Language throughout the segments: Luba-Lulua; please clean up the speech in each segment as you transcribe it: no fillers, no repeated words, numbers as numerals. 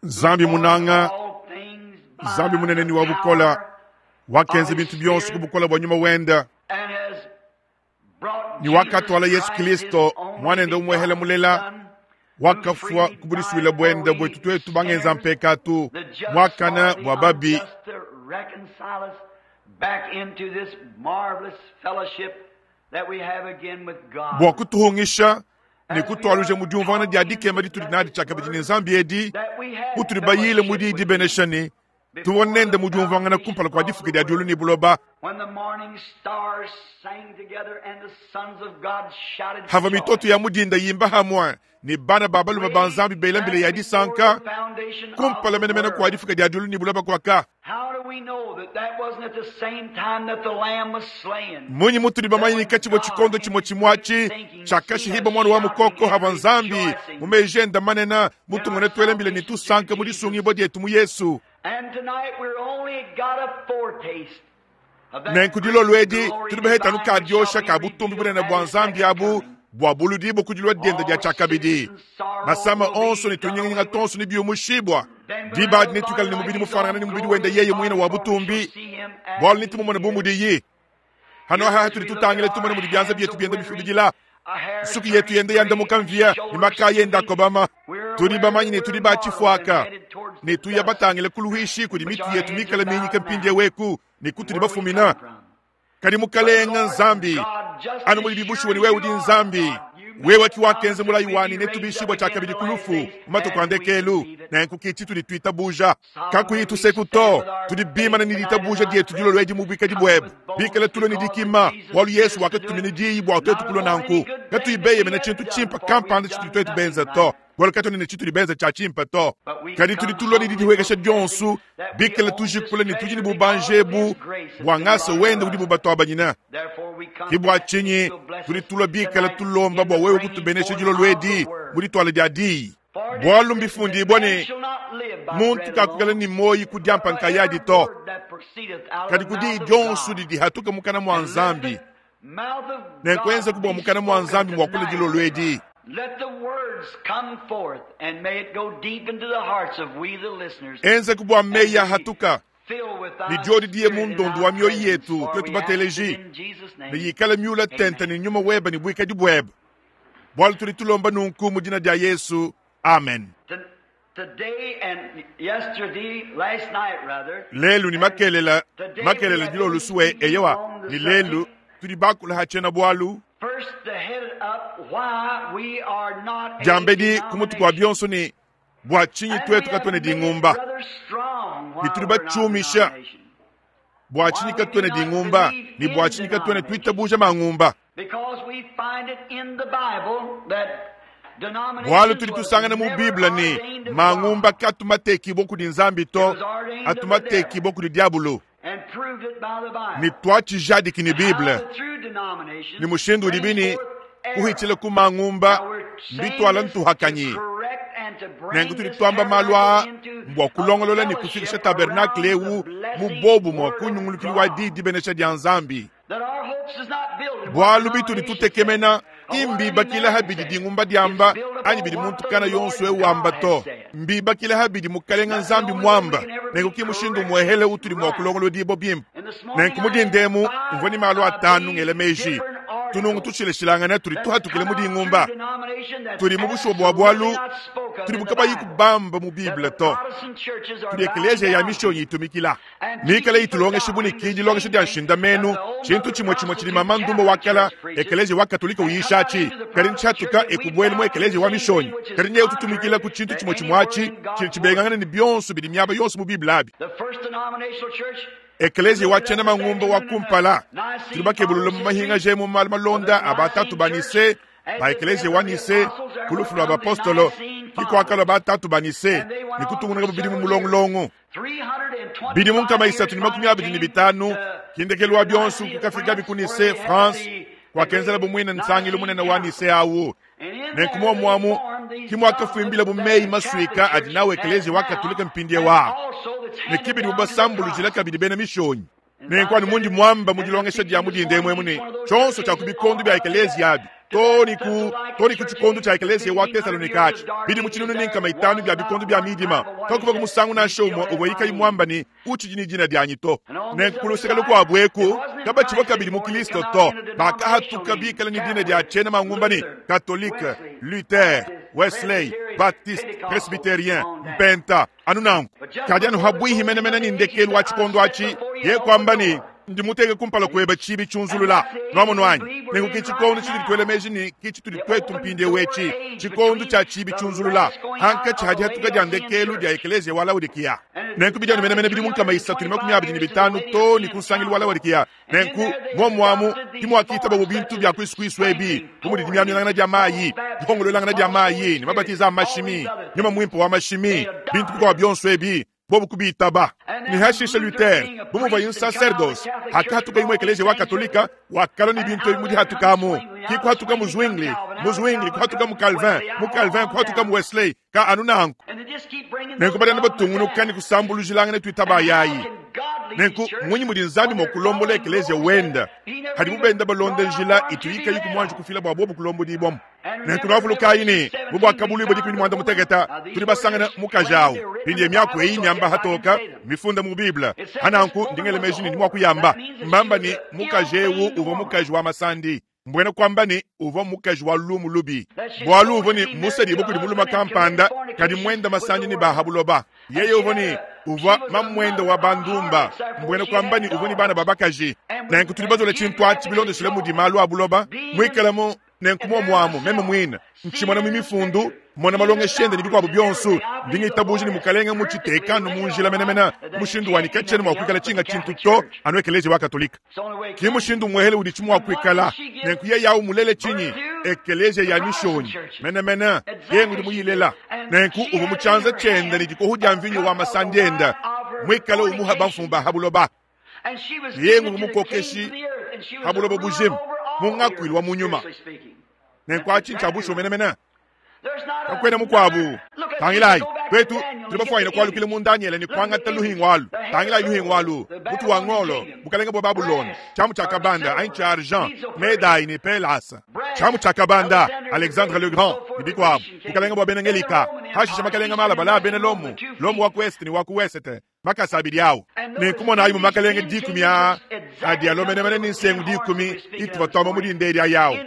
Nzambi munanga, Nzambi munene ne wa bukola, wakenza bintu bionso ku bukola bua nyuma wenda, ne wakatuala Yesu Kilisto muanende umuehela mulela, wakafua ku budisuile buende buetu tuetu bangenza mpekatu muakane bua babi. Bua kutuhungisha ne kutualuja mu diumvuangana dia dikema ditudi nadi tshiakabidi ne Nzambi edi, mutudi bayile mu diyi dibenesha ne tuvua nende mu diumvuangana kumpala kua difuka dia diulu ne buloba. Havua mitoto ya mu dinda yimba hamue ne bana ba balume ba Nzambi bela mbila ya disanka kumpala menemene kua difuka dia diulu ne buloba kuaka. Mmunyi mutudi bamanye ne katshivua tshikondo tshimue tshimue atshi tshiakashihibua muana wa mukoko havua Nzambi mu meji ende manene mutumone tuela mbila ne tusanka mu disungibua dietu mu Yesu? Nenku dilolo edi tudi baheta anu ka diosha ka butumbi bunene bua Nzambi abu bua buludibua ku dilua diende dia tshiakabidi. Masama onso ne tunyinganyinga tuonso nebiumushibua. Diba adi netuikale ne mubidi mufuanangane ne mubidi wende yeye muine wa butumbi, bualu netumumone bu mudiyi. Hano aha tudi tutangila tumone mudi bianza bietu bienda bifubidila, nsuki yetu yenda yandamuka mvia ne makaya enda akobama. Tudi bamanye ne tudi ba tshifuaka ne tuya batangile ku luishi kudi mitu yetu mikale minyike mpindieu eku ne kutudi bafumina. Kadi Mukalenga Nzambi, anu mudibi bushuwa ne wewe udi Nzambi, wewe ki wakenza mulayi wanyi ne tubishibua tshiakabidi ku lufu mu matuku a ndekelu. Nenku ki tshitudi tuitabuja kakuyi tuseku to. Tudi bimane ne ditabuja dietu dilolo edi mu buikadi buebe, bikale tulua ne dikima, bualu Yesu wakatutumina diyi bua tuetu kulua nanku, katuyi beyemena tshintu tshimpe kampanda tshitudi tuetu benza to, bualu katuena ne tshitudi benza tshia tshimpe to. Kadi tudi tulua ne didihuekesha dionso, bikale tujikula ne tudi ne bubanji ebu bua ngasa wende udibu batuabanyina. Ke bua tshinyi tudi tulua bikale tulomba bua wewe kutubenesha dilolo edi mu dituala dia diyi. Bualu mbifundibua ne, muntu kakuikala ne muoyi ku diampa nkayadi to, kadi ku diyi dionso didi dihatuka mukana mua Nzambi. Nenkuenzeku bua mukana mua Nzambi muakule dilolo edi. Enzeku bua meyi ahatuka ne diodi diye mu ndondo wa mioyo yetu tuetu bateleji, ne yikale miula tente ne nyuma webe ne buikadi buebe. Bualu tudi tulomba nunku mu dina dia Yesu. Amen. Lelu ne makelela, makelela dilolo sue, eyowa, ne lelu tudi bakula ha tshiena-bualu diambedi ku mutu kua bionso ne bua tshinyi tuetu katuena dingumba ne tudi batshiumisha bua tshinyi katuena dingumba ne bua tshinyi katuena tuitabuja mangumba. Bualu tudi tusangana mu Bible ne mangumba katu matekibua kudi Nzambi to, atu matekibua kudi diabolo. Ne tuatshijadiki ne Bible ne mushindu udibi ne kuhitshila ku mangumba mbituala ntuhakanyi. Nenku tudi tuamba malu aa mbua kulongolola ne kufikisha tabernakle eu mu bobumue ku nyungulukilu wa diyi dibenesha dia Nzambi. Bualu bitudi tutekemena ki mbibakila ha bidi dingumba diamba anyi bidi muntu kana yonso eu wamba to, mbibakila ha bidi Mukalenga Nzambi muamba. Nenku ki mushindu umuehele utudi mua kulongolodibua bimpe. Nenku mu dinda emu mvua ne malu atanu ngela meji tunungu tushilashilangane tudi tuhatukile mu dingumba. Tudi mu bushuwa bua bualu tudi kabayi kubamba mu Bible to, tudi ekeleziya ya mishonyi itumikila. Mikale itulongesha bu ne ki dilongesha dia nshindamenu, tshintu tshimue tshimue tshidi mama ndumba wa kala ekeleziya wa Katolika uyisha atshi, kadi ntshiatuka e kubuela mu ekeleziya wa mishonyi, kadi nyewu tutumikila ku tshintu tshimue tshimue atshi tshidi tshibengangana ne bionso bidi miaba yonso mu Bible abi. Ekeleziya wa tshiena mangumba wa kumpala tudi bakebulula mu mahingaja mu malu malonda a batatu ba Nicee ba ekeleziya wa Nicee ku lufu lua bapostolo ki kuakalua batatu ba Nicee ne kutungunuka bidimu mulongulongo. Bidimu 325 ki ndekelu wa bionso kukafikabi ku Nicee, France, kuakenzelabu muine nsangilu munene wa Nicee au. Nenku muomu amu ki muakafuimbilabu meyi masuika adi nawu Ekeleziya wa Katolike mpindieu aa, ne ki bidibu basambulujila kabidi bena Mishonyi. Nenku anu mundi muamba mu dilongesha dia mu dinda emu emu ne, tshionso tshia ku bikondo bia ekeleziya abi. Too ne ku, too ne ku tshikondo tshia ekeleziya wa Tesalonike atshi, bidimu 500 bia bikondo bia midima, kakuvua musangu nansha umue uvuaye kayi muamba ne, Utshidi ne dina dianyi to. Nenku ku luseke lukuabu eku, kabatshivua kabidi mu Kristo to, bakahatuka bikale ne dina dia tshiena mangumba ne, Katolike, Luther, Wesley, Baptiste, Presbyterien, Mpenta, anu nanku. Kadi anu habuihi menemene ne ndekelu wa tshikondo atshi, yeye kuamba ne, Ndi muteke kumpala kuebe tshibi tshiunzulula. Nwamonu anyi? Nenku ke tshikondo tshitudi tuela meji ne ke tshitudi tuetu mpindieu etshi, tshikondo tshia tshibi tshiunzulula, hankatshi ha dihatuka dia ndekelu dia ekeleziya wa Laodikiya. Nenku bidi anu menemene bidimu 325 too ne ku nsangilu wa Laodikiya. Nenku, muomu amu, ke muakitababo bintu bia kuisukuisu ebi, bu mudi dimiaminangana dia mayi, dipongoluelangana dia mayi, ne mabatiza a mashimi, nyuma muimpe wa mashimi, bintu bikuabu bionso ebi, bobu kubitaba. Ne hashishe Luther, bu muvuaye nsaserdose, hakahatukaye mu ekeleziya wa Katolika, wakalua ne bintu ebi mu dihatukamu. Ki kuhatuka mu Zwingli, mu Zwingli kuhatuka mu Calvin, mu Calvin kuhatuka mu Wesley, ka anu nanku. Nenku badi anu batungunuka ne kusambulujilangana tuitabayayi. Nenku mmunyi mudi Nzambi mua kulombola ekeleziya wende padibu benda balonda njila ituyi kayiku muanji kufila bua bobu kulombodibuamu? Nenku nuavulukayi ne, mu Buakabuluibua 18 tudi basangane mukaji au. Mpindieu miaku eyi miamba hatoka mifunda mu Bible. Pa nanku ndi ngela meji ne ndi mua kuyamba. Mbamba ne, mukaji eu uvua mukaji wa masandi. Mbuena kuamba ne, uvua mukaji wa lumu lubi, bualu uvua ne musedibue kudi mulume kampanda, kadi muende masandi ne ba ha buloba. Yeye uvua ne uvua mamuende wa bandumba, mbuena kuamba ne, uvua ne bana ba bakaji. Nenku tudi bazola tshintu atshi bilondeshile mudi malu a buloba muikale mu Nenku muomu amu, meme muine, ntshimona mu Mifundu, mmona malongesha ende ne bikuabu bionso, ndi ngitabuja ne Mukalenge mmutshiteke anu mu njila menemene, mushindu wa ne katshiena mua kuikala tshinga tshintu to, anu Ekeleziya wa Katolike. Ki mushindu umuehele uditshi mua kuikala. Nenku yeye awu mulele tshinyi? Ekeleziya ya Mishonyi menemene. Yeye ngudi muyilela. Nenku uvua mu tshianza tshiende ne dikohu dia mvinyo wa masandi ende, muikale umuha bamfumu ba ha buloba. Yeye nguvua mukokeshi ha buloba bujima mu ngakuilu wa mu nyuma. Nenku atshi ntshia bushuwa menemene. Kakuena mukuabu. Tangilayi, tuetu tudi bafuanyine kualukila mu Danyele ne kuangata luhingu alu. Tangilayi luhingu alu, mutu wa ngolo, bukalenge bua Babulona, tshiamu tshia kabanda anyi tshia argent, Medayi ne Pelasa, tshiamu tshia kabanda, Alexandre le Grand ne bikuabu, bukalenge bua bena Ngelika, pashishe makalenge malabale a bena Lomo, Lomo wa ku Est ne wa ku Ouest, makasa abidi awu. Nenku monayi mu makalenge dikumi aa adi alua menemene ne nsengu dikumi ituvua tuamba mu dinda edi ayi awu.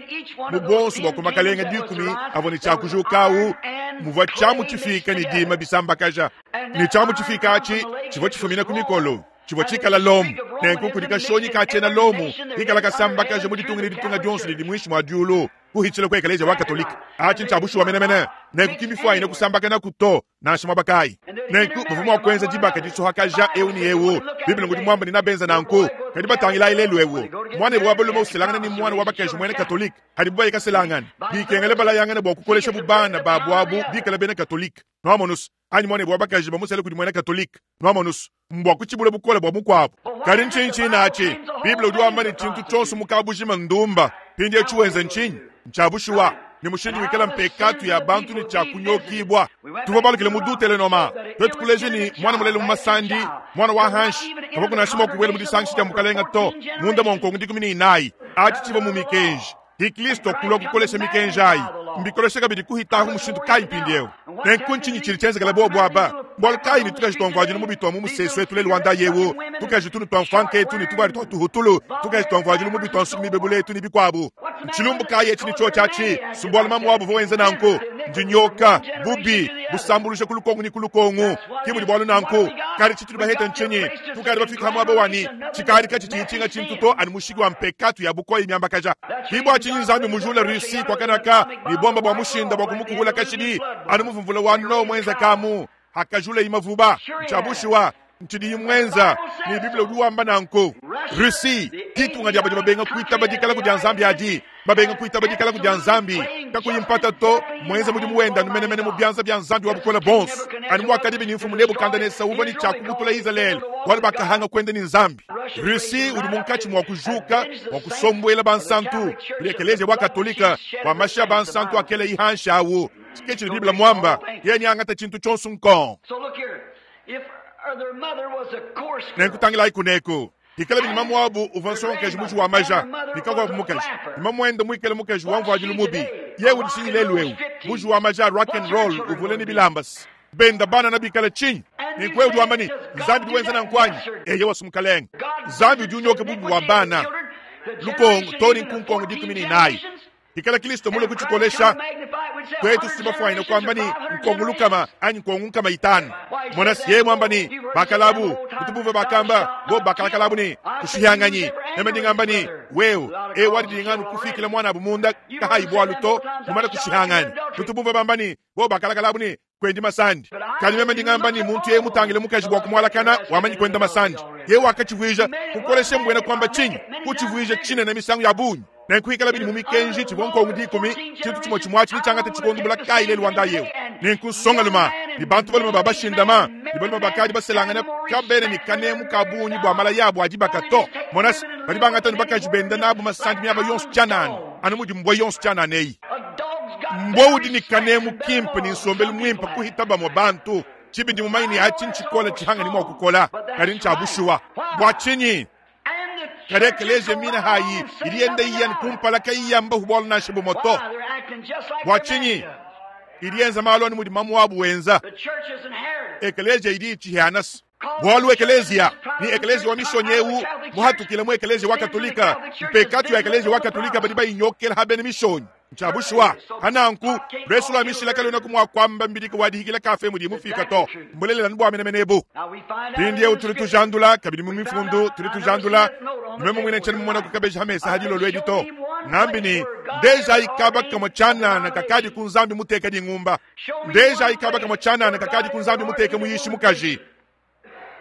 Mu buonso bua ku makalenge dikumi avua ne tshia kujuka awu muvua tshiamu tshifiike ne dima bisambakaja. Ne tshiamu tshifiike atshi tshivua tshifumina ku mikolo tshivua tshikala Lomo. Nenku kudi kashonyi ka tshiena Lomo kikala kasambakaja mu ditunga ne ditunga dionso didi muinshi mua diulu kuhitshila ku ekeleziya wa Katolike. Atshi ntshia bushuwa menemene. Nenku ki mifuanyine kusambakanaku to. nansha muaba kayi. Nenku bavua mua kuenza dibaka disuhakaja eu ne eu. Bible ngudi muambe ne nabenza nanku. Kadi batangilayi lelu eu, muanebe wa balume uselangana ne muana wa bakaji muena Katolike, hadibu baye kaselangana, bikengela balayangane bua kukoleshabu bana babu abu bikale bena Katolike. Nuamonus? Anyi muanebe wa bakaji bamusele kudi muena Katolike. Nuamonus? Mbua kutshibula bukole bua mukuabu. Kadi ntshinyi tshine atshi? Bible udi wamba ne, tshintu tshionso mu kabujima ndumba. Mpindieu tshiwenza ntshinyi? Ntshia bushuwa ne mushindu wikala mpekatu ya bantu ne tshia kunyokibua. Tuvua balukile mu Dutelenoma, tuetu kuleja ne, muana mulela mu masandi, muana wa hanshi, kavua nansha mua kubuela mu disangisha dia mukalenge to, munda mua nkongo 14. Atshi tshivua mu mikenji. Ki Kristo kulua kukolesha mikenji ayi, mbikolesha kabidi kuhitahu mushindu kayi mpindieu? Nenku ntshinyi tshidi tshienzekela bobu aba? Mbualu kayi ne tukaji tua mvuadilu mubi tua mu musesu etu lelu wa ndayi eu, tukaji tunu tua mfuanka etu ne tuvuadi tua tuhutulu, tukaji tua mvuadilu mubi tua nsuki mibebula etu ne bikuabu? Ntshilumbu kayi etshi ne tshiotshi atshi? Si mbualu mamu wabu uvua wenza nanku. Ndinyoka, bubi, busambuluja ku lukongu ne ku lukongu. Ke mudi bualu nanku. Kadi tshitudi bahete ntshinyi? Tukadi bafike ha muaba wa ne, tshikadi katshitshiyi tshinga tshintu to anu mushiki wa mpekatu ya bukoya miambakaja. Ke bua tshinyi Nzambi mujula Russie kuakanaka ne bomba bua mushinda bua kumukuhula kashidi anu muvua mvula wa Noa muenzekamu hakajulayi mavuba. Ntshia bushuwa ntshidiyi muenza, ne Bible udi wamba nanku. Russie, ditunga dia badi babenga kuitaba dikalaku dia Nzambi adi, babenga kuitaba dikalaku dia Nzambi, kakuyi mpata to, muenza mudimu wende anu menemene mu bianza bia Nzambi wa Bukole Buonso, anu muakadibi ne Mfumu Nebukadenesa uvua ne tshia kubutula Izalele bualu bakahanga kuenda ne Nzambi. Russie udi munkatshi mua kujuka bua kusombuela bansantu kudi Ekeleziya wa Katolika bua mashi a bansantu akelayi hanshi awu. Ke tshidi Bible muamba, yeye neangate tshintu tshionso nkong. Nenku tangilayi kuneku. Pikalabi ne mamuabu uvua nsongakaji muji wa maja, ne kakuabu mukaji, ne mamuende muikale mukaji wa mvuadilu mubi, yeye udi tshinyi lelu'eu? Muji wa maja a rock and roll uvule ne bilamba. Benda bana bikale tshinyi? Nenku wewe udi wamba ne, Nzambi udi wenza nanku anyi? Eyowa, Mukalenge. Nzambi udi unyoka bubi bua bana lukongo too ne nkunkongo 14. Ikala Kristo mulue kutshikolesha, tuetu si bafuanyine kuamba ne nkongo lukama anyi nkongo 500. Mona yeye muamba ne bakalabu kutu bakamba bo bakalakalabu ne kushihanganyi. Meme ndi ngamba ne wewe e wadidinganu kufikila mwana abu munda kahayi bwalu to mumana kushihangani. Kutu bumva bamba ne bo bakalakalabu ne kwendi masandi. Kadi meme ndi ngamba ne muntu yeye mutangile mukaji bwa kumwalakana wamanyi kwenda masandi. Yeye wakachivwija kukolesha mbwena kwamba chinyi kuchivwija chinene misangu ya bunyi. Nenkuikala bili mu mikenji tshivua nkongo 10 tshintu tshimue tshimue atshi tshikondu bula kayi lelu wanda yewu. Nenkusongaluma ni bantu balume babashindama ni balume bakadi baselangana kabene ni kanemu ka bunyi bwa mala yabo adi bakato. Monasi badi bangata ni bakaji benda nabu masandi miaba yonso tshianana anu mudi mbwa yonso tshianana eyi. Mbwa udi ni kanemu kimpe ni nsombelu mwimpe kuhita bamwe bantu. Tshibindi mumanyi ni atshi ntshikola tshihanga ni mwa kukola kadi ntshia bwa tshinyi. Kadi ekeleziya mina hayi idi yenda iyani kumpala kayiyamba hubwalo nansha bumoto. Bwa tshinyi idi yenza malu anu mudi mamu wabu wenza. Ekeleziya idi itshihanasa. Bwalu ekeleziya ni ekeleziya wa mishonyi ewu muhatukile mu ekeleziya wa katolika. Mpekatu ya ekeleziya wa katolika badi bayinyokela habene mishonyi. Nchabushwa hananku resu la mishila kalona kumwa kwamba mbidika wadihikila kafe mudi mufika to mbulelela nbwa menemenebu. Pindi eu tuli tujandula kabidi mu mifundu tuli tujandula nimeme mwine nchani mumona kukabeja hamesa hadilo lwedi to ngambi ni ndeja ikaba kama chanana kakadi kunzambi muteka dingumba. Ndeja ikaba kama chanana kakadi kunzambi muteka muyishi mukaji.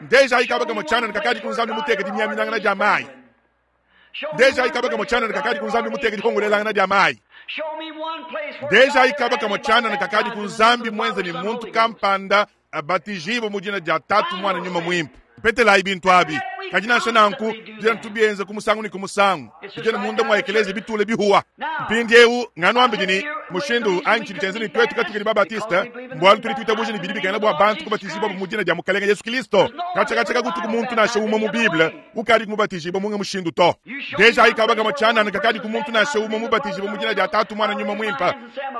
Ndeja ikaba kama chanana kakadi kunzambi muteka dimyaminangana jamai. Ndeja ikaba kama chanana kakadi kunzambi muteka dikongolelangana jamai. Ndeja ikaba kama chanana kakadi kunzambi mwenza ni muntu kampanda abatijibo mujina ja tatu mwana nyuma mwimpe. Petela ibintu abi. Kajina shananku jina tubienza kumusangu ni kumusangu. Jina munda mwa ekelezi bitule bihuwa. Mpindi eu ngano ambidini mushindu anchi ditenze ni twetu katika ni babatista mbwalu tuli tuita bujini bidibi kana bwa bantu kubatizibwa mu jina ja mukalenga Yesu Kristo. Kacha kacha kagutu kumuntu na shuma mu Biblia ukali kumubatizibwa munga mushindu to. Deja ikaba kama chana na kakadi kumuntu na shuma mu batizibwa mu jina ja tatu mwana nyuma mwimpa.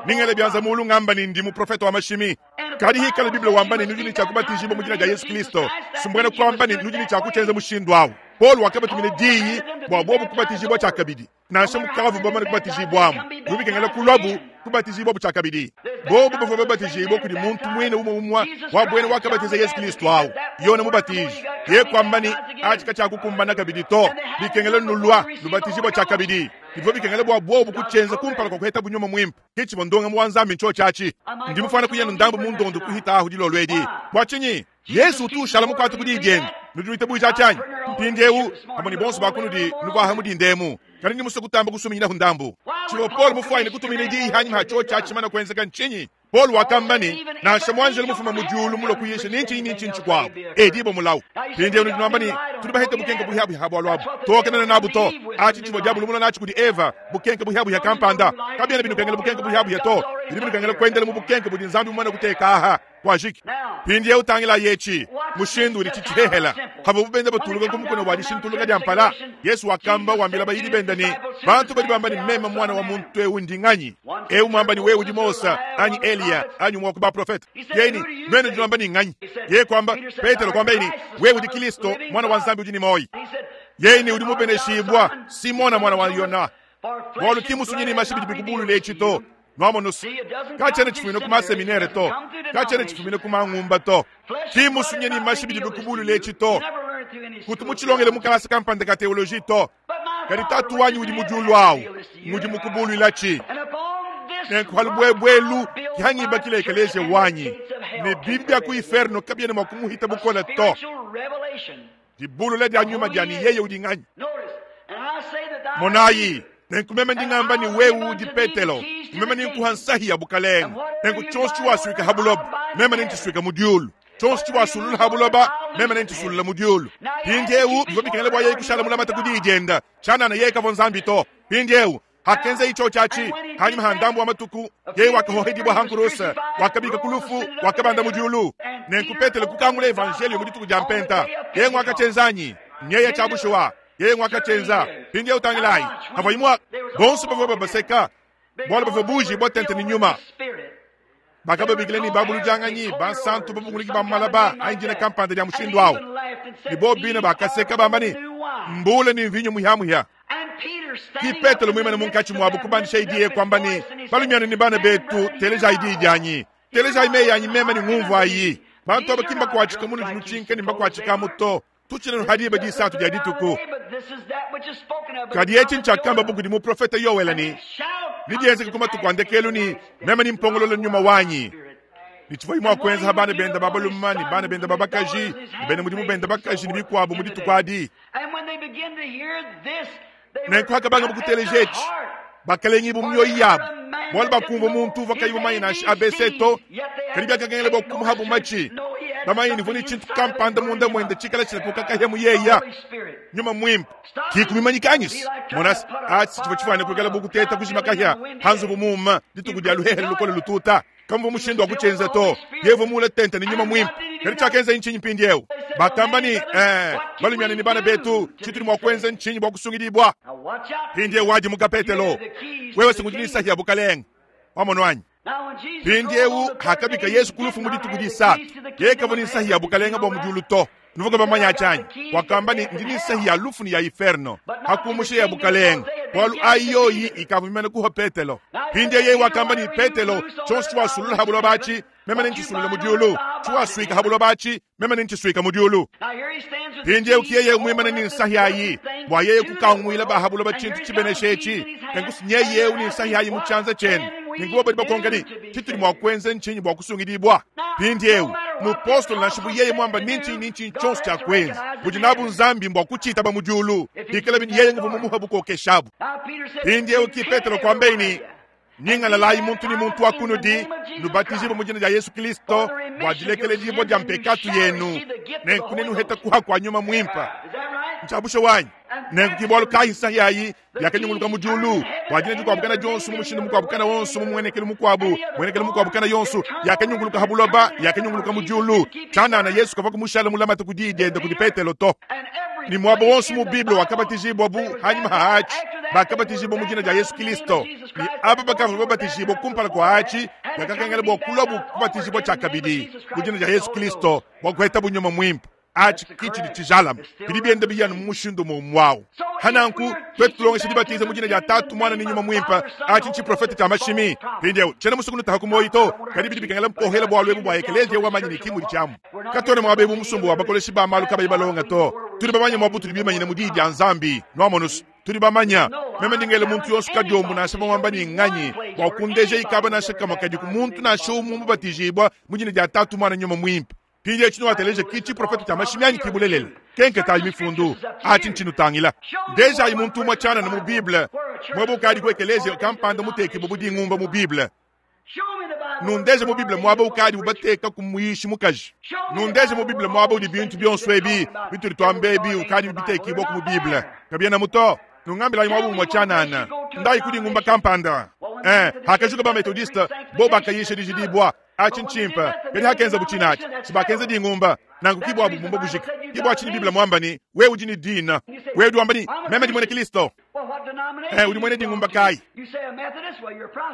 Ningele byanza mulu ngamba ni ndi mu profeta wa mashimi. Kadi hikala Biblia wamba ni nujini cha kubatizibwa mu jina ja Yesu Kristo. Sumbwana kwamba ni nujini cha kuchenza mushindu awo. Paul wakabatumile diyi bwa bobu kubatizibwa chakabidi. Nansha mukavu bamane kubatizibwamu. Mubikengela kulwabu kubatizibwa buchakabidi. Bobu bavua babatizibwa kudi muntu mwine umwe umwa wa bwene wakabatiza Yesu Kristo awo. Yona mubatiji. Ye kwamba ni achika cha kukumbana kabidi to. Bikengela nulwa lubatizibwa chakabidi. Ivyo bikengela bwa bobu kuchenza kumpala kwa kuheta bunyoma mwimpe. Kichi bondonga mwanzambi ncho chachi. Ndi mufana kuyena ndambu mundondo kuhita ahu dilolwedi. Bwa chinyi Yesu tu shalamu kwatu kudi jeni. Nuduite buja chanyi. Mpindi eu amoni bonso bakunudi nubwa hamudi ndemu. Kali ni muso kutamba kusuminyira hundambu. Chiwo Paul mufwaine kutumina idi hanyi hacho chachi mana kwenzeka nchinyi. Paul wakambani na shamwanjele mufuma mujulu mulo kuyesha ninchi ninchi nchi kwao. Edibo mulau. Pindi eu nubambani tulibahete bukenke buhyabu habwa lwabu. Tokana na nabu to. Achi chiwo diabulu mulo nachi kudi Eva bukenke buhyabu ya kampanda. Kabiyana binu kengele bukenke buhyabu ya to. Binu kengele kwendele mu bukenke budi nzambi mwana kuteka aha. Kwajiki. Pindi eu tangila yechi mushindu ni chichihela. Habo bubenda batuluka kumukono wa dishintuluka jampala. Yesu wakamba wambila bayidi benda ni bantu bali bamba ni mema mwana wa muntu eu ndinganyi. Eu mwamba ni wewe Mosa anyi Elia anyi mwa kuba profeta. Yeni mwene mwamba ni nganyi. Ye kwamba Petro kwamba ni wewe ndi Kristo mwana wa Nzambi udi ni moi. Yeni udi mubeneshibwa Simona mwana wa Yona. Bwalu kimusunyini mashibidi bikubulu lechito. Nwamonusu. Kachene chifumine kuma seminere to. Kachene chifumine kuma ngumba to. Kimusunyeni mashibidi bikubulu lechito. Kutumuchilongele mukalasa kampande ka teoloji to. Kadi tatu wanyu udi mujulu awu. Mudi mukubulu ilachi. Nenkuhalubwebwelu kihangi bakile ekeleje wanyi. Ne Biblia ku inferno kabiene makumuhita bukola to. Dibulu le dia nyuma dia ni yeye udi nganyi. Monayi. Nenkumeme ndingamba ni wewe udi Petelo. Meme ni nkuhansahi ya bukalenga. Nenku chonsi waswika habuloba. Meme ni ntiswika mudiulu. Chonsi wasulula habuloba. Meme ni ntisulula mudiulu. Pindi eu bivyo bikengele bwa yeye kushala mulamata kudi ijenda. Chana na yeye kavonzambi to. Pindi eu hakenze icho chachi hanyuma handambu wa matuku yeye wakahohedibwa hankurusa wakabika kulufu wakabanda mudiulu. Nenku Petelo kukangula evangelio mudituku jampenta. Yeye ngwakachenzanyi. Nyeya tshia bushuwa, yeye ngwakatshienza. Mpindieu tangilayi, havua imua bonso bavua babaseka bualu bavua buujibua tente ne nyuma. Bakababikila ne babuludianganyi, bansantu, babunguluki ba malaba anyi dina kampanda dia mushindu au. Ne bobu bine bakaseka bamba ne, Mbuule ne mvinyo muhiamuhia. Ki Petelo muimane munkatshi muabu kubandisha diyi kuamba ne, Balumiana ne bana betu, telejayi diyi dianyi. Telejayi meyi anyi meme ne ngumvuayi. Bantu aba ki mbakuatshika munudi nutshinka ne mbakuatshikamu to. Tutshina ha diba disatu dia dituku. Kadi etshi ntshiakambabu kudi muprofete Yoele ne, Nebienzeke ku matuku a ndekelu ne, meme nempongolole nyuma wanyi. Ne tshivuaye mua kuenza ha bana bende ba balume ne bana bende ba bakaji ne bena mudimu bende bakaji ne bikuabu mu dituku adi. Nenku hakabangabu kuteleja etshi, bakalengibua mu mioyo yabu, bualu bakumvua muntu uvua kayi mumanye nansha ABC to, kadi biakakengela bua kumuhabu matshi, bamanye ne uvua ne tshintu kampanda munda muende tshikala tshilakuka kahia mu yeya, Nyuma Muimpe. Ki kumimanyika anyi? Mona se, atshi tshivua tshifuane kuikala bu kuteta kujima kahia ha nzubu muuma dituku dia luhehele lukole lututa. Kamuvua mushindu wa kutshienza to. Yeye uvua muule tente ne Nyuma Muimpe. Kadi tshiakenzaye ntshinyi mpindieu? Bakamba ne, Ee, balumiana ne bana betu, tshitudi mua kuenza ntshinyi bua kusungidibua? Mpindieu wadimuka, Petelo, wewe se ngudi ne nsahi ya bukalenge. Wamonu anyi? Mpindieu hakabika Yesu ku lufu mu dituku disatu, yeye kavua ne nsahi ya bukalenge bua mu diulu to. Nuvua bamanye atshi anyi? Wakamba ne, Ndi ne nsahi ya lufu ne ya iferno, hakumusha ya bukalenge, bualu ayi yoyi ikavua mimane kuha Petelo. Mpindieu yeye wakamba ne, Petelo, tshionso tshiwasulula ha buloba atshi, meme nentshisuilule mu diulu, tshiwasuika ha buloba atshi, meme nentshisuika mu diulu. Mpindieu ki yeye muimane ne nsahi ayi bua yeye kukanguila ba ha buloba tshintu tshibenesha etshi. Nenku nyeye eu ne nsahi ayi mu tshianza tshiende. Nenku bobo badi bakonka ne, Tshitudi mua kuenza ntshinyi bua kusungidibua? Mpindieu, mupostolo nansha bu yeye muamba ni ntshinyi ni ntshinyi tshionso tshia kuenza, budi nabu Nzambi mbua kutshitaba mu diulu, bikalabi ne yeye nguvua mumuhe bukokeshi abu. Mpindieu ki Petelo kuambaye ne, Nyingalalayi muntu ne muntu wa kunudi, nubatijibue mu dina dia Yesu Kristo bua dilekeledibua dia mpekatu yenu, nenku nenuhete kuha kua Nyuma Muimpe. Ntshia bushuwa anyi? Nenku ki bualu kayi nsahi ayi yakanyunguluka mu diulu bua dina dikuabu kana dionso mu mushindu mukuabu kana wonso mu muenekelu mukuabu muenekelu mukuabu kana yonso yakanyunguluka ha buloba, yakanyunguluka mu diulu. Tshianana Yesu kavua kumushala mulamate ku diyi diende kudi Petelo to. Ne muaba wonso mu Bible wakabatijibua bu hanyima ha atshi, bakabatijibua mu dina dia Yesu Kristo. Ne aba bakavua babatijibua kumpala kua atshi bakakengela bua kuluabu kubatijibua tshiakabidi mu dina dia Yesu Kristo bua kuhetabu Nyuma Muimpe. Atshi ki tshidi tshijalame, bidi bienda biya anu mu mushindu umue umue au. Ha nanku, tuetu tulongesha dibatiza mu dina dia Tatu, Muana ne Nyuma Muimpe, atshi ntshiprofete tshia mashimi. Mpindieu, tshiena musue kunutaha ku muoyo to, kadi bidi bikengela mpohela bualu ebu bua ekeleziya wamanya ne ki mudi tshiamu. Katuena muaba eu musumba wa bakoleshi ba malu kabayi balonga to. Tudi bamanye muaba utudi bimanyine mu Diyi dia Nzambi. Nuamonu's, tudi bamanya. Meme ndi ngela muntu yonso kadiombo nansha bamuamba ne nganyi, bua kundeja ikaba nansha kamue kadiku muntu nansha umue mubatijibua mu dina dia Tatu, Muana, Nyuma Muimpe. Mpindieu tshinuateleja ki tshiprofete tshia mashimi anyi ki bulelela? Kenketayi mifundu, atshi ntshinutangila. Ndejayi muntu umue tshianana mu Bible muaba ukadi ku ekeleziya kampanda mutekibue bu dingumba mu Bible. Nundeje mu Bible muaba ukadibu batekaku muyishi mukaji. Nundeje mu Bible muaba udi bintu bionso ebi bitudi tuamba ebi ukadibi bitekibua mu Bible. Kabienamu to. Nungambilayi muaba umue tshianana. Ndayi ku dingumba kampanda. Eh, hakajuka ba Methodiste, bo bakayisha dijidibua. Atshi ntshimpe. Kadi hakenzabu tshine atshi, si bakenza dingumba. Nanku ki buabu bumba bujika. Ki bua tshinyi Bible muamba ne, Wewe udi ne dina. Wewe udi wamba ne, Meme ndi muena Kristo. Eh, udi muena dingumba kayi?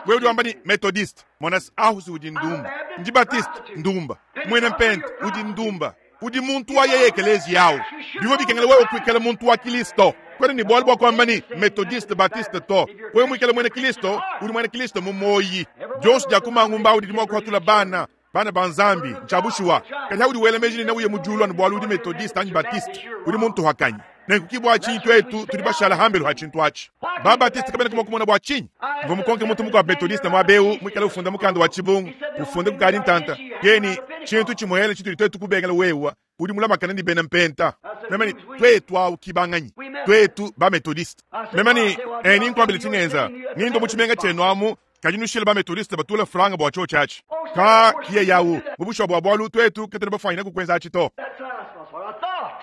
Wewe udi wamba ne, Methodiste. Mona se, ahu si udi ndumba. Ndi Baptiste, ndumba. Muena Mpente, udi ndumba. Udi muntu wa yeye ekeleziya awu. Bivua bikengela wewe kuikala muntu wa Kristo. Kuena ne bualu bua kuamba ne, Methodiste, Baptiste to. Wewe muikale muena Kristo, udi muena Kristo mu muoyi. Dionso dia ku mangumba awu didi mua kuhatula bana, bana ba Nzambi. Ntshia bushuwa. Kadi haudi wela meji ne neuye mu diulu anu bualu udi Methodiste anyi Baptiste, udi muntuhakanyi. Nenku ki bua tshinyi tuetu tudi bashala hambelu ha tshintu atshi. Ba Baptiste kabena mua kumona bua tshinyi. Mvua mukonke muntu mukuabu Methodiste muaba eu muikale ufunda mukanda wa tshibungu, ufunde kukadi ntanta. Yeye ne, tshintu tshimuele tshitudi tuetu kubengela wewa udi mulamakane ne bena mpenta. Meme ne, tuetu awu ki banganyi? Tuetu ba Methodiste. Meme ne, eh, ninkuambile tshingenza. Ngindua mu tshimenga tshienu amu, kadi nushile ba Methodiste batula franga bua tshiotshi atshi. Ka, ki yeye awu. Mu bushuwa bua bualu tuetu katuena bafuanyine kukwenza atshi to.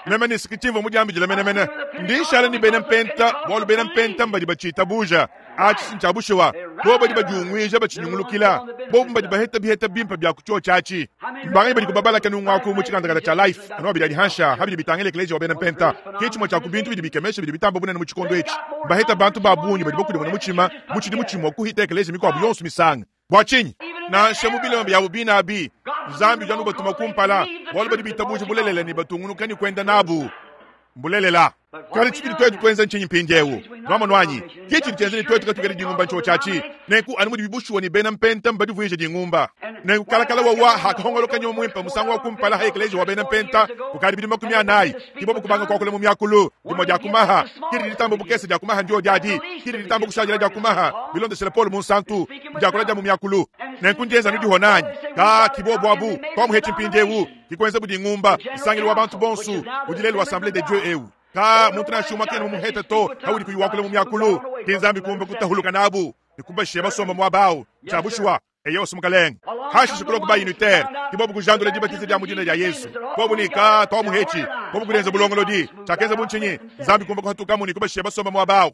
Meme ne, Tshimvua mudiambidile menemene. Ndi nshala ne bena mpenta bualu bena mpenta mbadi batshitabuja. Atshi si ntshia bushuwa. Bobu badi badiunguija batshinyungulukila. Bobu mbadi baheta biheta bimpe bia ku tshiotshi atshi. Mbanganyi badi kubabala kanungu aku mu tshikandakanda tshia Life anu abidi adi hanshi aha bidi bitangila ekeleziya wa bena Mpenta. Ke tshimue tshia ku bintu bidi bikemesha bidi bitamba bunene mu tshikondo etshi. Mbaheta bantu ba bungi badi bakudimuna mutshima mu tshidimu tshimue kuhita ekeleziya mikuabu yonso misanga. Bua tshinyi? Nansha mu bilema biabu bine abi, Nzambi udi anu ubatuma kumpala, bualu badi bitabuja bulelela ne batungunuka ne kuenda nabu. Mbulelela. Kadi tshitudi tuetu tuenza ntshinyi mpindieu? Nuamonu anyi? Ke tshidi tshienza ne tuetu katuikadi dingumba ntshiotshi atshi. Nenku anu mudibi bushuwa ne bena Mpenta mbadivuije dingumba. Nenku kalakala wawa hakahongoloka Nyuma Muimpe musangu wa kumpala ha ekeleziya wa bena Mpenta kukadi bidimu 40, ke bobu kubanga kuakula mu miakulu. Dimue dia ku maha, ke didi ditamba bukese dia ku maha ndiodi adi, ke didi ditamba kushadila dia ku maha, bilondeshile Paulo Munsantu, ndiakula dia mu miakulu. Nenku ndienza anu dihona anyi? Ka, ki bobu abu, tuamuhetshi mpindieu. Ke kuenza budi ngumba, nsangilu wa bantu bonsu, udi lelu Assemblee de Dieu eu. Ka, muntu nansha umue kena mumuhete to, haudi kuyi wakula mu miakulu. Ke Nzambi kumba kutahuluka nabu, ne kubashiya basomba muaba au. Ntshia bushuwa. Eyo si mukalenge. Hashishe kulua ku ba unitaire, ke bobu kujandula dibatiza dia mu dina dia Yesu. Bobu ne ka, tuamuhetshi. Bobu kudienza bulongolodi. Tshiakenza bu ntshinyi? Nzambi kumba kuhatukamu ne kubashiya basomba muaba au.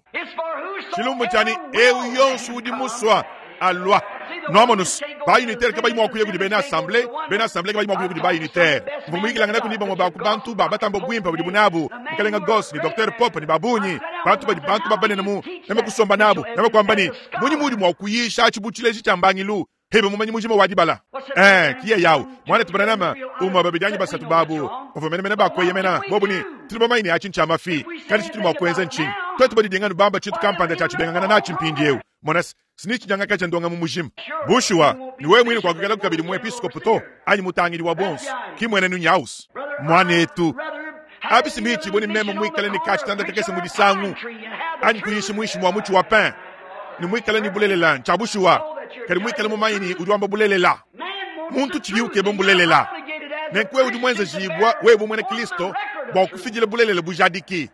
Tshilumbu ntshia ne, eu yonsu udi musua, alua. Nuamonus, ba unitaire kabayi mua kuya kudi bena assemblee, bena assemblee kabayi mua kuya kudi ba unitaire. Mvua muyikilanganaku ne bamue ba ku bantu ba batamba buimpe budibu nabu, Mukalenga Goss ne Docteur Pope ne ba bungi, bantu badi bantu ba banene mu, meme kusomba nabu, meme kuamba ne, Mmunyi muudi mua kuyisha atshi bu tshileji tshia mbangilu? Hebe mumanyi mujima wa dibala. Eh, ki yeye au. Muanetu Branham, umue, babidi anyi basatu babu, bavua menemene ba kueyemena, bobu ne, Tudi bamanye ne atshi ntshia mafi, kadi tshitudi mua kuenza ntshinyi? Tuetu badidinga anu bamba tshintu kampanda tshia tshibengangana natshi mpindieu. Mona se, sinitshinyangakaja ndongamu mujima. Bushuwa, ne wewe muine kuakuikalaku kabidi muepiskopo to, anyi mutangidi wa bonso. Ki mmuenenu nyaus. Muanetu, abi si mbiitshibue ne meme muikale ne ka-tshitanda kakese mu disangu, anyi kuyisha muinshi mua mutshi wa pin, ne muikale ne bulelela, ntshia bushuwa, kadi muikale mumanye ne udi wamba bulelela. Muntu tshibi ukeba mbulelela. Nenku wewe udi muenzejibua, wewe bu muena Kristo, bua kufidila bulelela bujadiki.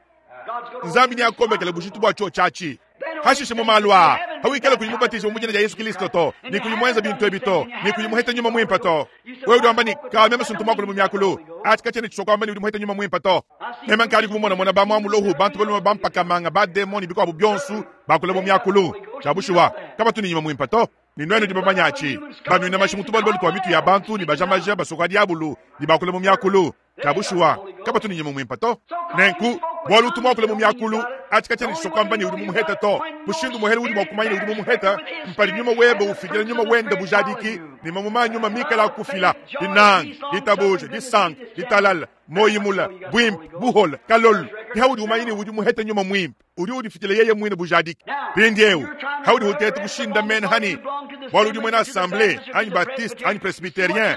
Nzambi neakombekele bujitu bua tshiotshi atshi. Hashishe mu malu aa, hawikala kuyi mubatijibue mu dina dia Yesu Kilisto to, ne kuyi muenza bintu ebi to, ne kuyi muhete Nyuma Muimpe to. Wewe udi wamba ne, Ka meme sintu muakule mu miakulu. Atshi katshiena tshisua kuamba ne udi muhete Nyuma Muimpe to. Meme nkadi kumumonamona ba muamulohu, bantu balume ba mpakamanga, ba demon ne bikuabu bionso bakula mu miakulu. Tshia bushuwa, kabatu ne Nyuma Muimpe to. Ne nuenu nudi bamanye atshi. Banuina mashi mu tubalubalu tua mitu ya bantu ne baja maja basoka diabulu ne bakula mu miakulu. Tshia bushuwa, kabatu ne nyuma muimpe to. Nenku, bualu utu muakule mu miakulu, atshi katshiena tshisua kuamba ne udi mumuhete to. Mushindu muhele udi mua kumanya ne udi mumuhete mpadi nyuma webe ufidila nyuma wende bujadiki ne mamuma a nyuma mikale akufila, dinanga, ditabuja, disanka, ditalala, muoyo mule, buimpe, buhole, kalolo. Ke haudi umanya ne udi muhete nyuma muimpe. Udi udifidila yeye muine bujadiki. Mpindieu, haudi uteta kushindamena hani bualu udi muena assemblee anyi baptiste anyi presbyterien,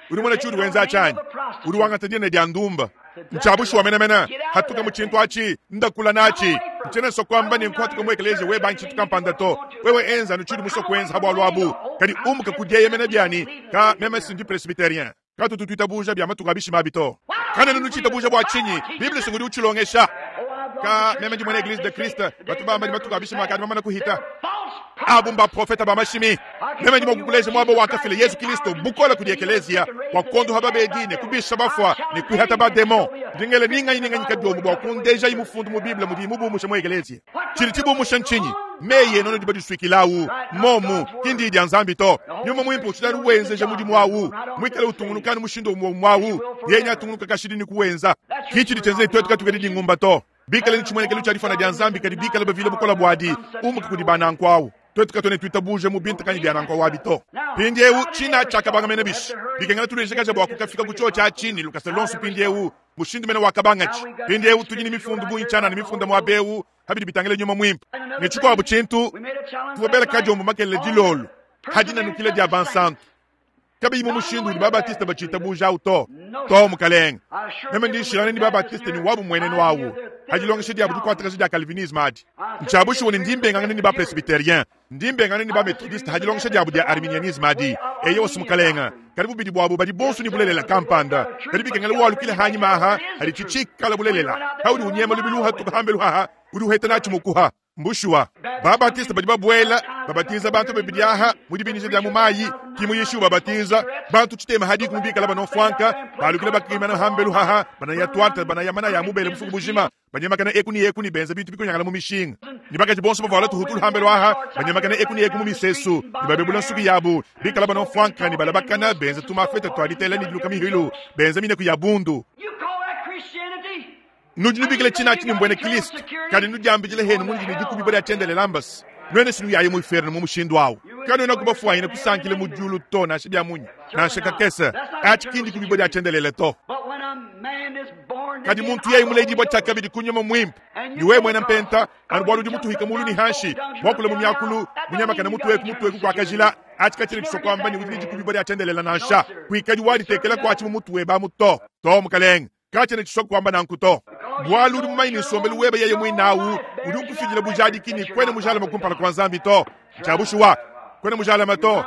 udi muena tshiudi wenza atshi anyi? Udi wangata dina dia ndumba. Ntshia bushuwa menemene. Hatuka mu tshintu atshi, ndakula natshi. Ntshiena nsua kuamba ne nkuhatuka mu ekeleziya webe anyi tshintu kampanda to. Wewe enza anu tshiudi musue kuenza ha bualu abu. Kadi umuka ku dieyemena bianyi, ka meme si ndi presbyterien. Katutu tuitabuja bia matuku a bishima abi to. Kanuena nutshitabuja bua tshinyi? Bible si ngudi utshilongesha. Ka meme ndi muena Eglise de Christ, batu bamba ne matuku a bishima akadi mamana kuhita. Abu mbaprofeta ba mashimi. Meme ndi mua kukuleja muaba wakafila Yezu Kilisto bukole kudi ekeleziya bua kuondoha babedi ne kubisha bafua ne kuihata bademon. Ndi ngela ni nganyi ni nganyi kadiombo bua kundejayi mufundu mu Bible mudiyi mubumushe mu ekeleziya. Tshidi tshibumusha ntshinyi? Meyi enu anudi badisuikilawu momu ki ndiyi dia Nzambi to. Nyuma Muimpe utshidi anu wenzeja mudimu awu, muikale utungunuka anu mushindu umue umue awu, yeye neatungunuka kashidi ne kuwenza. Ki tshidi tshienza ne tuetu katuikadi dingumba to, bikale ne tshimuenekelu tshia difuana dia Nzambi kadi bikale bavile bukole buadi. Umuka kudi ba nanku awu. Tuetu katuena tuitabuja mu bintu kanyi bia nanku awu abi to. Mpindiewu tshina tshiakabanga mene bishi? Bikengela tulejakaja bua kukafika ku tshiotshi atshi ne lukasa luonso mpindiewu, mushindu mene wakabangatshi. Mpindiewu tudi ne mifundu bungi tshianana mifunda muaba eu pa bidi bitangila nyuma muimpe. Ne tshikuabu tshintu, tuvua bela kadiombo makelela dilolo ha dinanukila dia bansantu, kabiyi mu mushindu udi ba-Baptiste batshitabuja au to. To, mukalenge. Meme ndi nshilangana ne ba-Baptiste ne wabu mmuenenu au ha dilongesha diabu dikuatakaja dia Calvinisme adi. Ntshia bushuwa ne ndi mbengangana ne ba-Presbyterien, ndi mbengangana ne ba-Methodiste ha dilongesha diabu dia Arminianisme adi. Eyowa, mukalenge. Kadi bubidi buabu badi bonso ne bulelela kampanda. Kadi bikengela walukile hanyima aha, hadi tshitshikala bulelela. Haudi unyema lubilu uhatuka hambelu haha, udi uheta natshi mukuha. Mbushuwa, ba-Baptiste badi babuela, babatiza bantu babidi aha mu dibinija dia mu mayi, ki muyishi ubabatiza bantu tshitema ha dikumi bikala banofwanka, balukila bakimana hambelu haha, banaya twarte, banaya mana ya mubele bufuku bujima, banyemakana eku ni eku ni benza bintu bikonyangala mu mishinga. Ni bakaji bonso bavuala tuhutulu hambelu aha, banyemakana eku ni eku mu misesu, ni babebula nsuki yabu, bikala banofwanka ni balabakana, benza tumafeta tua ditela ni diluka mihilu, benza mineku ya bundu. You call that Christianity? Nudi nubikila tshina tshini mbwene Kristo, kadi nudiambidile henu munudi ne dikubibwa dia tshiendelele ambasi. Nuene sinu yaye mu inferno mu mushindu awu. Kanuena kubafuanyine kusankila mu diulu to, nansha bia munyi, nansha kakese. Atshi ki ndikubibwa dia tshiendelele to. But when a man is born Kadi again, muntu yeye muledibwa tshiakabidi kunyuma mwimpe, ni wewe mwena mpenta, anu bwalu udi mutuhika mulu ni hanshi, mwakula mu myakulu, munyamakana mutueku mutueku kwa kajila, atshi katshile tshisokwamba ni udi ne dikubibwa dia tshiendelele nansha. Kuikadi waditekela kwatshi mu mutu weba amu to. To mukalenge, katshene tshisokwamba nanku to. Bwalu udi mumanyi ni nsombelu webe yeye mwinawu, udi ukufidila bujadiki ni kwene mujalama kumpala kwa Nzambi to. Tshiabushuwa, kwene mujalama to.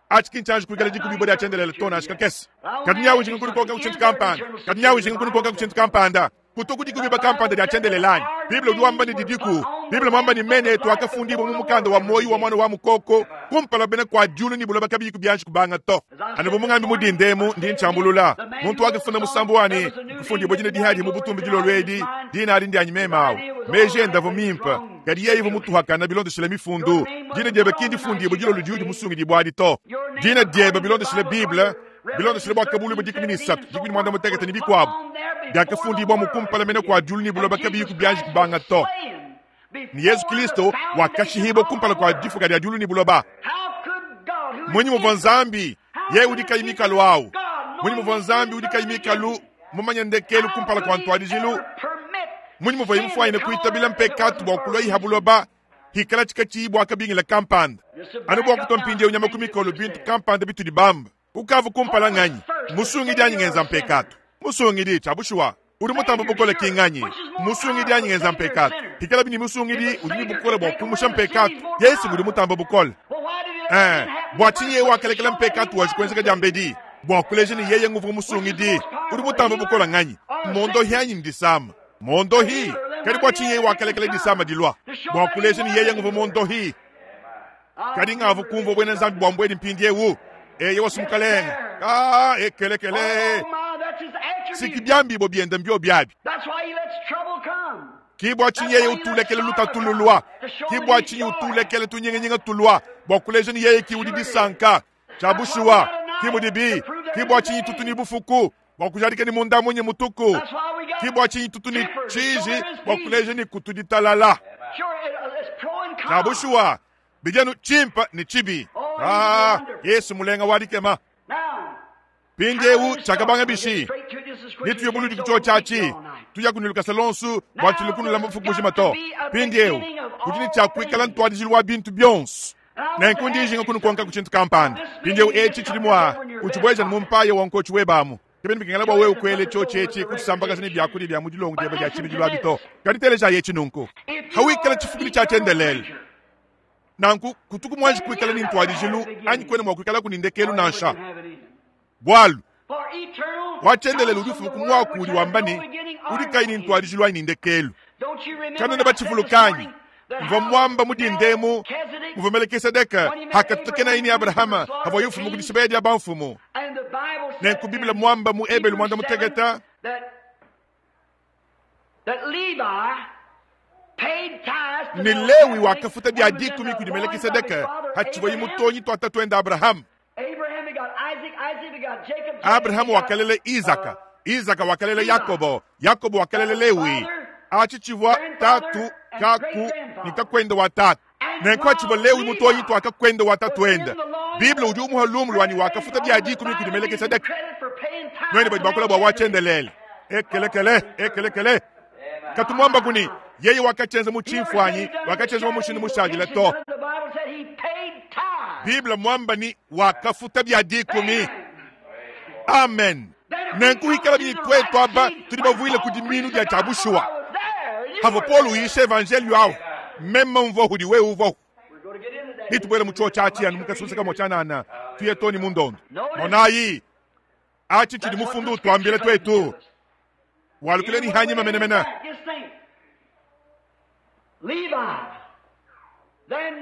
Atshi kinchanji kuikala dikubibwa dia tshiendelele to nansha kakese. Kadi nyawu njinga kunikonka ku tshintu kampanda. Kadi nyawu njinga kunikonka ku tshintu kampanda. Kuto kudikubibwa kampanda dia tshiendelele anyi. Bible udi wamba ni didiku. Bible mwamba ni mene etu akafundibwa mu mukanda wa moyi wa mwana wa mukoko, kumpala bena kwa diulu ni buloba kabiyi kubianji kubanga to. Anu bu mungambi mudindemu ndi ntshiambulula. Muntu wakafunda musambu wani, kufundibwa dina dihadi mu butumbi dilolo edi, dina adi ndianyi meme awu. Meji enda vu mimpe, kadi yeye vu mutuhakana bilondeshile mifundu. Dina diebe ki ndifundibwa dilolo diudi musungidibwa adi to. Dina diebe bilondeshile Bible, bilondeshile bua kabulu bua dikumi ni isatu, dikumi ni muanda mutekete ni bikuabu. Diakafundibwa mu kumpala mene kua diulu ni buloba kabiyi kubianji kubanga to. Ni Yesu Kristo wakashihibwa kumpala kua difuka dia diulu ni buloba. How could God, who is Mwenye muvua Nzambi, yeye udi kayi mikalu awu. Mwenye muvua Nzambi udi kayi God mikalu, mumanye ndekelu kumpala kua ntuadijilu. Mwenye muvua imufwanyine kuitabila mpekatu bua kulua iha buloba, hikala tshikatshi bua kabingila kampanda. Anu bua kutua mpindieu nyama ku mikolo bintu kampanda bitudi bamba. Ukavu kumpala nganyi, musungidi anyi ngenza mpekatu. Musungidi tshiabushuwa, udi mutamba bukole ki nganyi, musungidi anyi ngenza mpekatu. Hikala bini musungidi udi ni bukole bua kumusha mpekatu. Yesu udi mutamba bukole. Bua tshinyi yeye wakalekela mpekatu wa tshikwenzeka dia mbedi? Bua kuleja ni yeye nguvu musungidi, udi mutamba bukole nganyi? Mondohi anyi ndisama? Mondohi, kadi bua tshinyi yeye wakalekela disama dilua? Bua kuleja ni yeye nguvu mondohi. Kadi ngavu kumvua bwena Nzambi bua mbweni mpindiewu. Eye wasumukalenga. Ah, ekelekele. Oh my, that's his attribute. Siki byambibo byenda mbyo byabi. That's why he lets trouble come. Ki bua tshinyi yeye utulekele lutatululwa. Ki bua tshinyi utulekele tunyinginyinga tulwa. Bua kuleja ni yeye ki udi disanka. Tshiabushuwa, ki mudibi. Ki bua tshinyi tutu ni bufuku. Bua kujadika ni munda munyi mutuku. That's why we got Ki bua tshinyi tutu ni temper to show tshiji. there is Bua peace. kuleja ni kutu ditalala. Sure, it's pro and con. Tshiabushuwa, bijanu chimpa ni chibi. Ah, Yesu mulenga wadikema. Now, Pindiewu chakabanga bishi. straight to this as quick as Nituye we buludi can, so kucho we'll keep chachi. you all night. Tuya kunuluka salonsu, bua tulukunula mufuku bujima to. Pindiewu, kudi ni tshiakuikala ntuadijilu wa bintu byonso. Nenku ndi njinga kunukonka ku tshintu kampanda. Pindiewu etshi tshili mua utshibweja ni mumpaya wa nkochi webamu. Kebeni bikengela bua wewe kwele chochi etshi kutsambakaza ni byakudia bya mudilongo dieba dia tshibidilu abi to. Kadi teleja yetshi nunku. If you Hawikala are tshifukidi an tshia eternal tshiendelele. creature, Nanku kutuku mwanji kuikala ni ntuadijilu anyi kwene mua kuikala kunindekelu nansha. can have it in. Bwalu For eternal wachendelele comes udi from ufuma the ku word mwaku which udi has wamba no ni beginning or udi kayi ni end. ntuadijilu anyi nindekelu. Don't you remember Kanona I said this batshivulukanyi morning that mvua how mwamba mudindemu Melchizedek, muvua Melekisedeke hakatutakena ini Abrahama havua yufumu kudishibeya dia bamfumu. and the Bible said Nenku Biblia in mwamba mu Ebelu Hebrews mwanda 7 muteketa that Levi paid tithes to ni Lewi Melchizedek wakafuta bya when he was in dikumi the kudi loins of his Melekisedeke father hatshivuye Abraham. mutonyi twata twenda Abrahamu. Abraham begot Isaac, Isaac begot Jacob, Jacob Abrahamu begot, wakalele Isaka, Isaka wakalele Yakobo, Yakobo wakalele Lewi. Achi chivua tatu kaku ni kakwenda wa tatu. Nenku achivua Lewi mutonyi twa kakwenda wa tatu enda. Biblia udi umuha lumu lwani wakafuta bya dikumi kudi Melekisedeke. credit for paying tithes Nwene badi to bakola bua wachendelele. Ekelekele, ekelekele. Katumwamba kuni yeye wakachenza mu chimfwanyi, wakachenza mu mushindu mushadila to. The Bible said he paid tithes. Biblia mwamba ni wakafuta bya dikumi. Amen. Nenku hikala bini twetu aba tudi bavuile kudi minu dia tshiabushuwa. Havo Paul uyisha evangelio awu. Meme mvua hudi wewe uvo. Nitubwele mu chuo chachi anu mukasuseka mochanana. Tuye toni mundondo. Monayi. Achi chidi mufundu utwambile twetu. Walukile ni hanyima menemena. Just think. Levi.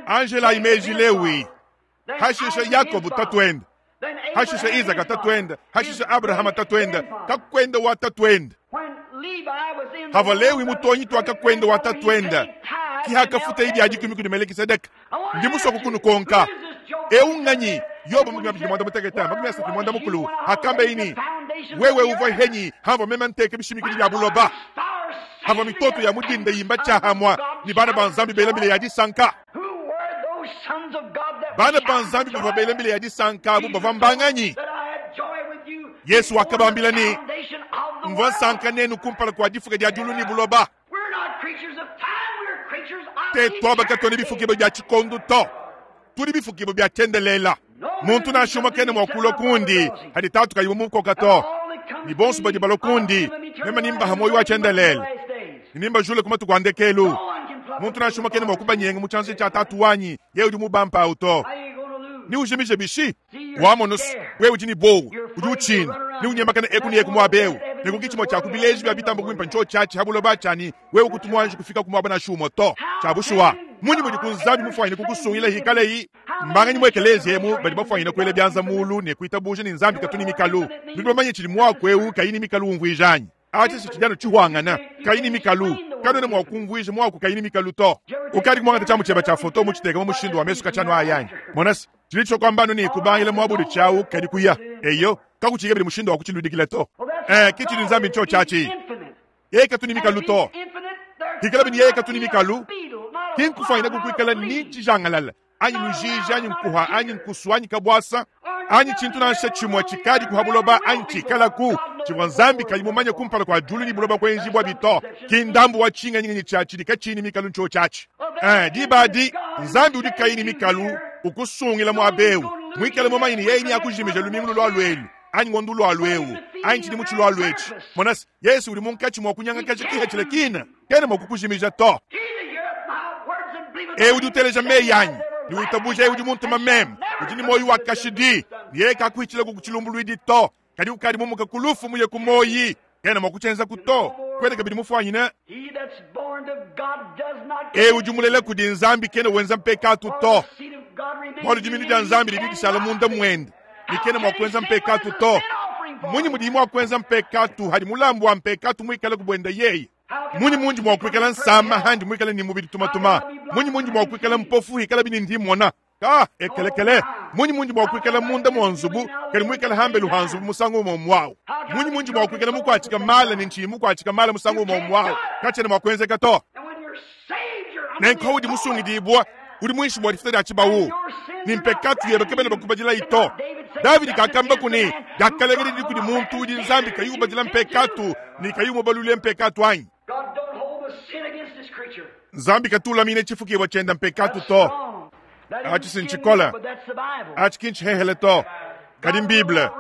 Anjelayi meji Lewi, hashishe Yakobo tatuende, hashishe Izaka tatuende, hashishe Abrahama tatuende, kakuende wa tatuende. Hava Lewi mutonyi twa kakuende wa tatuende, ki hakafuta idi adikumi kudi Melekisedeke. Ndi musue kukunukonka. Eu nganyi? Yobo 28 31 hakamba ini wewe uvua henyi hamva meme nteke bishimikidi bya buloba hava mitoto ya mudinda yimba tshahamwa ni bana ba Nzambi bela mbile ya disanka. Bana ba Nzambi bavua bela mbile ya disanka abu bavua mbanganyi? Yesu wakabambila ni mvua nsanka nenu kumpala kua difuka dia diulu ni buloba. Te twaba katone bifukibwa bya tshikondo to, tudi bifukibwa bya tshiendelela. Muntu nansha umue kena mua kulua kundi hadi tatu kayi mumukoka to. Ni bonso badi balua kundi meme nimbaha muoyo wa tshiendelele, ni nimbajule ku matuku a ndekelu. Muntu nansha umue kena mua kubanyenga mu tshianza tshia tatu wanyi, yeye udi mubampawu to. Ni ujimije bishi wamonusu wewe udi ni bowu udi utshina ni unyemakana eku ni eku muaba eu ne kuki tshimue tshia ku bileji bia bitamba kuimpa ntsho tshiatshi ha buloba tshiani wewe kutu muanji kufika ku muaba nansha umue to. Tshia bushuwa munyi mudi ku Nzambi mufuanyine kukusungila hikaleyi mbanganyi mu ekeleziya emu badi bafuanyine kuela bianza mulu ne kuitabuja ne Nzambi katu ni mikalu. Nudi bamanye tshidi muaku eu kayi ni mikalu umvuija anyi? Atshi tshidi anu tshihuangana kayi ni mikalu. Kanuena mua kumvuija muaku kayi ni mikalu to. Ukadi kumuangata tshiamu tshiebe tshia foto mutshiteka mu mushindu wa mesu katshianu aya anyi? Mona se, tshidi tshisua kuamba anu ne kubangila muaba udi tshiawu kadi kuya. Eyo, kakutshiyi kabidi mushindu wa kutshiludikila to. Ke tshidi Nzambi ntshio tshiatshi. Yeye katu ni mikalu to. Hikalabi ne yeye katu ni mikalu, ki nkufuanyine kukuikala ni tshijangalala anyi lujiji anyi nkuha anyi nkusu anyi kabuasa anyi tshintu nansha tshimue tshikadi ku ha buloba anyi tshikalaku tshivua Nzambi kayi mumanye kumpala kua diulu ne buloba kuenjibua bito. Ki ndambu wa tshinganyi tshia tshidi katshiyi ne mikalu ntshio tshiatshi. Diba adi Nzambi udi kayi ne mikalu ukusungila muaba eu muikale mumanye ne yeye neakujimija lumingu lua luelu anyi ngondo lua lueu anyi tshidimu tshilua luetshi. Mona se, Yesu udi munkatshi mua kunyangakaja kihethila kina kena mua kukujimija to. Eu udi uteleja meyi anyi ne witabuja eu udi muntuma meme udi ne muoyo wa kashidi, ne yeye kakuhitshila ku tshilumbuluidi to, kadi ukadi mumuka ku lufu muye ku muoyi. Kena mua kutshienza to. Kwena kabidi mufuanyine eu udi mulela kudi Nzambi kena wenza mpekatu to, bualu diminu dia Nzambi didi dishala munda muende, ne kena mua kuenza mpekatu to. Munyi mudiye mua kuenza mpekatu hadi mulambu wa mpekatu muikale ku buende yeye? Munyi mundi mua kuikala nsama handi muikale ni mubidi tumatuma? Munyi mundi mua kuikala mpofu hikala bini ndi mona? Ka ekelekele. Munyi mundi mua kuikala munda mua nzubu kadi muikala hambelu ha nzubu musangu umue muawu? Munyi mundi mua kuikala mukuatshika mala ne ntshiyi mukuatshika mala musangu umue muawu? Katshiena mua kuenzeka to. Nenku udi musungidibua udi muinshi mua difuta dia tshibawu, ni mpekatu yebe kabena bakubadilayi to. Davidi kakamba kuni diakalenga didi kudi muntu udi Nzambi kayi ubadila mpekatu ne kayi umubalulile mpekatu anyi? Nzambi katulamine tshifukibua tshienda mpekatu to. Atshi si ntshikola, atshi ki ntshihehele to, kadi mBible.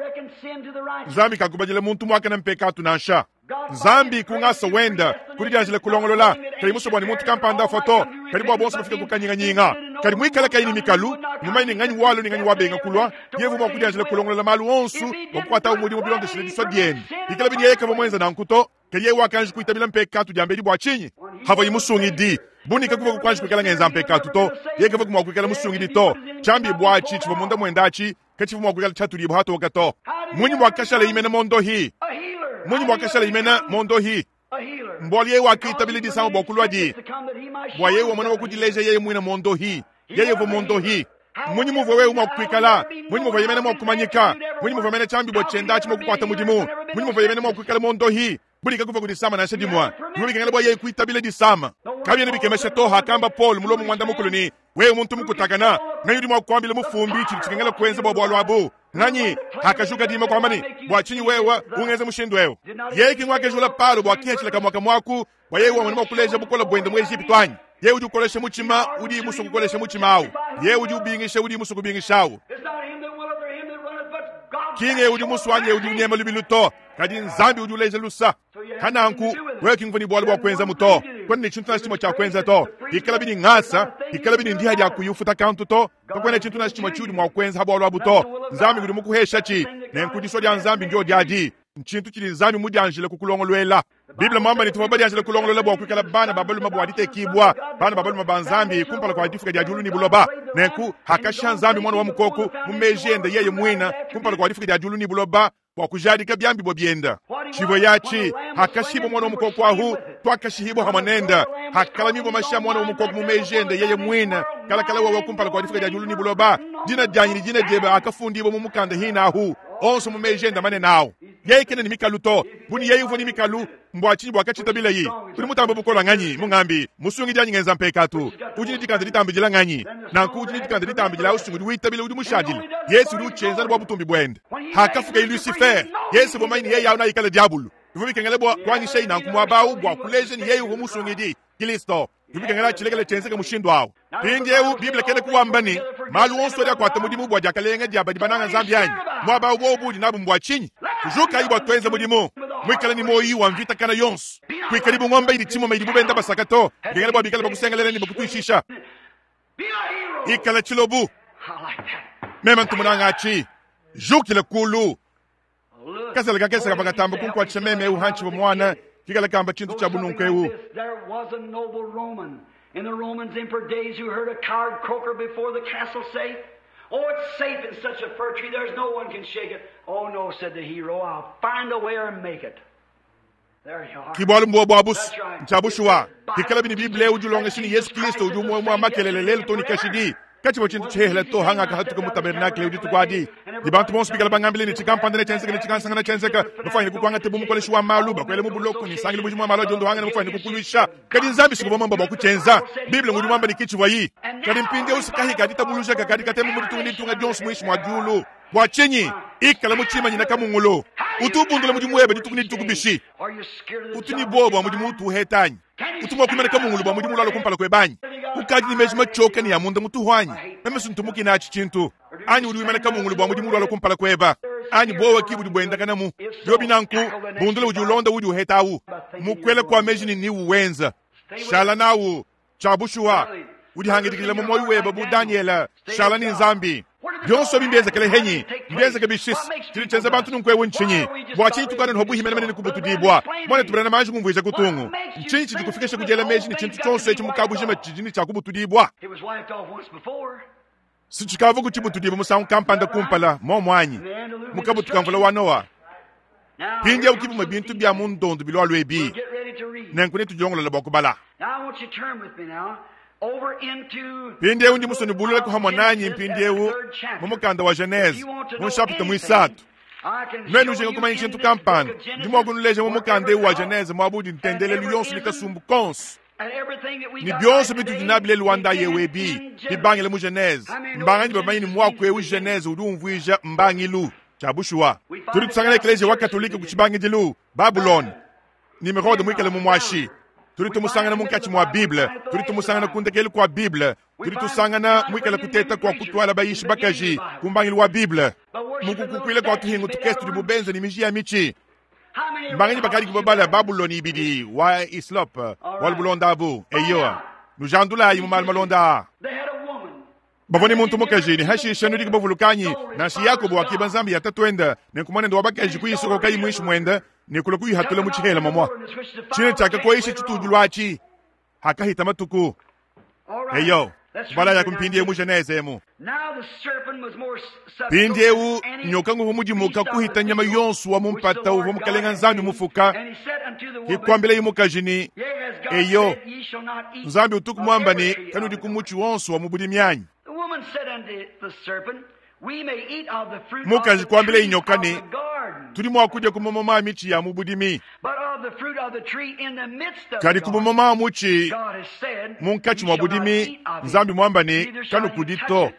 Nzambi kakubadila muntu muakane mpekatu nansha. Nzambi ku ngasa wenda kudi dianjila kulongolola kayi musue bua ne muntu kampanda afua to, kadi bua bonso bafike ku kanyinganyinga. Kadi muikale kayi ne mikalu, mumanye ne nganyi walua ne nganyi wabenga kulua, yevu mua kudianjila kulongolola malu onso bua kukuatawu mudimu bilondeshile disua diende. Bikala bini yeye kavua muenza nanku to, kadi yeye wakanji kuitabila mpekatu diambedi bua tshinyi? Havuaye musungidi bunika kuvua kukanji kuikala ngenza mpekatu to, yeye kavua mua kuikala musungidi to. Tshiambi buatshi tshivua munda muende atshi katshivua mua kuikala tshiatudibua hatoka to. Munyi muakashala imena mondohi? Munyi muakashala imena mondohi? Mbualu yeye wakitabila disama bua kulua di, bua yeye wamona wa kudileja yeye muine mondohi. Yeye uvua mondohi. Munyi muvua wewe mua kuikala? Munyi muvua yemena mua kumanyika? Munyi muvua mena tshiambi bua tshienda atshi mua kukuata mudimu? Munyi muvua yemena mua kuikala mondohi? Bulika kuva kudisama nansha dimue. Bivua bikengela bua yeye kuitabila disama. Kabiena bikemesha to hakamba Paul mulomo muanda mukulu ni wewe muntu mukutakana, nganyi udi mua kuambila mufumbi tshidi tshikengela kuenza bua bualu abu? Nganyi hakajuka dima kuamba ni bua tshinyi wewe ungenza mushindu eu? Yeye ki nguakejula Paulo bua kihethila kamua kamuaku bua yeye wamona mua kuleja bukola buende mu Ejipitu anyi? Yeye udi ukolesha mutshima udi musue kukolesha mutshima awu. Yeye udi ubingisha udi musue kubingisha awu. Ki udi musue anyi udi unyema lubilu to, kadi Nzambi udi uleja lusa. Hananku wewe ki nguvua ne bualu bua kuenza mu to, kwena ne tshintu nansha tshimue tshia kuenza to. Ikala bini ngasa, ikala bini ndiha dia kuyufuta kantu to, kakuena tshintu nansha tshimue tshiudi mua kuenza ha bualu abu to. Nzambi udi mukuhesha tshi, nenku disua dia Nzambi ndio diadi. Ntshintu tshidi Nzambi mudianjile kukulongoluela. Bible mwamba ne tuvua badianjile kulongolola bua kuikala bana ba balume bua ditekibua, bana ba balume ba Nzambi kumpala kua difuka dia diulu ne buloba. Nenku hakashiha Nzambi muana wa mukoko mu meji ende yeye muine kumpala kua difuka dia diulu ne buloba bua kujadika biambibua bienda. Tshivua yatshi hakashibua muana wa mukoko ahu, tuakashihibua hamwe nende. Hakalamibua mashi a muana wa mukoko mu meji ende yeye muine, kalakala wawa kumpala kua difuka dia diulu ne buloba. Dina dianyi ne dina diebe akafundibua mu mukanda hina ahu, onso mu meji ende manene awu. Yeye kena ne mikalu to, bu ne yeye uvua ne mikalu, mbua tshinyi buakatshitabilayi? Udi mutambe bukola nganyi? Mungambi musungidi anyi ngenza mpekatu? Udi ne dikanda ditambidila nganyi? Nanku udi ne dikanda ditambidila usungidi witabila udi mushadile. Yesu udi utshienza bua butumbi buende. Hakafuka Lucifer, Yesu uvua mumanye ne yeye awu naikala diabulu. Bivua bikengela bua kuanyishayi nanku muaba awu bua kuleja ne yeye uvua musungidi Kristo. Bivua bikengela tshilekela tshienzeke mushindu awu. Mpindieu Bible kena kuwamba ne malu onso adi akuata mudimu bua diakalenga dia badi bananga Nzambi anyi? Muaba awu bobu udi nabu mbua tshinyi? Tujukayi bua tuenze mudimu, muikale ne muoyo wa mvita kana yonso. Kuikadi bu ngombe idi tshimuma idibu benda basaka to, bikengela bua bikale bakusengelela ne bakutuishisha. Ikala tshilobu. Meme ntu munanga atshi. Jukila kulu. Kasala kakese kavua katamba kunkuatshisha meme eu hantshivua muana, kikala kamba tshintu tshia bununku eu. There was a noble Roman in the Romans emperor days who heard a coward croaker before the castle say, Oh, it's safe in such a fir tree, there's no one can shake it. Oh, no, said the hero, I'll find a way or make it. There you are. Ki bualu mbua bua busu ntshia bushuwa kikala bini Bible udi ulongesha ne Yesu Kristo udi umue wa makelele lelu to ne kashidi. Katshivua tshintu tshihehele to hangaka hatuka mu tabernakle udi tukuadi. Ne bantu bonso bikala bangambile ne tshikampanda ne tshienzeka ne tshikansangana tshienzeka, bafwanyine kukuangata bu mukoleshi wa malu, bakuele mu buloko ne nsangilu mujimu wa malu adi ondohangana bafwanyine kukuluisha. Kadi Nzambi sikuvua muamba bua kutshienza. Bible ngudi muamba ne kitshivuayi. Kadi mpindieu sikahi ka ditabuluja kakadi katema mu ditunga ne ditunga dionso muinshi mua diulu. Bua tshinyi? Ikala mu tshimanyina kamungulu. Utu ubundula mudimu webe dituku ne dituku bishi? Are you scared of the Utu ne job buowa that bua you mudimu find? utu uheta anyi? Utu mua kuimana kamungulu bua mudimu ulala kumpala kuebe anyi? Ukadi ne meji matshioka ne ya munda mutuhu anyi? Meme sintumuki natshi tshintu. Anyi udi wimana kamungulu bua mudimu ulala kumpala kueba? Anyi buowa ki budi buendakanamu? Biobi nanku, bundula udi ulonda udi uheta awu. Mukwela kua meji ne niwu wenza. Shala nawu, tshia bushuwa. Udihangidikila mu muoyo webe bu Daniela, shala ne Nzambi. Bionso ebi mbienzekele henyi, mbienzeke bishisi. Tshidi tshienza bantu nunku ewu ntshinyi? Bua tshinyi tukana ne buhi menemene ne kubutudibua? Muana tubulana manji kumvuija kutungu. Ntshinyi tshidi kufikisha ku diela meji ne tshintu tshionso etshi mu kabujima tshidi ne tshia kubutudibua? It was wiped off once before. Si tshikavua kutshibutudibua musangu kampanda kumpala, momo anyi? Mu kabutu ka mvula wa Noa. Now, Mpindieu here kibumue comes bintu some bia mu ndondo bilualua ebi. We'll get ready to read. Nenku netudilongolola bua kubala. Now I want you to turn with me now over into Mpindieu ndi musue nubulule kuhamwa nanyi mpindieu mu mukanda wa Genese mu nshapita muisatu. Nuenu ujinga kumanya tshintu kampanda, ndi mua kunuleja mu mukanda eu wa Genese muaba udi ntendelelu yonso ne kasumbu konso. Ne bionso bitudi nabi lelu wa ndayi ewu ebi bibangile mu Genese. Mbanganyi bamanyi ne muaku eu Genese udi umvuija mbangilu tshia bushuwa. Tudi tusangana ekleziya wa Katolike ku tshibangidilu, Babulone, Nimrode muikale mu muashi. Tudi tumusangana munkatshi mua Bible, tudi tumusangana ku ndekelu kua Bible, tudi tusangana muikale kuteta kua kutuala bayishi bakaji ku mbangilu wa Bible. Mukukukuila kua tuhingu tukese tudi bubenze ne miji ya mitshi. Mbanganyi bakadi kubabala Babuloni ibidi wa Islop wa lubulonda abu. Eyowa, nujandulayi mu malu malonda aa. They had a woman. Bavua ne muntu mukaji ne hashisha nudi kubavulukanyi nansha Yakobo wakiba nzambi ya tatuende ne nkumanende wa bakaji kuyisokokayi muinshi muende ne kula kuyihatula mu tshihela mamwa. Tshine tshiakakoyisha tshitudilu atshi hakahita matuku. All right. Eyo, Let's kubala read ya here now. kumpindieu mu Genese emu. Now the serpent was more subtle Mpindieu than any nyoka nguvua mudimuka beast of the kuhita nyama field yonso wa mu which the mpata Lord uvua God mukalenga had Nzambi made. mufuka. And he said unto the woman, Hikuambila mukaji ni Yea, has God Eyo, said, ye shall not eat Nzambi utuku of muamba every ne tree of kanudi the ku garden. mutshi wonso wa mu budimi anyi. The woman said unto the serpent, We may eat of the fruit of Mukaji the kuambila tree inyoka of ne, the garden, Tudi mua kudia ku mamuma a mitshi ya mu budimi. but of the fruit of the tree in the midst of the Kadi ku garden, mamuma a mutshi God has said, munkatshi Ye mua shall not budimi, eat of it, Nzambi muamba ne neither shall you kanukudi touch to, it.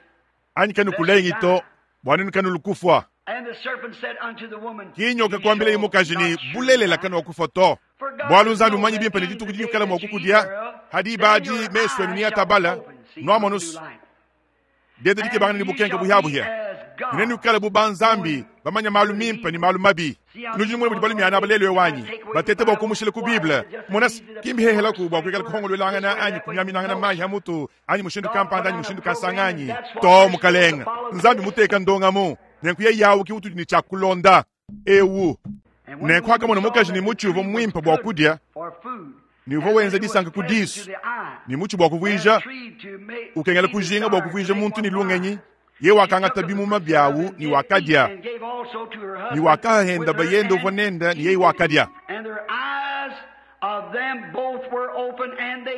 anyi kanukulengi to, bua nenu kanulukufua. And the serpent said unto the woman, Ki nyoka Ye kuambila shall mukaji ne not surely bulelela die. kanuakufa to. For God Bualu doth Nzambi know mumanyi that bimpe ne in the dituku day dikala mua that you eat kukudia, thereof, hadi then badi your mesu enu eyes ne shall atabala, open. See, nuamona new nusu. light. Dede dikebangana ne And ye bukenke shall be buhiabuhia. as Nenu God, kala bu banzambi bamanya malu mimpe ne malu mabi. Nudi numona mudi balumiana aba lelu ewanyi batete bua kumushila ku Bible. Mona kimbi hehelaku bua kuikala kuhongololangana anyi kumiaminangana mayi ha mutu anyi mushindu kampanda anyi mushindu kasanganyi. To mukalenga Nzambi muteka ndongamu nenku ye yawu ki utudi ne tshia kulonda ewu. Nenku akamona mukaji ne mutshi uvua muimpe bua kudia, ne uvua wenza disanka ku disu, ne mutshi bua kuvuija ukengela kujinga bua kuvuija muntu ne lungenyi, ye wakangata bimuma biawu ne wakadia, ne wakahenda bayende uvua nende, ne yeye wakadia.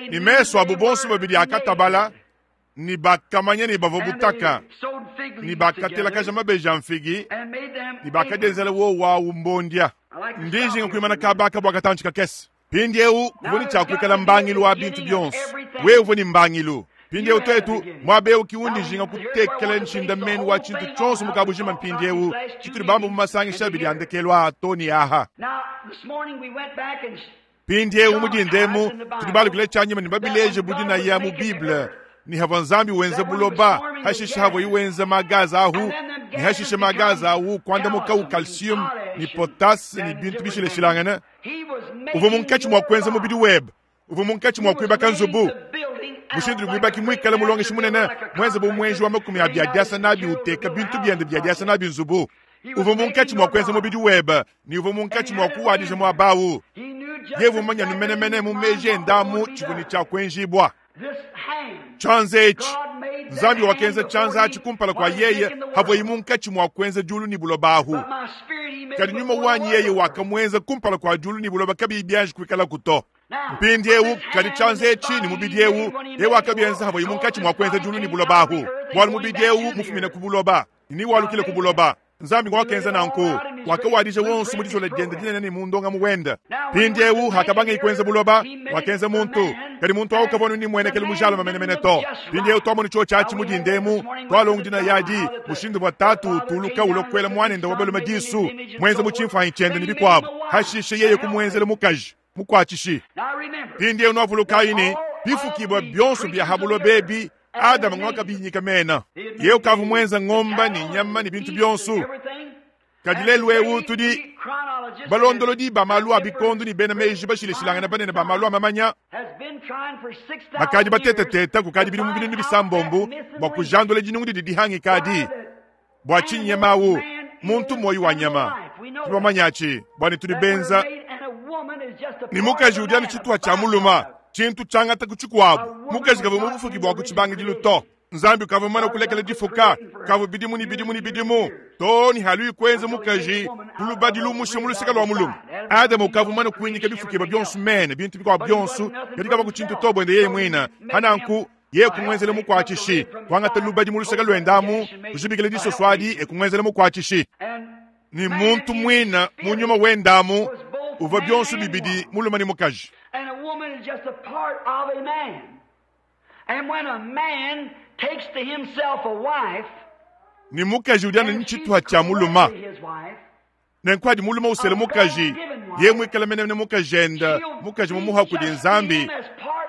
Ne mesu abu bonso babidi akatabala, ne bakamanya ne bavua butaka, ne bakatelakaja mabeji a mfigi, ne bakadienzela wowu awu mbondia. Ndi njinga kuimana kaba aka bua katantshi kakese. Mpindieu kuvua ne tshia kuikala mbangilu wa bintu bionso. Wewe uvua ne mbangilu. Mpindieu tuetu, muaba eu ki undi njinga kutekela nshindamenu wa tshintu tshionso mu kabujima mpindieu, tshitudi bamba mu masangisha abidi a ndekelu aa too ne aha. Mpindieu mu dinda emu, tudi balukile tshianyima ne babileje bu dinaya mu Bible ne havua Nzambi wenza buloba, hashishe havuaye wenza magaza ahu, ne hashishe magaza ahu kuandamukawu calcium ne potasse ne bintu bishilashilangane. Uvua munkatshi mua kuenza mubidi webe, uvua munkatshi mua kuibaka nzubu. Mushindu udi muibaki muikale mulongeshi munene, muenze bu muenji wa makumi a bia diasa nabi uteka bintu biende bia diasa nabi nzubu. Uvua munkatshi mua kuenza mubidi webe, ne uvua munkatshi mua kuwadija muaba au. Yeye uvua mumanye anu menemene mu meji ende amu tshivua ne tshia kuenjibua. Tshianza etshi, Nzambi wakenza tshianza atshi kumpala kua yeye havuaye munkatshi mua kuenza diulu ne buloba ahu. Kadi nyuma wanyi yeye wakamuenza kumpala kua diulu ne buloba kabiyi bianji kuikalaku to. Mpindieu kadi tshianza etshi ne mubidi eu yeye wakabienza havuaye munkatshi mua kuenza diulu ne buloba ahu, bualu mubidi eu mufumine ku buloba ne walukile ku buloba. Nzambi wakenza nanku, wakawadija wonso mu dizola diende dinene ne mu ndongamu wende. Mpindieu hakabangaye kuenza buloba, wakenza muntu, kadi muntu au kavua ne muenekelu mujalame menemene to. Mpindieu tuamonu tshiotshi atshi mu dinda emu, tualonga dinaya adi, mushindu uvua tatu utuluka ulua kuela muanende wa balume disu, muenza mu tshimfuanyi tshiende ne bikuabu, hashishe yeye kumuenzela mukaji mukuatshishi. Mpindieu nuavulukayi ne, bifukibua bionso bia ha buloba ebi, Adama ngwakabinyika mena. Yeye ukavua muenza ngomba ne nyama ne bintu bionso. Kadi lelu eu tudi balondolodi ba malu a bikondo ne bena meji bashilashilangane banene ba malu a mamanya bakadi batetateta kukadi bidimu binunu bisambombo bua kujandula dinungu didi dihangika adi. Bua tshinyi nyama au muntu muoyo wa nyama? Tudi bamanye atshi bua ne tudi benza ne mukaji udi anu tshituha tshia muluma, tshintu tshiangata ku tshikuabu. Mukaji kavua mu bufuki bua ku tshibangidilu to. Nzambi ukavua mumane kulekela difuka kavua bidimu ne bidimu ne bidimu too ne haluyi kuenza mukaji ku lubadi lumusha mu luseke lua mulume. Adama ukavua mumane kuinyika bifukibua bionso mene bintu bikuabu bionso, kadi kavua ku tshintu to buende yeye muine. Pananku yeye kumuenzela mukuatshishi, kuangata lubadi mu luseke luende amu, kujibikila disoso adi e kumuenzela mukuatshishi. Ne muntu muine mu nyuma wende amu uvua bionso bibidi mulume ne mukaji. Ne mukaji udi anu ne tshituha tshia mulume. Nenku adi mulume usela mukaji, yeye muikale menemene mukajende, mukaji mumuha kudi Nzambi,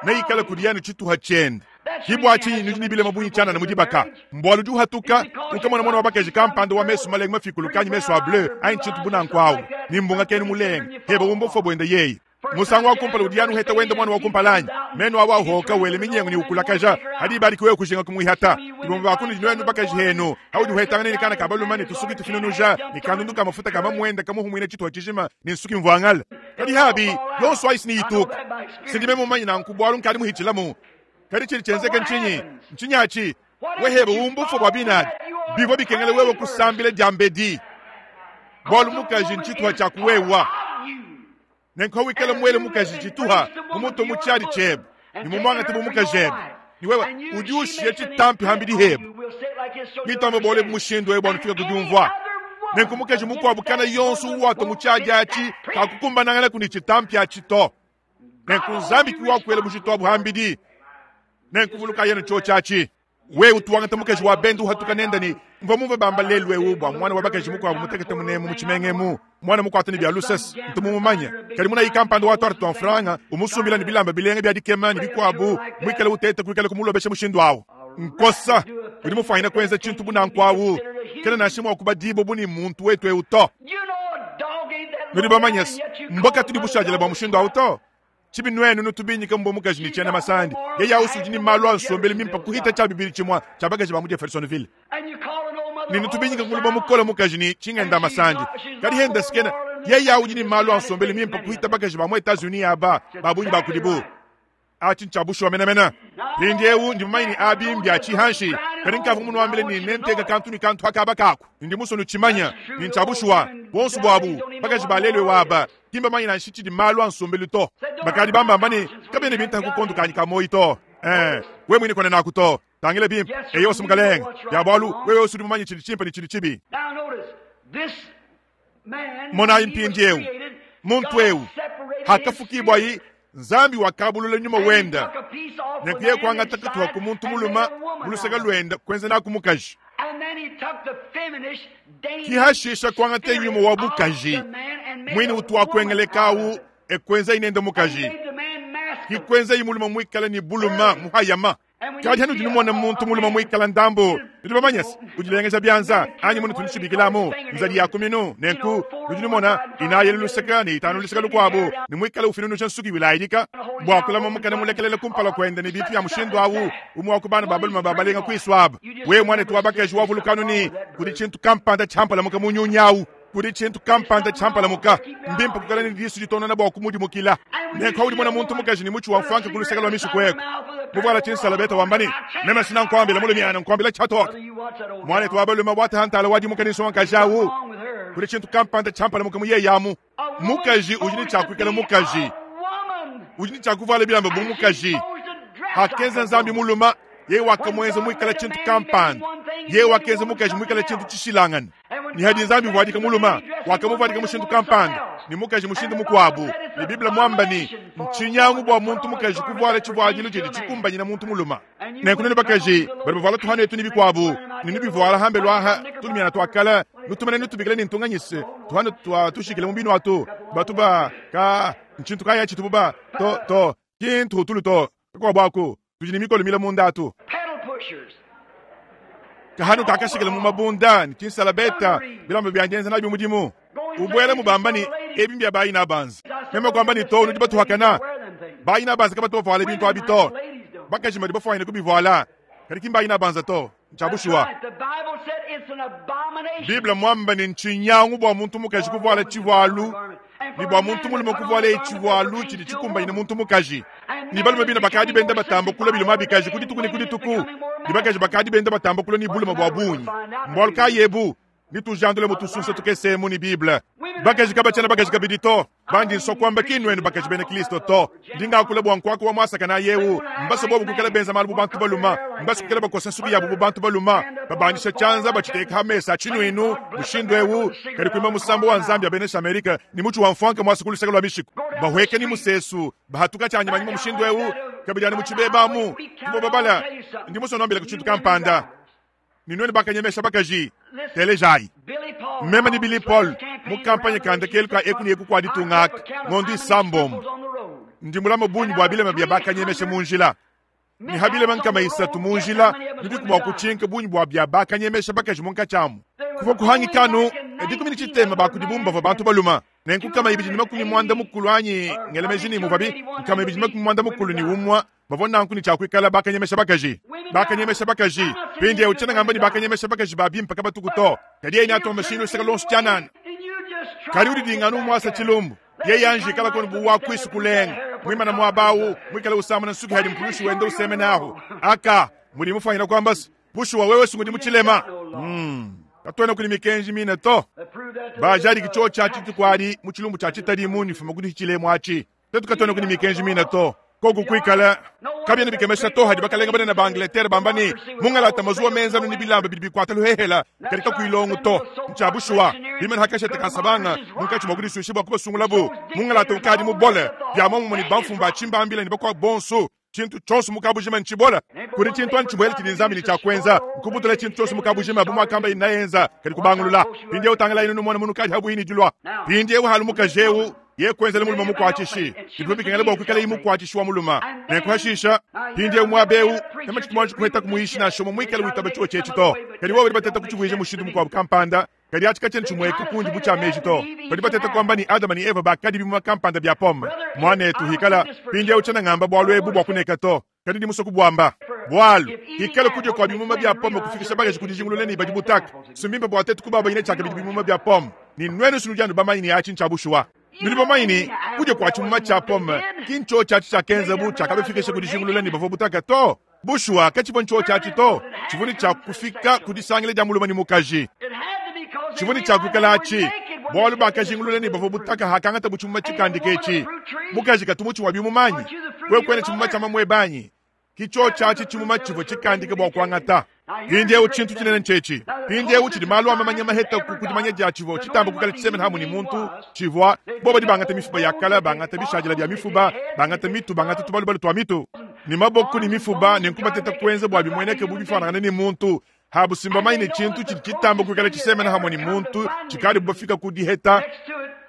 neikale kudiye anu tshituha tshiende. Ki bua tshinyi nudi ne bilema bungi tshianana mu dibaka? Mbualu udi uhatuka, ukamona muana wa bakaji kampanda wa mesu malenga mafikuluke anyi mesu a bleu anyi tshintu bu nanku awu, ne mbunga kenu mulenga, heba umba ufua buende yeye. Musangu wa kumpala udi anu uheta wende muana wa kumpala anyi? Menu awu ahoka, wele minyengu ne ukulakaja, hadi ibadi ki wewe kujinga kumuihata. Bamue ba kunudi nuenu bakaji henu, haudi uhetangana ne kana ka balume ne tusuki tufinunuja ne kandundu ka mafuta ka mamuende kamuhumuina tshituha tshijima ne nsuki mvuangale. Kadi habi, yonso ayi si ituka. Sindi meme mumanye nanku bualu nkadi muhitshilamu. Kadi tshidi tshienzeke ntshinyi? Ntshinyi atshi? Wehebe umbufa bua binadi. Bivua bikengela wewe kusambila diambedi, bualu mukaji ntshituha tshia kuwewa. Nenku hawikala muele mukaji tshituha mumutue mu tshiadi tshiebe ne mumuangate bu mukajebe, ne wewe udi ushiya tshitampi hambidi hebe. Mitamba bole bu mushindu eu bua nufika ku diumvua. Nenku mukaji mukuabu kana yonso uwatua mu tshiadi atshi kakukumbananganaku ne tshitampi atshi to. Nenku Nzambi ki wakuela bujitu abu hambidi. Nenku vulukayi anu tshiotshi atshi. Wewe utu wangata mukaji wa bende uhatuka nende ne mvua mumvue bamba lelu eu bua muana wa bakaji mukuabu mutekete munemu mu tshimenga emu, muana mukuata ne bia lusese, ntu mumumanye. Kadi munayi kampanda wa tuarte tua mfranga umusumbila ne bilamba bilenga bia dikema ne bikuabu, muikale uteta kuikala kumulobesha mushindu au. Nkosa udi mufuanyine kuenza tshintu bu nanku au kena nansha mua kubadibua bu ne muntu wetu eu to. Nudi bamanye se, mbua katudi bushadile bua mushindu au to. Tshibi nuenu nutubinyika mbua mukaji ne tshiena masandi, yeye ausu udi ne malu a nsombelu mimpe kuhita tshia bibidi tshimue tshia bakaji ba mu Jeffersonville. Ne nutubinyika nguluba mukole mukaji ne tshingenda masandi, kadi henda sikena. Yeye udi ne malu a nsombelu mimpe kuhita bakaji ba mu Etats-Unis aba, ba bungi ba kudibu. Atshi ntshia bushuwa menemene. Mpindieu ndi mumanye ne abi mbia tshihanshi, kadi nkavua munuambile ne nenteka kantu ne kantu akaba kaku. Ndi musue nutshimanye ne ntshia bushuwa. Buonso buabu bakaji ba lelu eu aba ki mbamanye nansha tshidi malu a nsombelu to. Bakadi bambamba ne kabiena bintaha ku kondo kanyi ka muoyo to. Ee, wewe muine kuena naku to. Tangila bimpe. Eyo, si mukalenge. Bia bualu, wewe wonso udi mumanye tshidi tshimpe ne tshidi tshibi. Monayi mpindieu, muntu eu hakafukibuayi, Nzambi wakabulula nyuma wenda ne kuye kuangata katuha ku muntu mulume mu luseke luenda kuenza naku mukaji. Ki hashisha kuangata nyuma wa bukaji muine utuakuengeleka au e kuenzayi nende mukaji. Ki kuenzayi mulume muikale ne buluma muhayama. Kadi hanudi numona muntu mulume muikala ndambu, nudi bamanye se udilengeja bianza anyi munutu nutshibikilamu nzadi ya kuminu, nenku nudi numona inayi elu luseke ne itanu luseke lukuabu, ne muikale ufinunusha nsuki wilayidika bua kulama mukana mulekelele kumpala kuende ne bintu bia mushindu au, umue wa ku bana ba balume ba balenga kuisu aba. Wewe muanetu wa bakaji wavulukanu ne kudi tshintu kampanda tshiampalamuka mu nyunyi au. Kudi tshintu kampanda tshiampalamuka. Mbimpe kuikala ne disu ditonona bua kumudimukila. Nenku paudi mona muntu mukaji ne mutshi wa mfuanka ku luseke lua mishiku eku muvuala tshinsalabeta wamba ne, Meme sina nkuambila mulumiana, nkuambila tshiatoka. Muanetu wa balume wataha ntala wadimuka ne nsongakaji au. Kudi tshintu kampanda tshiampalamuka mu yeye amu. Mukaji udi ne tshia kuikala mukaji, udi ne tshia kuvuala bilamba bu mukaji. Hakenza Nzambi mulume, yeye wakamuenza muikala tshintu kampanda, yeye wakenza mukaji muikala tshintu tshishilangane. Ne hadi Nzambi uvuadika mulume, wakamuvuadika mushindu kampanda, ne mukaji mushindu mukuabu. Ne Bible muamba ne, ntshinyangu bua muntu mukaji kuvuala tshivuadilu tshidi tshikumbanyina muntu mulume. Nenku nenu bakaji badi bavuala tuhanu etu ne bikuabu, ne nubivuala hambelu aha tulumiana tua kale, nutumane nutubikile ne ntunganyise tuhanu tua tushikile mu binu atu batu ba ka ntshintu kayi atshi tubu ba to to ki ntuhutulu to kakuabu aku tudi ne mikolo mile munda atu kahanu kakashikile mu mabunda ne tshinsalabeta bilamba bia dienza nabio mudimu ubuela mubamba ne ebi mbia bayi na banza meme kuamba ne to nudi batuhakana bayi na banza kabatu bavuala bintu abi to bakaji badi bafuanyine kubivuala kadi ki mbayi na banza to ntshia bushuwa. Bible muamba ne ntshinyangu bua muntu mukaji kuvuala tshivualu ne bua muntu mulume kuvualaye tshivualu tshidi tshikumbanyine muntu mukaji. Ne balume bine bakadi benda batamba kulua biluma bikaji ku dituku ne ku dituku, ne bakaji bakadi benda batamba kulua ne bulume bua bungi. Mbualu kayi ebu? Netujandule mu tusunsa tukese emu ne Bible. Bakaji kabatshiena bakaji kabidi to. Bandi nsua kuamba ki nnuenu bakaji bena Kristo to. Ndi ngakula bua nkuaka wa muasakanayi eu. Mbasue bobu kuikala benza malu bu bantu balume. Mbasue kuikala bakosa nsuki yabu bu bantu balume, babandisha tshianza batshiteka ha mesa a tshinuinu mushindu eu, kadi kuimba musambu wa Nzambi abenesha Amerika ne mutshi wa mfuanka muasa ku luseke lua mishiku, bahueka ne musesu, bahatuka tshianyimanyima mushindu eu, kabidi anu mu tshibeba amu. Tuvua babala. Ndi musue nuambilaku tshintu kampanda. Ne nuenu bakanyemesha bakaji, telejayi. Meme ne Billy Paul mu kampanye ka ndekelu ka eku ne eku kua ditunga aka ngondo isambombo, ndi mulame bungi bua bilema bia bakanyemesha mu njila. Ne ha bilema 300 mu njila, nudiku mua kutshinka bungi bua bia bakanyemesha bakaji munkatshi amu. Kuvua kuhangika anu 60 ba kudibu mbavua bantu balume. Nenku 290 anyi ngela meji ne muvuabi 291 bavua nanku ne tshia kuikala bakanyemesha bakaji. Bakanyemesha bakaji. Mpindieu tshiena ngamba ne bakanyemesha bakaji ba bimpe kabatuku to, kadi yeye neatombe mashinyi luseke luonso tshianana. Kadi udi dinganu umuasa tshilumbu, yeye anji ikala konu bu wa kuisu kulenga, muimana muaba au, muikale usamuna nsuki hadi mpulushi wenda usemena ahu. Aka, mudi mufuanyina kuamba se, bushuwa wewe sungudi mu tshilema. Katuena kudi mikenji mine to. Bajadiki tshiotshi atshi dituku adi mu tshilumbu tshia tshitadi mu nifuma kudi tshilemu atshi. Tuetu katuena kudi mikenji mine to. Koku kuikala kabiena bikemesha to hadi bakalenga banene ba Angleterre bamba ne, mungalata mazuwa menza anu ne bilamba bidi bikuata luhehela kadi kakuyi longo to. Ntshia bushuwa, bimane ha kashete ka nsabanga munkatshi mua kudisuisha bua kubasungulabu, mungalata ukadi mubole bia muomumue ne bamfumu ba tshimbambila ne bakuabu bonso. Tshintu tshionso mu kabujima ntshibola. Kudi tshintu anyi tshibuele tshidi Nzambi ne tshia kuenza, nkubutula tshintu tshionso mu kabujima bu muakamba inayenza, kadi kubangulula. Mpindieu tangilayi numone munukadi habuihi ne dilua. Mpindieu halu mukaji eu ye kuenzela mulume mukuatshishi, bivua bikengela bua kuikalaye mukuatshishi wa mulume. Nenku hashisha, mpindieu muaba eu, meme tshitu muanji kuhetaku muyishi nansha umue muikale witaba tshiotshi etshi to. Kadi bobo badi bateta kutshivuija mushindu mukuabu kampanda, kadi atshi katshiena tshimueka kundi bu tshia meji to. Badi bateta kuamba ne Adama ne Eva bakadi bimuma kampanda bia pome. Muanetu, hikala mpindieu tshiena ngamba bualu ebu bua kuneka to, kadi ndi musue kubuamba. Bualu, hikala kudia kua bimuma bia pome kufikisha bakaji ku dijingulula ne badi butaka, si mbimpe bua tuetu kubabanyina tshiakabidi bimuma bia pome. Ne nuenu si nudi anu bamanye ne atshi ntshia bushuwa. Nudi bamanye ne, kudia kua tshimuma tshia pome ki ntshiotshi atshi tshiakenzabu tshiakabafikisha ku dijingulula ne bavua butaka to. Bushuwa, katshivua ntshiotshi atshi to. Tshivua ne tshia kufika ku disangila dia mulume ne mukaji. Tshivua ne tshia kuikala atshi, bualu bakajingulula ne bavua butaka hakangatabu tshimuma tshikandika etshi. Mukaji katu mutshi wa bimuma anyi? Wewe kuena tshimuma tshia mamuebe anyi? Ki tshiotshi atshi tshimuma tshivua tshikandika bua kuangata. Mpindieu tshintu tshinene ntshietshi. Mpindieu tshidi malu a mamanya maheta ku dimanya dia tshivua tshitamba kuikala tshisemena hamue ne muntu, tshivua bobo badi bangata mifuba ya kala, bangata bishadila bia mifuba, bangata mitu, bangata tubalubalu tua mitu, ne maboko ne mifuba, nenku bateta kuenza bua bimueneke bu bifuanangane ne muntu. Habu si mbamanye ne tshintu tshidi tshitamba kuikala tshisemena hamue ne muntu tshikadibu bafika ku diheta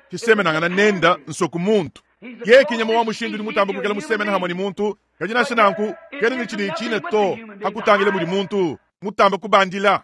tshisemenangana nenda nsoku muntu. Yeye ki nyama wa mushindu udi mutamba kuikala musemena hamue ne muntu, kadi nansha nanku kena ne tshidi tshina to hakutangila mudi muntu mutamba kubandila.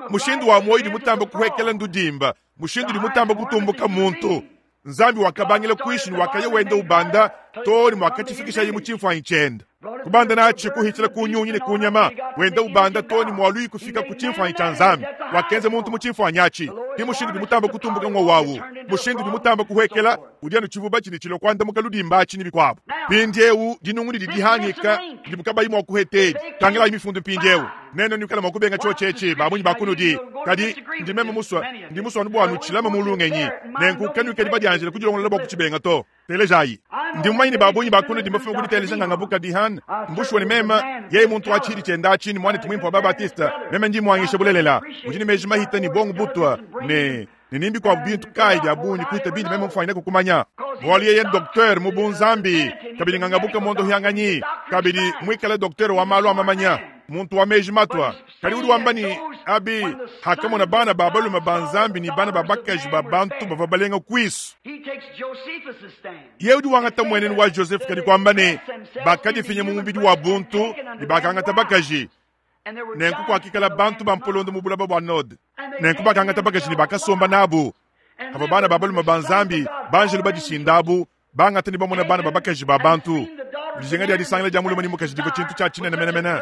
Mushindu wa muoyo udi mutamba kuhuekela ndudimba, mushindu udi mutamba kutumbuka muntu. Nzambi wakabangila kuishi ne wakaya wenda ubanda too ne muakatshifikishaye mu tshimfuanyi tshiende. Kubanda natshi kuhitshila ku nyunyi ne ku nyama, wenda ubanda too ne mualuyi kufika ku tshimfuanyi tshia Nzambi. Wakenza muntu mu tshimfuanyi atshi. Ke mushindu udi mutamba kutumbuka ng'wowu awu. Mushindu udi mutamba kuhuekela udi anu tshivuba tshidi tshilua kuandamuka ludimba atshi ne bikuabu. Mpindieu dinungu didi dihangika didibu kabayi mua kuheta edi. Tangilayi mifundu mpindieu. Nenu nuikale mua kubenga tshiotshi etshi, ba bungi ba kunudi. Kadi ndi meme musue, ndi musue anu bua nutshilame mu lungenyi. Nenku kanuikadi badianjile kudilongolola bua kutshibenga to. Telejayi. Ndi mumanye ne ba bungi ba kunudi mbafume ku diteleja nganga bu Kadihan. Mbushuwa ne meme, yeye muntu wa tshidi tshienda atshi ne muanetu muimpe wa Babatiste, meme ndi muanyisha bulelela. Udi ne meji mahita ne buongo butua ne ne ni mbikuabu bintu kayi bia bungi kuhita bindi meme mfuanyine kukumanya. Bualu yeye docteur mu bunzambi, kabidi nganga buka mondohianganyi, kabidi muikale docteur wa malu a mamanya, muntu wa meji matua. Kadi udi wamba ne, Abi, hakamona bana ba balume ba Nzambi ne bana ba bakaji ba bantu bavua balenga kuisu. Yeye udi wangata mmuenenu wa Joseph kadi kuamba ne, bakadifinya mu mubidi wa buntu ne bakangata bakaji. Nenku kuakikala bantu ba mpolondo mu bulaba bua Node. Nenku bakangata bakaji ne bakasomba nabu. Pavua bana ba balume ba Nzambi, banjelu badishindabu, bangata ne bamona bana ba bakaji ba bantu. Dijinga dia disangila dia mulume ne mukaji divua tshintu tshia tshinene menemene.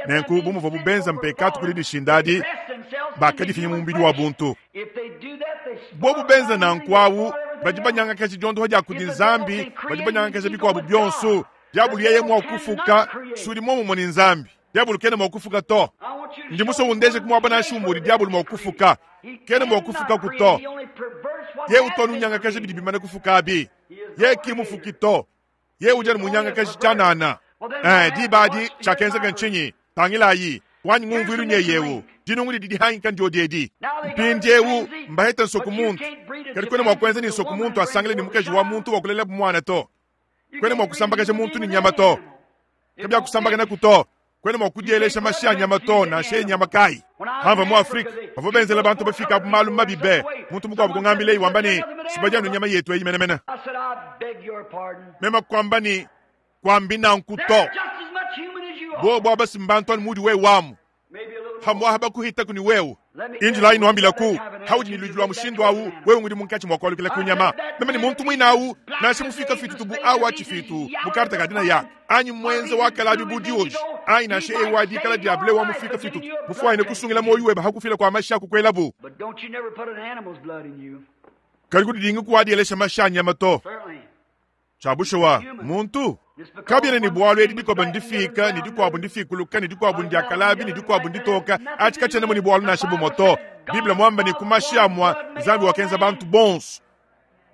Nenku bu muvuabu benza mpekatu ku didishinda adi, bakadifinya mu mubidi wa buntu. Bobu benza nanku awu, badi banyangakaja diondoha dia kudi Nzambi, badi banyangakaja bikuabu bionso. Diabolo yeye mua kufuka, si udi muomumue ne Nzambi. Diabolo kena mua kufuka to. Ndi musue undeje ku muaba nansha umue udi diabolo mua kufuka. Kena mua kufukaku to. Yeye utu anu unyangakaja bidi bimane kufuka abi. Yeye ki mufuki to. Yeye udi anu munyangakaji tshianana. Eh, diba adi tshiakenzeka ntshinyi? Tangilayi, wanyi ngumvuilu nyeye eu. Dinungu didi dihangika ndiodi edi. Mpindieu mbahete nsoku muntu. Kadi kuena mua kuenza ne nsoku muntu asangile ne mukaji wa muntu wa kulelabu muana to. Kuena mua kusambakaja muntu ne nyama to. Kabiakusambakanaku to. Kuena mua kudielesha mashi a nyama to, nansha ye nyama kayi. Pamvua mu Afrike, bavua benzela bantu bafike abu malu mabi be. Muntu mukuabu kungambileyi wamba ne, Si badi anu nyama yetu eyi menemene. Meme kuamba ne, Kuambi nanku to. Bobu aba si mbantu anu muudi wewe amu. Pamuapa bakuhitaku ne wewe. Injilayi nuambilaku, haudi ne luidi lua mushindu awu, wewe ngudi munkatshi mua kualukila ku nyama. Meme ne muntu muine awu, nansha mufika fitutu bu awu wa tshifitu mu karta ka dinaya, anyi muenza wa kalabi bu dioji, anyi nansha ewu wa dikala dia ble wa mufika fitutu, mufuanyine kusungila muoyo webe ha kufila kua mashi a kukuelabu. Kadi kudidingi kuwadielesha mashi a nyama to. Tshia bushuwa, muntu kabiena ne bualu edi dikoba ndifika ne dikuabu ndifikuluka ne dikuabu ndia kalabi ne dikuabu nditoka, atshi katshiena mu ne bualu nansha bumue to. Bible muamba ne ku mashi amua Nzambi wakenza bantu bonso.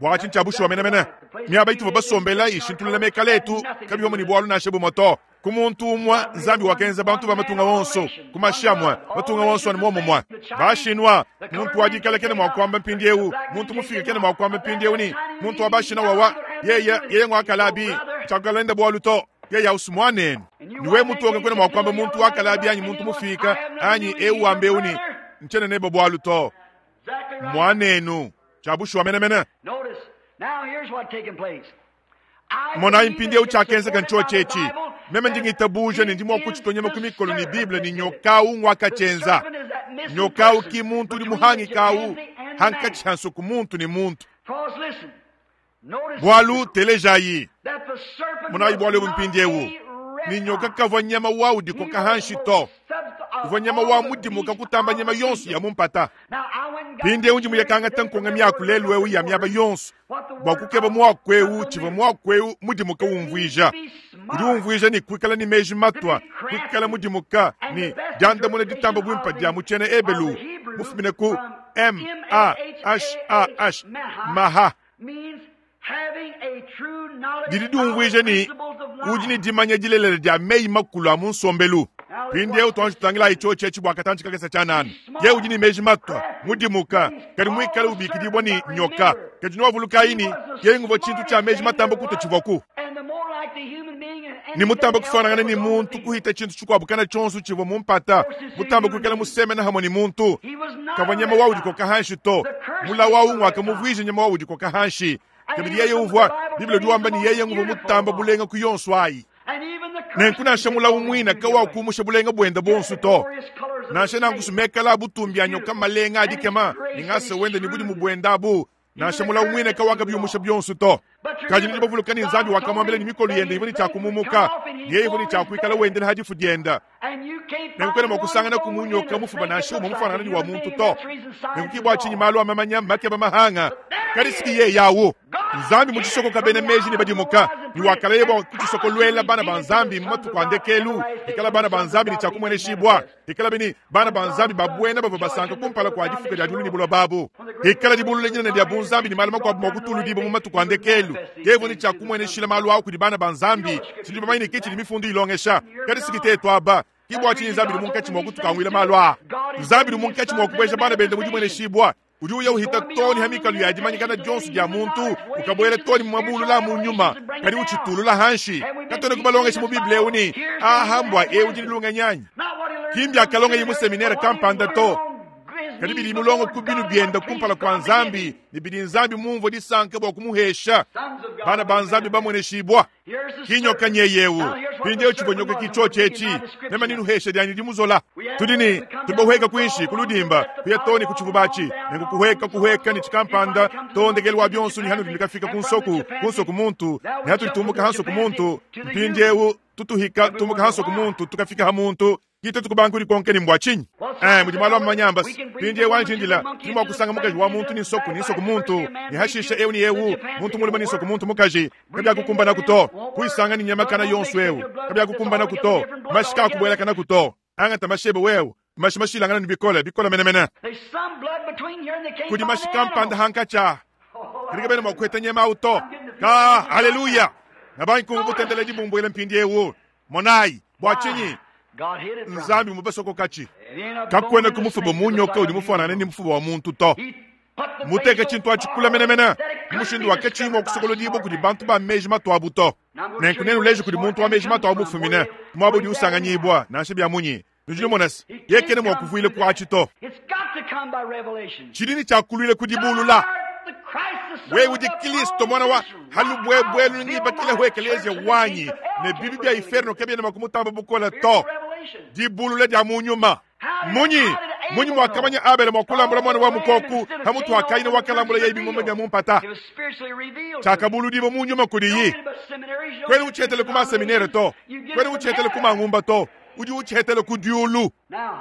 Bua atshi ntshia bushuwa menemene. Miaba ituvua basombela ishintulula mekala etu kabivua mu ne bualu nansha bumue to. Ku muntu umue Nzambi wakenza bantu ba matunga onso, ku mashi amue, matunga onso anu muomumue. Ba-Chinois, muntu wa dikala kena mua kuamba mpindieu, muntu mufike kena mua kuamba mpindieu ne, muntu wa ba-Chinois wawa, yeye, yeye ngua kalabi, tshiakuikala nende bualu to, yeye au si muanenu. Ne wewe mutoke kuena mua kuamba muntu wa kalabi anyi muntu mufike anyi eu wamba eu ne, ntshiena nebe bualu to, muanenu. Tshia bushuwa menemene. Monayi mpindieu tshiakenzeka ntshiotshi etshi. Meme ndi ngitabuja ne ndi mua kutshitua nyama ku mikolo ne Bible ne nyoka au nguakatshienza. Nyoka au ki muntu udi muhangika au hankatshi ha nsuku muntu ne muntu. Bualu telejayi, monayi bualu ebu mpindieu, ne nyoka kavua nyama wa udikoka hanshi to, uvua nyama wa mudimuka kutamba nyama yonso ya mu mpata. Mpindieu ndi muye kangata nkonga miaku lelu eu ya miaba yonso bua kukeba muaku eu tshivua muaku eu mudimuka umvuija. Udi umvuija ne kuikala ne meji matua, kuikala mudimuka, ne diandamuna ditamba buimpe dia mu tshiena Ebelu mufumine ku M A H A H maha didi diumvuija ne udi ne dimanya dilelela dia meyi makulu a mu nsombelu. Mpindieu tuanji tutangilayi tshiotshi etshi bua katantshi kakese tshianana. Yeye udi ne meji matua, mudimuka, kadi muikale ubikidibua ne nyoka. Kadi nuavulukayi ne, yeye nguvua tshintu tshia meji matamba kutua tshivuaku ne mutamba kufuanangana ne muntu kuhita tshintu tshikuabu kana tshionso tshivua mu mpata, mutamba kuikala musemena hamue ne muntu. Kavua nyama wa udikoka hanshi to. Mulawu au nguakamuvuija nyama wa udikoka hanshi. Kabidi yeye uvua, Bible udi wamba ne, yeye nguvua mutamba bulenga ku yonso ayi. Nenku nansha mulawu muine kawakumusha bulenga buende buonso to. Nansha nanku mekala a butumbi a nyoka malenga a dikema ne ngasa wende ne budimu buende abu, nansha mulawu muine kawakabiumusha bionso to. Kadi nudi bavuluka ne Nzambi wakamuambila ne mikolo yende ivua ne tshia kumumuka, yeye ivua ne tshia kuikala wendela ha difu diende. Nenku kuena mua kusangana ku munyoka mufuba nansha umue mufuanangane ne wa muntu to. Nenku ke bua tshinyi malu a mamanya makeba mahanga, kadi siki yeye awu. Nzambi mu tshisokoka bena meji ne badimuka, ne wakalaya bua kutshisokoluela bana ba Nzambi mu matuku a ndekelu, ikala bana ba Nzambi ne tshia kumueneshibua, ikala bini bana ba Nzambi ba buena bavua basanka kumpala kua difuka dia diulu ne buloba abu, ikala dibulula dinene dia bunzambi ne malu makuabu mua kutuludibua mu matuku a ndekelu. Yeye ne tshia kumueneshila malu au kudi bana ba Nzambi. Tudi bamanye ne ke tshidi mifundu ilongesha, kadi siki tetu aba. Ke bua tshinyi Nzambi udi munkatshi mua kutukanguila malu aa. Nzambi udi munkatshi mua kubueja bana bende mu dimueneshibua. Udi uya uhita too ne ha mikalu ya dimanyikana dionso dia muntu, ukabuela too ne mu mabulula a mu nyuma, kadi utshitulula hanshi. Katuena kubalongesha mu Bible eu ne, aha mbua eu udi ne lungenyi anyi? Ki mbiakalongeye mu seminere kampanda to, kadi bidi mulongo ku binu biende kumpala kua Nzambi ne bidi Nzambi mumvue disanka bua kumuhesha. Bana ba Nzambi bamueneshibua. Ki nyoka nyeye eu. Mpindieu tshivua nyoka ki tshiotshi etshi. Meme ninuhesha dianyi dimuzola. Tudi ne tudi bahueka kuinshi ku ludimba kuya too ne ku tshivuba atshi, nenku kuhueka kuhueka ne tshikampanda too ndekelu wa bionso ne hanudi nikafika ku nsoku ku nsoku muntu ne hatudi tumbuka ha nsoku muntu mpindieu tutuhika tumbuka ha nsoku muntu tukafika ha muntu. Ki tuetu kubanga kudikonka ne mbua tshinyi? Eh, mudi malu a manyamba. Mpindieu anji indila, tudi mua kusanga mukaji wa muntu ne nsoku ne nsoku muntu, ne hashisha eu ne eu, muntu mulume ne nsoku muntu mukaji. Kabiakukumbanaku to. Kuyisanga ne nyama kana yonso eu. Kabiakukumbanaku to. Mashi kaakubuelakanaku to. Angata mashi ebe wewe. Mashi mashilangane ne bikole, bikole menemene. Kudi mashi kampanda hankatshi aha. Kadi kabena mua kuheta nyama au to. Ka, haleluya! Nabangi kumvua butendeledi bumbuela mpindieu. Monayi, bua tshinyi Nzambi mubasokokatshi? Kakuena ku mufuba mu nyoka udi mufuanangane ne mufuba wa muntu to. Muteke tshintu atshi kule menemene mu mushindu wa katshiyi mua kusokolodibua kudi bantu ba meji matuabu to. Nenku nenuleje kudi muntu wa meji matuabu mufumine ku muaba udi usanganyibua, nansha bia munyi. Nudi numona se, yeye kena mua kuvuila ku atshi to. Tshidi ne tshia kuluila ku dibulula. Wewe udi Kristo, Muana wa halubuebuelu, ngibakileho ekeleziya wanyi, ne bibi bia inferno kabiena mua kumutamba bukole to. Dibulula dia mu nyuma. Munyi munyi muakamanya Abele mua kulambula muana wa mukoku pamutu wa Kaina wakalambula yeye bimuma bia mu mpata? Tshiakabuludibua mu nyuma kudiyi. Kuena utshietele ku maseminere to, kuena utshietele ku mangumba to. Udi utshihetela ku diulu.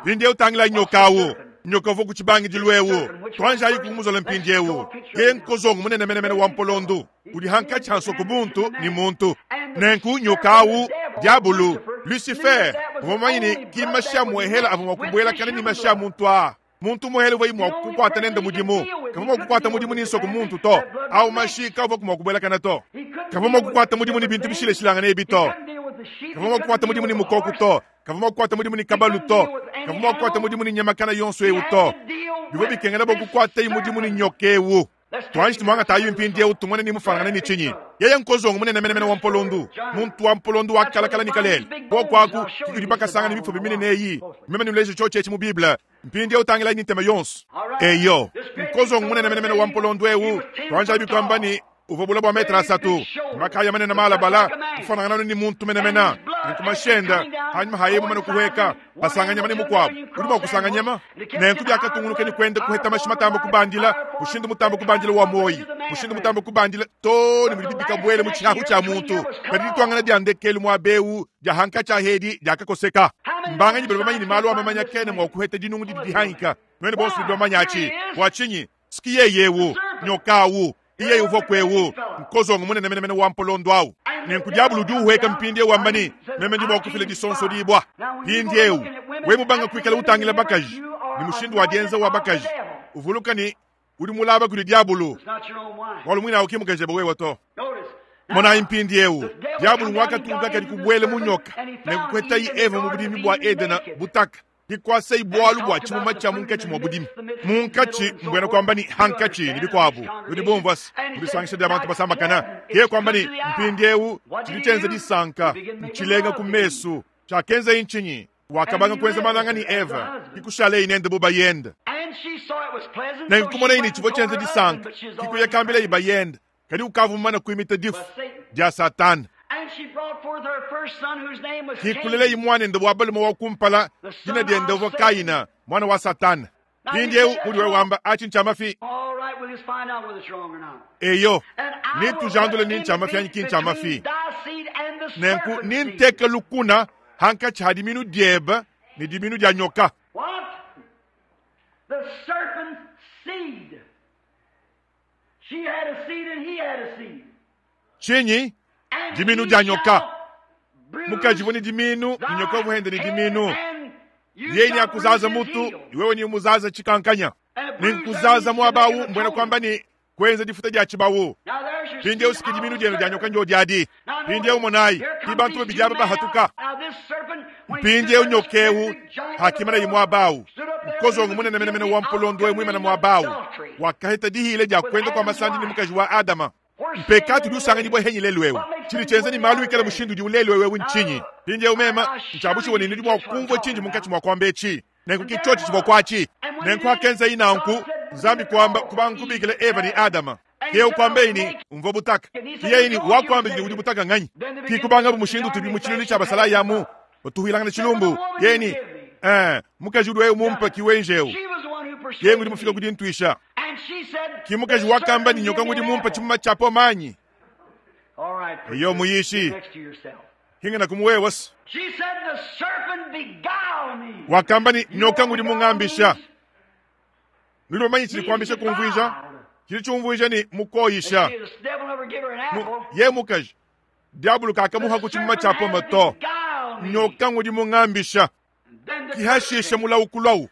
Mpindieu tangila nyoka au. Nyoka uvua ku tshibangidilu eu. Tuanjayi kumuzola mpindieu. Ke nkozongo munene menemene wa mpolondu udi hankatshi ha nsoko buntu ne muntu. Nenku nyoka au, diabulu, Lucifer, uvua mumanye ne ki mashi a muehela avua mua kubuelakana ne mashi a muntu aa. Muntu muhele uvua mua kukuata nende mudimu, kavua mua kukuata mudimu ne nsoko muntu to. Au mashi kavua mua kubuelakana to. Kavua mua kukuata mudimu ne bintu bishilashilangane ebi to. Kavua mua kukuata mudimu ne mukoko to. Kavua mua kukuata mudimu ne kabalu to. Kavua mua kukuata mudimu ne nyamakana yonso eu to. Bivua bikengela bua kukuataye mudimu ne nyoka eu. Tuanji tumuangatayi mpindieu tumone ni mufuanangane ne tshinyi. Yeye nkozongo munene menemene wa mpolondu, muntu wa mpolondu wa kalakala ne kalele. Kuoku aku ke kudi bakasangana mifuba minene eyi. Meme nuleje tshiotshi etshi mu Bible. Mpindieu tangilayi ne ntema yonso. Eyo, nkozongo munene menemene wa mpolondu eu, tuanjabi kuamba ne, uvua bule bua metre asatu, makaya manene malabala, kufuanangana ne muntu menemene. Nenku mashi ende, panyima pa yeye mumane kuhueka, basanga nyama ne mukuabu. Udi mua kusanga nyama. Nenku biakatungunuka ne kuenda kuheta mashi matambe kubandila, mushindu mutambe kubandila wa muoyi, mushindu mutambe kubandila too ne mudi bikabuele mu tshihahu tshia muntu. Kadi dituangana dia ndekelu muaba eu dia hankatshi a hedi diakakoseka. Mbanganyi badi bamanye ne malu a mamanya kena mua kuheta dinungu didi dihangika? Nuenu bonso nudi bamanye atshi. Bua tshinyi? Siki yeye eu, nyoka au, yeye uvua kuewu, nkozongo munene menemene wa mpolondo au. Nenku diabolo udi uhueka mpindieu wamba ne, Meme ndi mua kufila disonsodibua. Mpindieu, wewe mubanga kuikala utangila bakaji ne mushindu wa dienza wa bakaji, uvuluka ne, udi mulaba kudi diabolo, bualu muine au ki mukajebe wewe to. Monayi mpindieu, diabolo nguakatunka kadi kubuela mu nyoka ne kukuetayi Eva mu budimi bua Edena butaka. Dikuasayi bualu bua tshimuma tshia munkatshi mua budimi. Munkatshi, mbuena kuamba ne hankatshi ne bikuabu. Nudi bumvua se, mu disangisha dia bantu basambakana, yeye kuamba ne, mpindieu tshidi tshienza disanka, ntshilenga ku mesu. Tshiakenzaye ntshinyi? Wakabanga kuenza malanga ne Eva, ke kushalaye nende bu bayende. Nenku kumonaye ne, tshivua tshienza disanka, ke kuya kambilaye bayende. Kadi ukavua mumane kuimita difu dia Satana. Ke kulelaye muanende wa balume wa kumpala, dina diende uvua Kaina, muana wa Satana. Mpindieu udi wewe wamba, atshi ntshia mafi. Eyo, netujandule ni ntshia mafi anyi ki ntshia mafi. Nenku nenteke lukuna hankatshi ha diminu diebe ne diminu dia nyoka. Tshinyi? Diminu dia nyoka. Mukaji uvua ne diminu ne nyoka uvua hende ne diminu. Yeye ne akuzaza mutu, wewe ne umuzaza tshikankanya. Ne nkuzaza muaba awu mbuena kuamba ne kuenza difuta dia tshibawu. Mpindieu siki diminu dienu dia nyoka ndio diadi. Mpindieu monayi, ki bantu babidi aba bahatuka. Mpindieu nyoka eu hakimanaye muaba au, nkozongo munene menemene wa mpolondo eu muimane muaba au, wakaheta dihile dia kuenda kua masandi ne mukaji wa Adama. Mpekatu udi usanganyibua henyi lelu eu. Tshidi tshienza ne malu ikale mushindu udiwu lelu eu ntshinyi? Mpindieu mema ntshiabushiwa ne nudi mua kumvua tshindi munkatshi mua kuamba etshi. Nenku ki tshiotshi tshivua kuatshi. Nenku hakenzayi nanku, Nzambi kuamba kubanga kubikila Eva ne Adama. Ke kuambeyi ne, Mvua butaka. Ke yeye ne, Wakuambidi ne udi butaka nganyi? Ke kubangabu mushindu utubi mu tshilulu tshia basalayi amu, batuhuilangana tshilumbu. Yeye ne, Ee, mukaji udi wewe mumpe ki wenje eu. Yeye ngudi mufika ku dintuisha. Ki mukaji wakamba ne, Nyoka ngudi mumpe tshimuma tshia poma anyi? Eyo muyishi, hingana ku muwewe se. Wakamba ne, Nyoka ngudi mungambisha. Nudi bamanye tshidi kuambisha kumvuija? Tshidi tshiumvuija ne, mukoyisha. Ye mukaji, diabolo kakamuha ku tshimuma tshia pome to. Nyoka ngudi mungambisha. Kihashisha mulawu kulawu.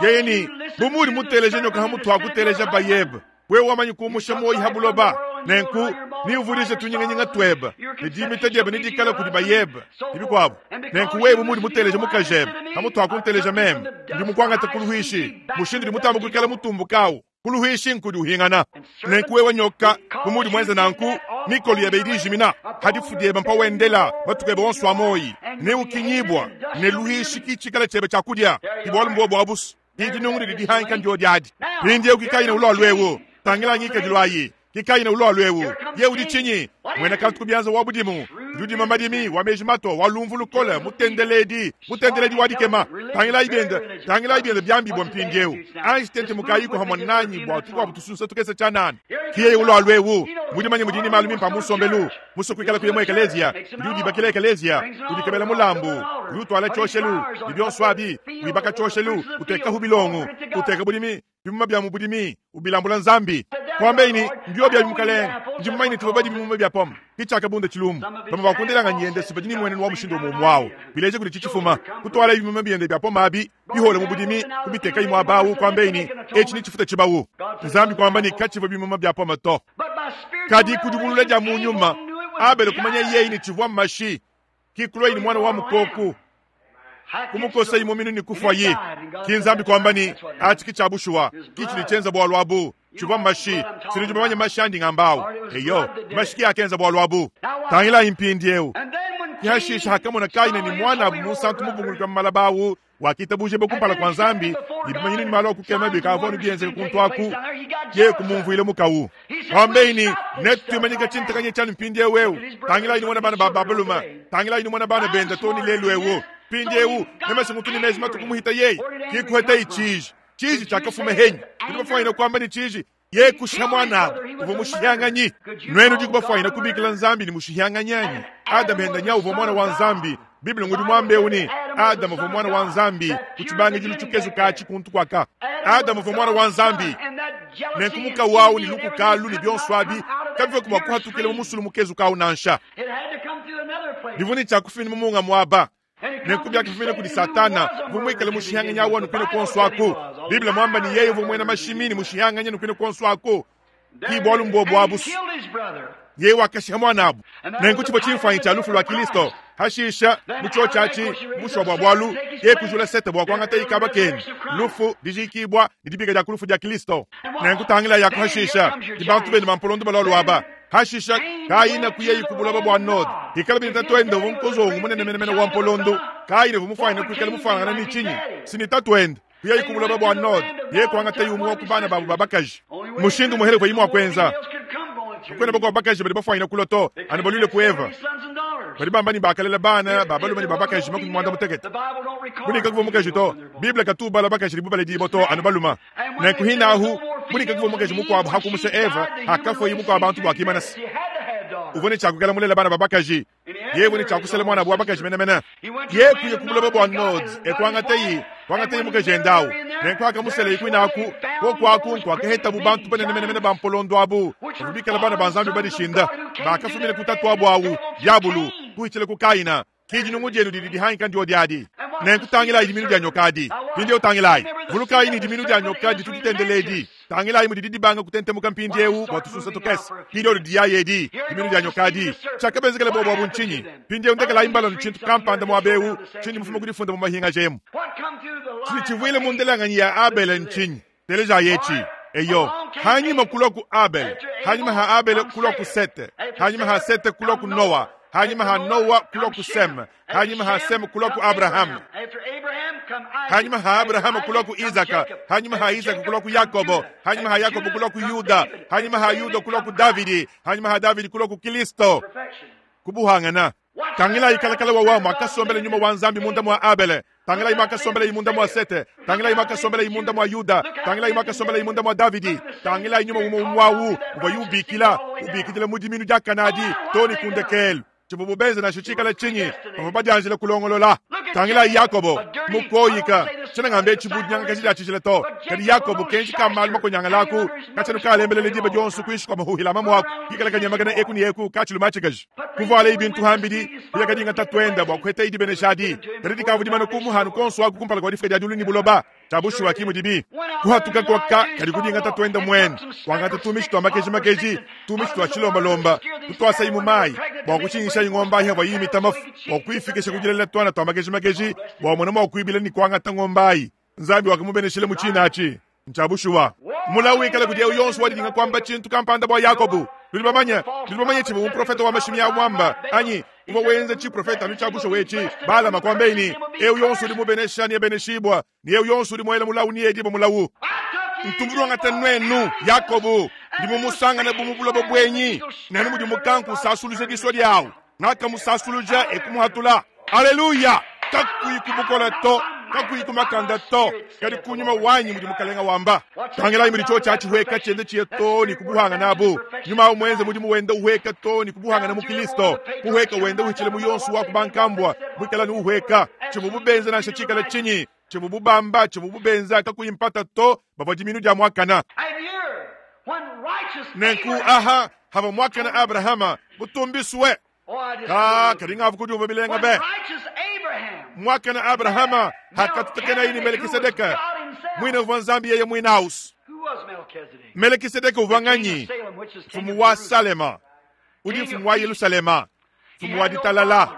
Yeye ne, bu muudi muteleje nyoka ha mutu hakuteleja bayebe, wewe wamanyi kumusha muoyi ha buloba. Nenku neuvudije tunyinganyinga tuebe, ne dimita diebe nedikale kudi bayebe, ne bikuabu. Nenku wewe bu muudi muteleje mukajebe ha mutu hakunteleja meme, ndi mukuangate ku luhuishi, mushindu udi mutambe kuikala mutumbuke au ku luhuishi nkudi uhingana. Nenku wewe nyoka, bu muudi muenze nanku, mikolo yebe idi ijimina, ha difu diebe mpa wendela matuku ebe onso a muoyi, neukinyibua ne luhuishi ki tshikala tshiebe tshia kudia. Ki bualu mbuobu abusu, ki dinungu didi dihanka ndio diadi. Mpindieu ki Kaina ulua luewu, tangila ngikadilu ayi. Ki Kaina ulua luewu, ye udi tshinyi? Muena kantu ku bianza wa budimu, udi udima madimi, wa meji mato, wa lumvu lukole, mutendeledi, mutendeledi wa dikema. Tangilayi biende, tangilayi biende biambibua mpindieu. Anji tentemukayiku hamue nanyi bua tukuabu tusunsa tukese tshianana. Ki yeye ulua luewu, mudimanye mudiye ne malu mimpe a mu nsombelu, musue kuikala kuya mu ekeleziya, udi udibakila ekeleziya, udikebela mulambu, udi utuala tshioshelu, ne bionso abi, wibaka tshioshelu, utekahu bilongo, uteka budimi, bimuma bia mu budimi, ubilambula Nzambi. Kuambeyi ne, Mbio biabi Mukalenge, ndi mumanye ne tuvua badi bimuma bia pome. Ke tshiakabunda tshilumbu. Bamue ba ku ndelanganyi yende si badi ne mmuenenu wa mushindu umue umue au. Bileja kudi tshitshifuma, kutualaye bimuma biende bia pome abi bihole mu budimi, kubitekayi muaba au, kuambeyi ne, Etshi netshifuta tshibawu. Nzambi kuamba ne, katshivua bimuma bia pome to. Kadi ku dibulula dia mu nyuma, Abele kumanya yeye ne tshivua mashi, ki kuluayi ne muana wa mukoku, kumukosayi muminu ne kufuayi. Ki Nzambi kuamba ne, atshi ki tshia bushuwa, ki tshidi tshienza bualu abu. Tshivua mashi, sinudi bamanye mashi andi ngamba au. Eyo, mashi ki akenza bualu abu. Tangilayi mpindieu. Ke hashisha hakamona Kaina ne muanabu munsantu mubunguluka mu malaba awu, wakitabujibua kumpala kua Nzambi, ne bimanyinu ne malu a kukema bikavua anu bienzeka kuntu aku, yeye kumumvuila mukawu. Wambeyi ne, Netuimanyike tshintakanya tshianyi mpindieu eu. Tangilayi numone bana ba ba balume, tangilayi numone bana bende too ne lelu eu. Mpindieu, meme ngutu ne meji matuku muhita yeye, ki kuhetayi tshiji. Tshiji tshiakafuma henyi? Tudi bafuanyine kuamba ne tshiji yeye kushiha muanabu uvua mushihianganyi. Nuenu diku bafuanyine kubikila Nzambi ne mushihianganyi anyi? Adama henda nya uvua muana wa Nzambi. Bible ngudi muambe eu ne Adama uvua muana wa Nzambi ku tshibangidilu tshikezuka atshi kuntu kuaka. Adama uvua muana wa Nzambi. Nenku mukawu awu ne lukuka alu ne bionso abi kabivua mua kuhatukila mu musulu mukezuka awu nansha. Bivua ne tshia kufumina mu munga muaba. Nenku biakafumina kudi Satana, uvua muikale mushihanganyi awu anu kuine kuonso aku. Bible muamba ne yeye uvua muena mashimi ne mushihanganyi anu kuine kuonso aku. Ki bualu mbuobu abu. Yeye wakashiha muanabu. Nenku tshivua tshimfuanyi tshia lufu lua Kilisto. Hashisha, mu tshiotshi atshi, bushuwa bua bualu, yeye kujula Sete bua kuangata ikaba kende, lufu, dijiikibua, ne dibika dia ku lufu dia Kilisto. Nenku tangilayi aku hashisha, di bantu bende ba mpolondo balualua aba. Hashisha, Kaina kuyayi ku buloba bua Node. Hikala bine tatuende uvua mukozongo munene menemene wa mpolondo. Kaina uvua mufuanyine kuikala mufuanangana ne tshinyi? Si ne tatuende. Kuyayi ku buloba bua Node, yeye kuangatayi umue wa ku bana babu ba bakaji. Mushindu umuehele uvuaye mua kuenza. Kakuena bakuabu bakaji badi bafuanyine kulua to, anu baluile ku Eva. Badi bamba ne bakalela bana ba balume ne ba bakaji 60. Mudi kakuvua mukaji to. Bible katu ubala bakaji ne bubaledibua to, anu balume. Nenku hinahu, mudi kakuvua mukaji mukuabu hakumusha Eva, hakafuaye bukua bantu buakimana se uvua ne tshia kuikala mulela bana ba bakaji. Yeye uvua ne tshia kusela muanabu wa bakaji menemene. Yeye kuya ku buloba bua Node, e kuangataye kuangataye mukajende awu. Nenku akamuselaye kuine aku. Koku aku nkuakahetabu bantu banene menemene ba mpolondo abu, bavua bikale bana ba Nzambi badishinda, bakafumina ku tatuabu awu, Diabulu, kuhitshila ku Kaina. Ki dinungu dienu didi dihangika ndio adi. Nenku tangilayi diminu dia nyoka adi. Mpindieu tangilayi. Vulukayi ne diminu dia nyoka ditu ditendela edi. Tangilayi mudidi dibanga kutentemuka mpindieu bua tusunsa tukese. Ki diodi diyayi edi, diminu dia nyoka adi. Tshiakabenzekela bobu abu ntshinyi? Mpindieu ndekelayi mbalanu tshintu kampanda muaba eu tshindi mufume ku difunda mu mahingaja emu. Tshidi tshivuile mu ndelanganyi ya Abele ntshinyi? Telejayi etshi. Eyo, hanyima kulua ku Abele, hanyima ha Abele kulua ku Sete, hanyima ha Sete kulua ku Noa, hanyima ha Noa kulua ku Sem, hanyima ha Sem kulua ku Abrahama, hanyima ha Abrahama kulua ku Isaka, hanyima ha Isaka kulua ku Yakobo, hanyima ha Yakobo kulua ku Yuda, hanyima ha Yuda kulua ku Davidi, hanyima ha Davidi kulua ku Kilisto. Kubuhangana. Tangilayi kalakala wawa muakasombela nyuma wa Nzambi munda mua Abele. Tangilayi muakasombelayi munda mua Sete. Tangilayi muakasombelayi munda mua Yuda. Tangilayi muakasombelayi munda mua Davidi. Tangilayi nyuma umue umue awu uvuaye ubikila, ubikidila mu diminu dia Kanadi too ne ku ndekelu. Tshivuabu benze nansha tshikale tshinyi, bavua badianjila kulongolola. Tangilayi Yakobo, mukoyika. Tshiena ngamba etshi bu dinyangakaja dia tshijila to, kadi Yakobo kenji ka malu makonyangala aku, katshiena kalembelela diba dionso kuinshi kua mahuhila a mamuaku, kikala kanyemakana eku ne eku katshilu matshikaji. Kuvualaye bintu hambidi, biakadinga tatuende bua kuhetaye dibenesha adi, kadi dikavua dimane kumuhanu kuonso aku kumpala kua difika dia diulu ne buloba. Tshia bushuwa ki mudibi kuhatuka kuaka kadi kudinga tatuende muene, kuangata tumitshi tua makeji-makeji, tumitshi tua tshilombalomba, kutuasayi mu mayi bua kutshingishayi ngombe ayi avua yimita mafu, bua kuyifikisha ku dilela tuana tua makeji-makeji bua amone mua kuibila ne kuangata ngombe ayi. Nzambi wakamubeneshila mu tshina atshi. Ntshia bushuwa. Mulawu wikale kudi eu yonso wadidinga kuamba tshintu kampanda bua Yakobo. Nudi bamanye, nudi bamanye tshivua muprofete wa mashimi au muamba anyi? Uvua wenza tshiprofete anu tshia bushuwa etshi. Balama kuambaye ne, eu yonso udi mubenesha neabeneshibua, ne eu yonso udi muela mulawu needibue mulawu. Ntu munuangata nuenu, Yakobo, ndi mumusangane bu mu buloba buenyi, nenu mudi mukanku usasuluja disua diawu. Ngakamusasuluja e kumuhatula. Aleluya! Kakuyi ku bukole to, kakuyi ku makanda to, kadi ku nyuma wanyi mudi Mukalenga wamba. Tangilayi mudi tshiotshi atshi hueka tshiende tshiye too ne ku buhangana abu. Nyuma awu muenze mudimu wenda uhueka too ne ku buhangana mu Kilisto. Kuhueka wenda uhitshila mu yonso wa ku bankambua, muikala ne uhueka. Tshivubu benza nansha tshikala tshinyi, tshivubu bamba, tshivubu benza, kakuyi mpata to, bavua diminu dia muakana. Nenku aha havua muakana Abrahama mutumbisue. Ka kadi ngavu kudiumvua bilenga be. Muakana Abrahama hakatutekenayi ne Melekisedeke, muine uvua Nzambi yeye muine ausu. Melekisedeke uvua nganyi? Mfumu wa Salema, udi mfumu wa Yelusalema, mfumu wa ditalala.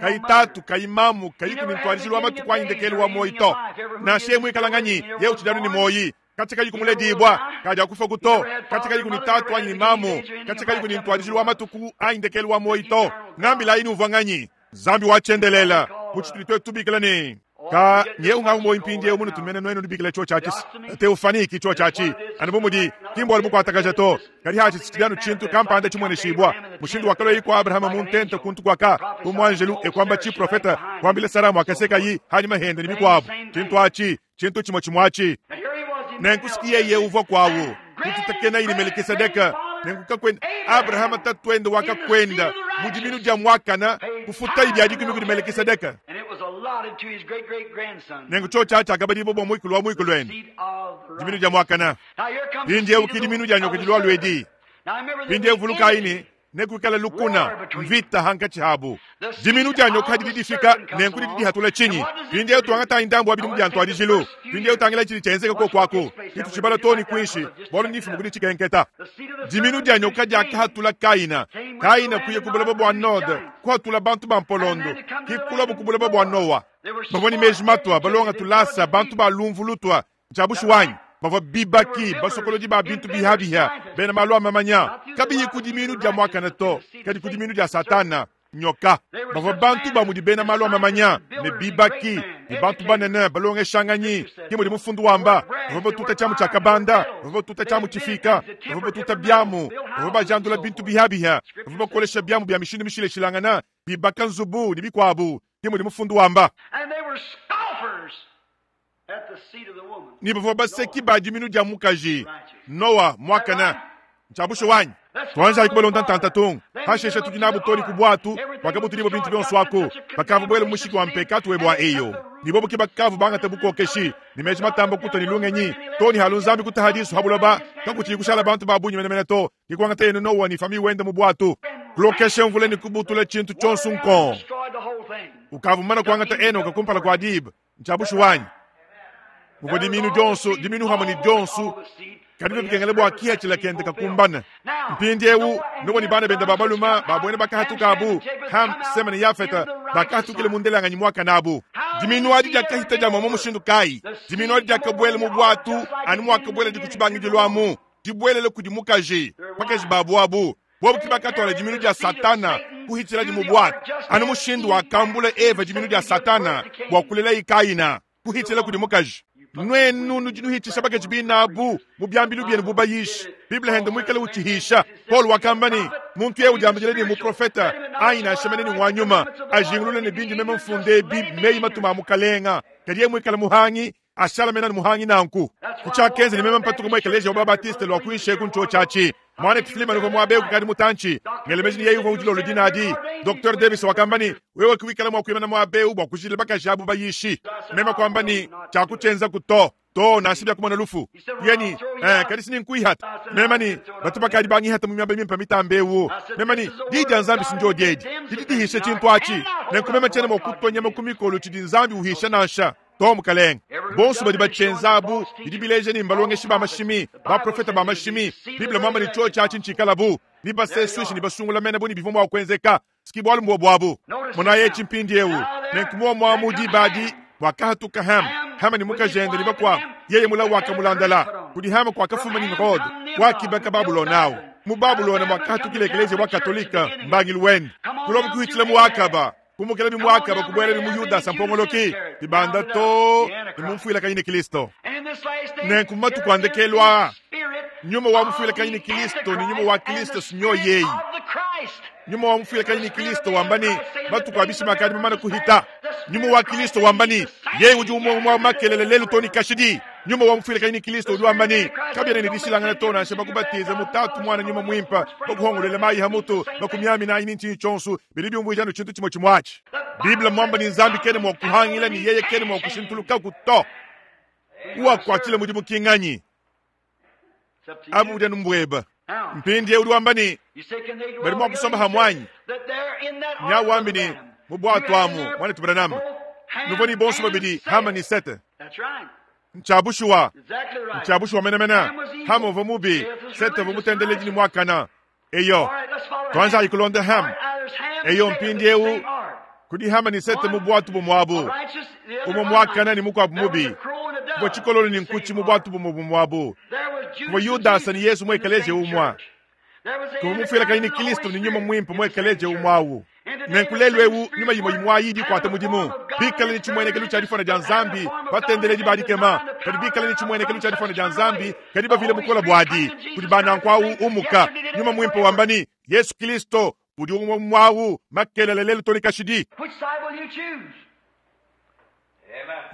Kayi tatu, kayi mamu, kayi kuni ntuadijilu wa matuku anyi ndekelu wa muoyi to. Nansha yeye muikala nganyi, yeye utshidi anu ne muoyi. Katshia kayi kumuledibua, kadi akufa to. Katshia kayi kuni tatu anyi ne mamu, katshia kayi kuni ntuadijilu wa matuku anyi ndekelu wa muoyi to. Ngambilayi ni uvua nganyi? Nzambi wa tshiendelela, mu tshitudi tuetu tubikila ne, Ka nyewu ngawu muoyo mpindieu munutu mene nuenu nubikila tshiotshi atshi teofani ki tshiotshi atshi anu bu mudi ki mbualu bukuatakaja to, kadi atshi tshidi anu tshintu kampanda tshimueneshibua. Mushindu wakalua kua Abrahama mu ntenta kuntu kuaka bu muanjelu e kuamba tshiprofeta kuambila Sara muakasekayi hanyima hende ne bikuabu tshintu atshi tshintu tshimue tshimue atshi. Nenku siki yeye uvua kuawu kututakenayi ne Melekisedeke. Nenku kakuenda Abrahama tatuende wakakuenda mu diminu dia muakana kufutayi bia dikumi kudi Melekisedeke. Nenku tshiotshi atshi tshiakabadibua bua muikulu wa muikulu ende, diminu dia muakana. Mpindieu ki diminu dia nyoka dilualua edi. Mpindieu vulukayi ne, nekuikale lukuna, mvita hankatshi habu. Diminu dia nyoka didi difika, nenku didi dihatula tshinyi? Mpindieu tuangatayi ndambu wa bidimu bia ntuadijilu. Mpindieu tangila tshidi tshienzeka koku aku. Tshitu tshibala too ne kuinshi, bualu ndifume ku ditshikenketa. Diminu dia nyoka diakahatula Kaina. Kaina kuya ku buloba bua Node, kuhatula bantu ba mpolondo, ki kuluabu ku buloba bua Noa. Bavua ne meji matua, balonga tulasa, bantu ba lumvu lutua. Ntshia bushuwa anyi? Bavua bibaki, basokolodi ba bintu bihabihia, bena malu a mamanya, kabiyi ku diminu dia muakane to, kadi ku diminu dia Satana, nyoka. Bavua bantu ba mudi bena malu a mamanya, ne bibaki, ne bantu banene, balongeshanganyi, ke mudi mufundu wamba. Bavua batuta tshiamu tshia kabanda, bavua batuta tshiamu tshifika, bavua batuta biamu, bavua bajandula bintu bihabihia, bavua bakolesha biamu bia mishindu mishilashilangana, bibaka nzubu, ne bikuabu, ke mudi mufundu wamba. Ne bavua baseki ba diminu dia mukaji Noa muakane. Ntshia bushuwa anyi? Tuanjayi kubalonda ntanta tung. Pashishe tudi nabu too ne ku buatu buakabutudibua bintu bionso aku. Bakavua buele mu mushiki wa mpekatu webe wa eyo. Ne bobu ke bakavua bangate bukokeshi ne meji matamba kutua ne lungenyi too ne halu Nzambi kutaha disu ha buloba kakutshiyi kushala bantu ba bungi menemene to. Ke kuangataye ne Noa ne famiye wende mu buatu. Kulokesha mvula ne kubutula tshintu tshionso nkong. Ukavua mumane kuangata Enoka kumpala kua diba. Ntshia bushuwa anyi? Muvua diminu dionso, diminu hamue ne dionso, kadi bivua bikengela bua kihatshila kende kakumbane. Mpindieu Noa ne bana bende ba balume ba buena bakahatuka abu, Ham, Sema ne Yafeta, bakahatukila mu ndelanganyi muakane abu. Diminu adi diakahita dia muamua mushindu kayi? Diminu adi diakabuela mu buatu anu muakabueladi ku tshibangidilu amu, dibuelele kudi mukaji, bakaji babu abu. Bobu ke bakatuala diminu dia Satana kuhitshiladi mu buatu, anu mushindu wakambula Eva diminu dia Satana bua kulelayi Kaina, kuhitshila kudi mukaji. Nuenu nudi nuhitshisha bakaji binabu mu biambilu bienu bu bayishi. Bible hende muikale utshihisha. Paulo wakamba ne, muntu eu udiambidila ne muprofeta anyi nansha mene ne ngwa nyuma, ajingulule ne bindi meme mfunde ebi meyi matuma a Mukalenga, kadi yeye muikale muhangi, ashala mena ne muhangi nanku. Kutshiakenza ne meme mpatuka mu ekeleziya wa ba-Baptiste lua kuinshi eku ntshiotshi atshi. Muanetu Fleeman uvua muaba eu kukadi mutantshi. Ngela meji ne yeye uvua mu dilolo dine adi. Docteur Davis wakamba ne, Wewe ke wikala mua kuimana muaba eu bua kujidila bakaji abu bayishi. Meme kuamba ne, Tshiakutshienzaku to. Too, nansha bia kumona lufu. Yeye ne, Eh, kadi si ninkuihata. Meme ne, Batu bakadi bangihata mu miaba mimpe mitambe eu. Meme ne, Diyi dia Nzambi si ndiodi edi. Didi dihisha tshintu atshi. Nenku meme tshiena mua kutua nyama ku mikolo tshidi Nzambi uhisha nansha. To, mukalenge. Bonso badi batshienza abu bidi bileja ne mbalongeshi ba mashimi, baprofete ba mashimi. Bible muamba ne tshiotshi atshi ntshikalabu ne basesuishe ne basungula mene bu ne bivua mua kuenzeka. Siki bualu mbuobu abu. Monayi etshi mpindieu. Nenku muomu amu diba adi muakahatuka Ham, Hama ne mukajende ne bakuabu. Yeye mulawu wakamulandala. Kudi Hama kuakafuma Nimrod, wakibaka Babulona au. Mu Babulona muakahatukila ekeleziya wa Katolika, mbangilu wende. Kulobu kuhitshila mu Akaba. Kumukela bi muakaba kubuela bi mu Yudasa mpongoloki, bibanda too ne mu mfuilakanyi ne Kristo. Nenku mu matuku a ndekelu aa, nyuma wa mufuilakanyi ne Kristo ne nyuma wa Kristo sinyo yeyi. Nyuma wa mufuilakanyi ne Kristo wamba ne, matuku a bishima akadi mamane kuhita. Nyuma wa Kristo wamba ne, yeye udi umue umue wa makelele lelu too ne kashidi. Nyuma wa mufuilakanyi ne Kristo udi wamba ne, kabiena ne dishilangana to nansha bakubatiza mu Tatu, Muana, Nyuma Muimpe, bakuhongoluela mayi ha mutu, bakumiamina anyi ne ntshinyi tshionso, bidi biumvuija anu tshintu tshimue tshimue atshi. Bible mmuamba ne, Nzambi kena mua kuhangila ne yeye kena mua kushintulukaku to. Uwakuatshila mudimu ki nganyi? Abu budi anu mbueba. Mpindieu udi wamba ne, badi mua kusomba hamue anyi? Nya wambi ne, mu buatu amu, muanetu Branham, nuvua ne bonso babidi Hama ne Sete. Ntshia bushuwa, ntshia bushuwa menemene. Hama uvua mubi, Sete uvua mutendeledi ne muakana. Eyo, tuanjayi kulonda Ham. Eyo, mpindieu kudi Hama ne Sete mu buatu bumue abu, umue muakana ne mukuabu mubi. Kuvua tshikololo ne nkutshi mu buatu bumue bumue abu. Kuvua Yudasa ne Yezu mu ekeleziya umue. Kuvua mufuilakanyi ne Kristo ne Nyuma Muimpe mu ekeleziya umue awu. Nenku lelu eu nyuma imue imue ayi idi ikuata mudimu, bikale ne tshimuenekelu tshia difuana dia Nzambi, batendeledi ba dikema, kadi bikale ne tshimuenekelu tshia difuana dia Nzambi, kadi bavile bukole buadi. Kudi ba nanku au umuka. Nyuma Muimpe wamba ne, Yesu Kilisto udi umue muawu makelela lelu to ne kashidi. Which side will you choose?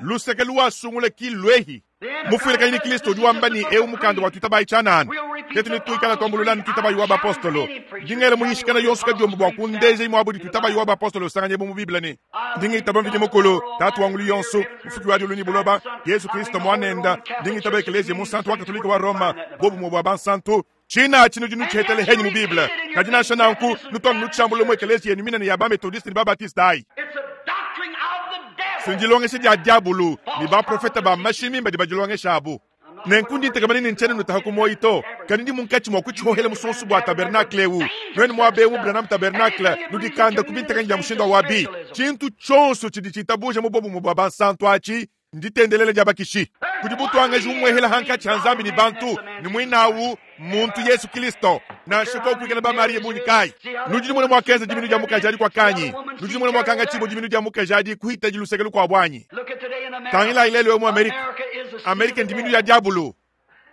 Luseke luwasungula ki luehi. Mufuilakanyi ne Kristo udi wamba ne, eu mukanda wa tuitabayi tshianana. Tetu ne tuikala tuambulula ne tuitabayi wa bapostolo. Ndi ngela muyishikana yonso kadiombo bua kundeja imue budi tuitabayi wa bapostolo usanganyebo mu Bible ne, Ndi ngitaba Mvidi Mukulu, Tatu wa ngulu yonso, Mufuki wa diulu ne buloba, Yezu Kristo Muanenda. Ndi ngitaba Ekeleziya Munsantu wa Katolika wa Roma, bobumue bua bansantu. Tshina atshi nudi nutshihetele henyi mu Bible. Kadi nansha nanku, nutu anu nutshiambulula mu ekeleziya yenu minene ya ba-Methodiste ne ba-Baptiste ayi. It's a doctrine of the devil. Ndilongesha dia diabulu ne baprofete ba mashimi mbadi badilongesha abu. Nenku ndi ntekemena ne ntshiena nutaha ku muoyi to, kadi ndi munkatshi mua kutshihohela musonsu bua tabernakle eu. Nuenu muaba eu mu Branham Tabernacle, nudikande ku bintekanyi bia mushindu awu abi. Tshintu tshionso tshidi tshitabuja mu bobumue bua bansantu atshi nditendelela dia bakishi. Kudi butuangaji bumuehela hankatshi ha Nzambi ne bantu, ne muinawu muntu Yesu Kristo. Nansha koku kuikala ba Mariya bungi kayi, nudi numona muakenza diminu dia mukaji adi kuakanyi? Nudi numona muakangatshibua diminu dia mukaji adi kuhitadi luseke lukuabu anyi? Look at today in America. Tangilayi lelu eu mu Amerika. America is the seed Amerika of the ndiminu devil. ya diabulu.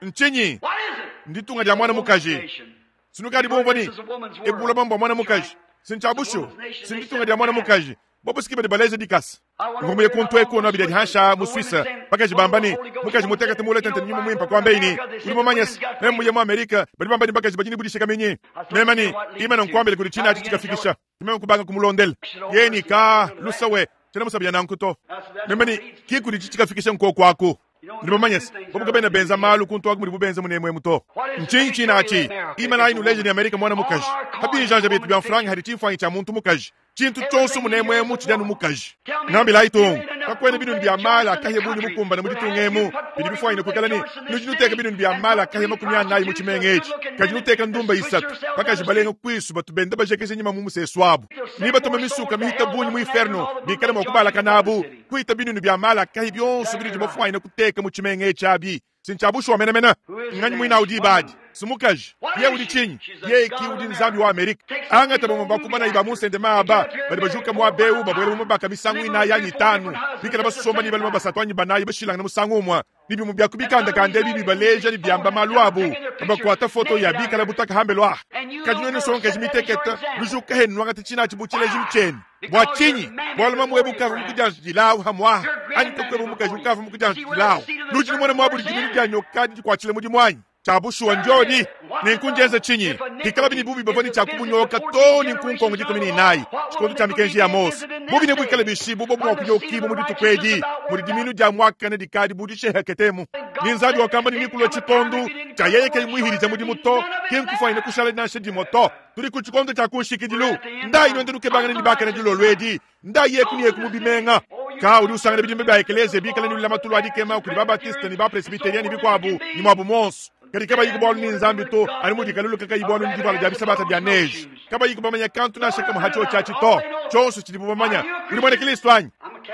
Ntshinyi? What is it? Nditunga dia mwana mukaji. Nation. Sinukadi bumvua ne ebuloba mbua mwana mukaji. Sintshiabushu, sinditunga dia mwana mukaji. Bobo siki badi baleja dikasa. Mvua muye kuntu eku ono bidi hansha mu Suisse. Bakaji bamba ne mukaji mutekete mule tente nyuma muimpe kwa mbeni. Udi mumanye se, meme muye mu Amerika badi bamba ne bakaji badi ne budishikaminyi. Meme ne imana nkuambile kudi tshina atshi tshikafikisha. Meme kubanga kumulondela. Yeni ka lusawe tshena musabya nanku to. Meme ne ki kudi tshikafikisha nkoku aku. Ndi mumanye se, bobo kabena benza malu kuntu aku mudibu benza munemwemu to. Ntshinyi tshina atshi? Imana inuleje ne Amerika mwana mukaji. Habinjanja betu bia mfranga hadi tshimfuanyi tshia muntu mukaji. Tshintu tshionso munemwemu tshidi anu mukaji. Ngambilayi tongo, kakuena binunu bia mala akahia bungi mukumbane mu ditunga emu bidi bifuanyine kuikala ne nudi nuteka binunu bia mala akahia 40 mu tshimenga etshi, kadi nuteka ndumba 3 bakaji balenga kuisu batu benda bajekeja nyima mu musesu abu ni batuma misuka mihita bungi mu inferno bikale mua kubalakana abu kuita binunu bia mala akahi bionso binudi bafuanyine kuteka mu tshimenga etshi abi. Sintshiabushuwa menemene. Nganyi muina udi ibadi? Simukaji. Ye udi tshinyi? Ye ki udi Nzambi wa Amerika. Angata bamue bakumana iba mu nsende maaba badi bajuka muaba eu babuela mu mabaka misangu inayi anyi itanu, bikala basomba ne balume basatu anyi banayi bashilangane musangu umue, ne bimue bia ku bikandakanda ebi bibaleja ne biamba malu abu, bakuata foto ya bikala butaka hambelu aha. Kadi nuenu nsongakaji mitekete, nujuka henu nuangata tshina atshi bu tshilejilu tshienu. Bua tshinyi? Bualu mamu webu ukavua mukudianjidilawu hamuaha, anyi kakueba mukaji ukavua mukudianjidilawu. Nudi numona muabu didi dia nyoka didi kuatshila mudimu anyi? Tshia bushuwa ndiodi. Nenku ndienza tshinyi? Bikalabi ne bubi bavua ne tshia kubunyoka too ne nkunkongo 14, tshikondo tshia mikenji ya Mose. Bubi ne buikale bishi bu bobu mua kunyokibua mu dituku edi, mudi diminu dia muakane dikadi bu disheheketemu. Ne Nzambi wakamba ne nekulua tshikondo tshia yeye kayi muihilija mudimu to, ki nkufuanyine kushala nansha dimue to. Tudi ku tshikondo tshia ku nshikidilu. Ndayi nuende nukebangane ne bakane dilolo edi. Ndayi eku ne eku mu bimenga. Ka udi usangana bidimba bia ekeleziya bikale ne lulamatu lua dikema kudi ba-Baptiste ne ba-Presbyterien ne bikuabu ne muabu muonso. Kadi kabayi ku bualu ne Nzambi to, anu mudi kalulu kakayi bualu ne divuala dia bisabata bia neige. Kabayi kubamanya kantu nansha kamue ha tshiotshi atshi to. Tshionso tshidibu bamanya. Udi muena Kristo anyi?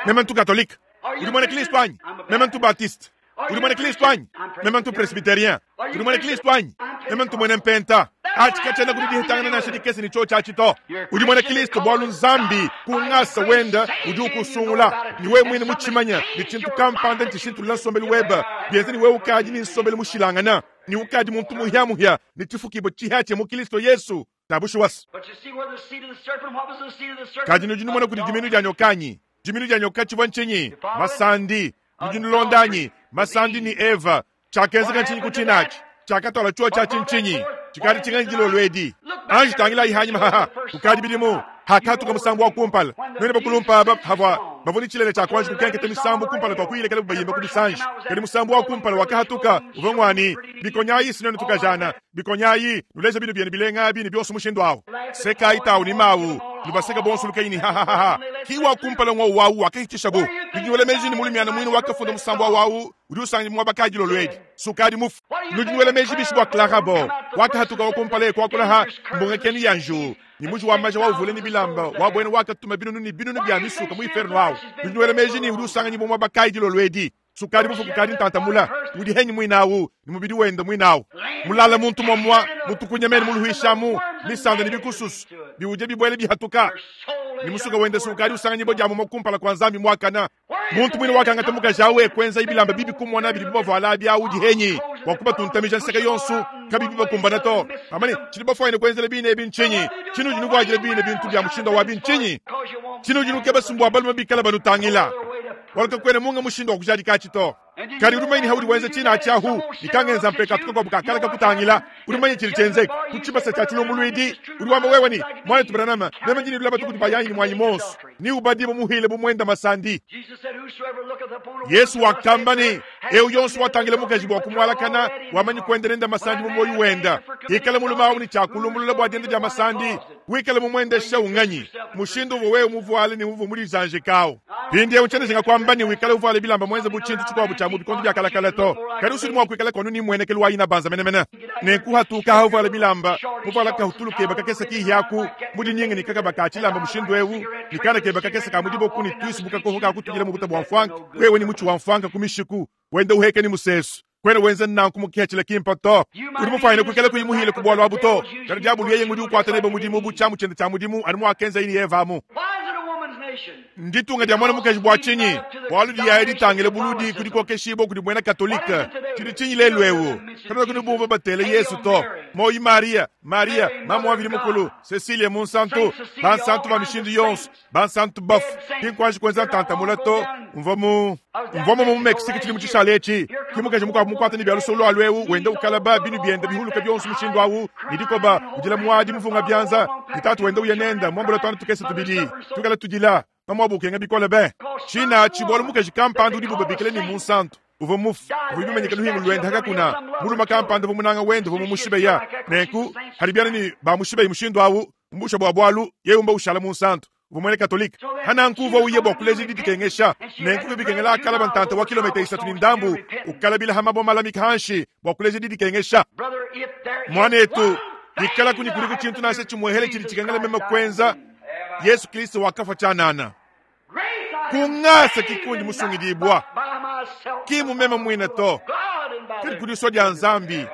Meme ntu Katolika. Udi muena Kristo anyi? Meme ntu Baptiste. Udi muena Kristo anyi? Meme ntu Presbyterien. Udi muena Kristo anyi? Meme ntu muena Mpenta. Atshi katshiena kudi dihetangana nansha dikese ne tshiotshi atshi to. Udi muena Kristo bualu Nzambi ku ngasa wenda udi ukusungula, ne wewe muine mutshimanya ne tshintu kampanda ntshishintulula nsombelu webe, bienza ne wewe ukadi ne nsombelu mushilangana, ne ukadi muntu muhiamuhia ne tshifukibua tshihiatshia mu Kristo Yesu. Tabushuwasa. But you see where the seed of the serpent, what was the seed of the serpent? Kadi nudi numona kudi diminu dia nyoka anyi? Diminu dia nyoka tshivua ntshinyi? Masandi. Nudi nulonda anyi? Masandi ni Eva. Tshiakenzeka ntshinyi ku tshina atshi? Tshiakatwala tshiotshi atshi ntshinyi? Tshikadi tshinganyi dilolo edi? Anji tangilayi hanyima haha, kukadi bidimu hakatuka musambu wa kumpala. Nuenu bakulumpa aba havua bavua ne tshilele tshia kuanji kukenketa misambu kumpala tua kuyilekela bayimba ku bisanji. Kadi musambu wa kumpala wakahatuka uvua ngwani? Bikonyayi sinenu tukajana, bikonyayi nuleja binu bienu bilenga abi ne bionso mushindu awu. Sekayi tawu ni mawu, nubaseka bonso lukayi ni ha ha ha ha. Ki wa kumpala ngwa wawu wakahitshisha bu. Nudi nuela meji ni mulumiana muine wakafunda musambu wa wawu udi usanga muaba kayi dilolo edi. Sukadi mufu. Nudi nuela meji bishi bua Clara Bow wakahatuka wa kumpala eku wakula ha mbunga kenu ya nju. Ni muji wa maja wa uvule ni bilamba wa bwena wakatuma binunu ni binunu bia misuka mu inferno awu. Nudi nuela meji ni udi usanga muaba kayi dilolo edi. Sukadi mufu kukadi ntantamula udi henyi muinawu ni mubidi wenda muinawu. Mulala muntu mwamwa mutukunya mene muluhishamu misanda ni bikususu biuje bibwele bihatuka. Ne musuka wende si ukadi usanganyibua dia mumue kumpala kua Nzambi muakana. Muntu muine wakangata mukaji awu e kuenzaye bilamba bibi kumona bidibu bavuala abi awu dihenyi bua kubatuntamija nseke yonso, kabiyi bibakumbana to. Bamba ne, Tshidi bafuanyine kuenzela bine ebi ntshinyi? Tshinudi nuvuadila bine bintu bia mushindu awu abi ntshinyi? Tshinudi nukeba si mbua balume bikale banutangila, bualu kakuena munga mushindu wa kujadikatshi to. Kadi udi mumanye ne haudi wenza tshina atshi ahu, ne kangenza mpekatu kakuabu ka kale kakutangila, udi mumanye tshidi tshienzeka ku tshibasa tshia tshilumbuluidi. Udi wamba wewe ne, Muanetu Branham, meme ndi ne lulamatu kudi bayanyi ne muanyi muonso, ne ubadibue muhile bu muenda masandi. Yesu wakamba ne, Eu yonso watangila mukaji bua kumualakana, wamanyi kuenda nende masandi mu muoyo wenda. Ikala mulume au ne tshia kulumbulula bua dienda dia masandi, wikale mumuendesha unganyi mushindu uvua wewe muvuale ne uvua mudizanjika au. Mpindieu tshiena njinga kuamba ne wikale uvuale bilamba muenze bu tshintu tshikuabu tshia mu bikondo bia kalakala to, kadi usudi mua kuikala kuanu ne mmuenekelu wa inabanza menemene. Nenku hatuka ha uvuale bilamba, muvuala kahutulu keba kakese kihi aku, mudinyinga ne kakaba ka tshilamba mushindu eu, ne kana keba kakese ka mu diboku ne tuisu bu kakoho ka kutudila mu buta bua mfuanka, wewe ne mutshi wa mfuanka ku mishiku, wenda uheka ne musesu. Kuena wenza nanku mu kihachila kimpa to. Udi mufuanyine kuikala kuyi muhile ku bualu abu to. Kadi diabulu yeye ngudi ukuata nebe mudimu bu tshiamu tshiende tshia mudimu anu muakenzaye ne Eva amu. Nditunga dia muana mukaji bua tshinyi? Bualu diyaya ditangile buludi ku dikokeshibua kudi muena Katolike. Tshidi tshinyi lelu eu? Kanuena nubumvua batele Yesu to. Moyi Maria, Maria, mamu wa Mvidi Mukulu, Cecilia Munsantu, bansantu ba mishindu yonso. Bansantu bafue ki nkuanji kuenza ntanta mule to. Mvua mu mvua mu Mexique tshidimu tshishale etshi, ke mukaji mukuabu mukuate ne bia lusolo lua luewu wenda ukalaba binu biende bihuluka bionso mushindu awu ne dikoba, udila muadi muvunga bianza, ne tatu wenda uya nende muambula tuana tukese tubidi tuikala tudila. Mamuabu ukenga bikole be! Tshina atshi bualu mukaji kampanda udibu babikila ne, munsantu uvua mufue uvua bimanyike luhingu luende hakakuna mulume kampanda uvua munanga wende uvua mumushibeya. Nenku hadi biana ne bamushibeyi mushindu awu mbusha bua bualu yeye umba ushala munsantu uvua muena Katolike. Hananku uvua uya bua kuleja didikengesha. Nenku bivua bikengela akalaba ntanta wa kilometa isatu ne ndambu ukalabila ha mabue malamika hanshi bua kuleja didikengesha. Muanetu, bikalaku ne kudiku tshintu nansha tshimuehele tshidi tshikengela meme kuenza, Yesu Kristo wakafua tshianana. Ku ngasa ki kundi musungidibua, ki mu meme muine to, kadi ku disua dia Nzambi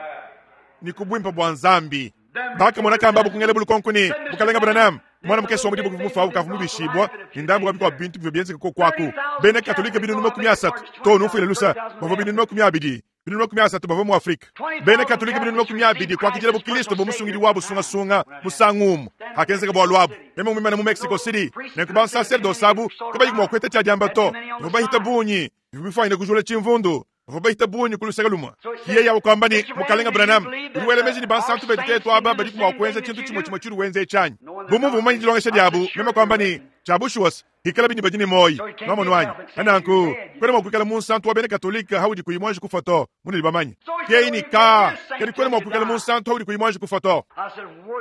ne ku buimpe bua Nzambi. Bakamona kambabu kungela lukonko ne, Mukalenge Branham, muana mukese wa mu diboko uvua mufue au ukavua mubishibua, ne ndambu wa bikuabu bintu bivua bienzeke koku aku. Bena Katolike 300 too ne umfuile lusa, bavua 200. 300 bavua mu Afrike. Bena Katolike 200 kuakidilabu Kristo bu musungidi wabu sungasunga musangu umue. Hakenzeka bualu abu, meme muimane mu Mexico City, nenku bansaserdose abu kabayi mua kueta tshia diamba to. Bavua bahita bungi, bivua bifuanyine kujula tshimvundu. Bavua bahita bungi ku luseke lumue. Yeye awu kuamba ne, Mukalenge Branham, udi wela meji ne bansantu betu tetu aba badiku mua kuenza tshintu tshimue tshimue tshiudi wenza etshi anyi? Bu mumvua mumanye dilongesha diabu, meme kuamba ne, Tshia bushuwa se, Hikalabi ne badi ne muoyi. Nwamonu anyi? Pa nanku, kwena mwa kwikala munsantu wa bena Katolike haudi kuyi mwanji kufwa to, munudi bamanye. Ke ne, Kaa, kadi kwena mwa kwikala munsantu haudi kuyi mwanji kufwa to.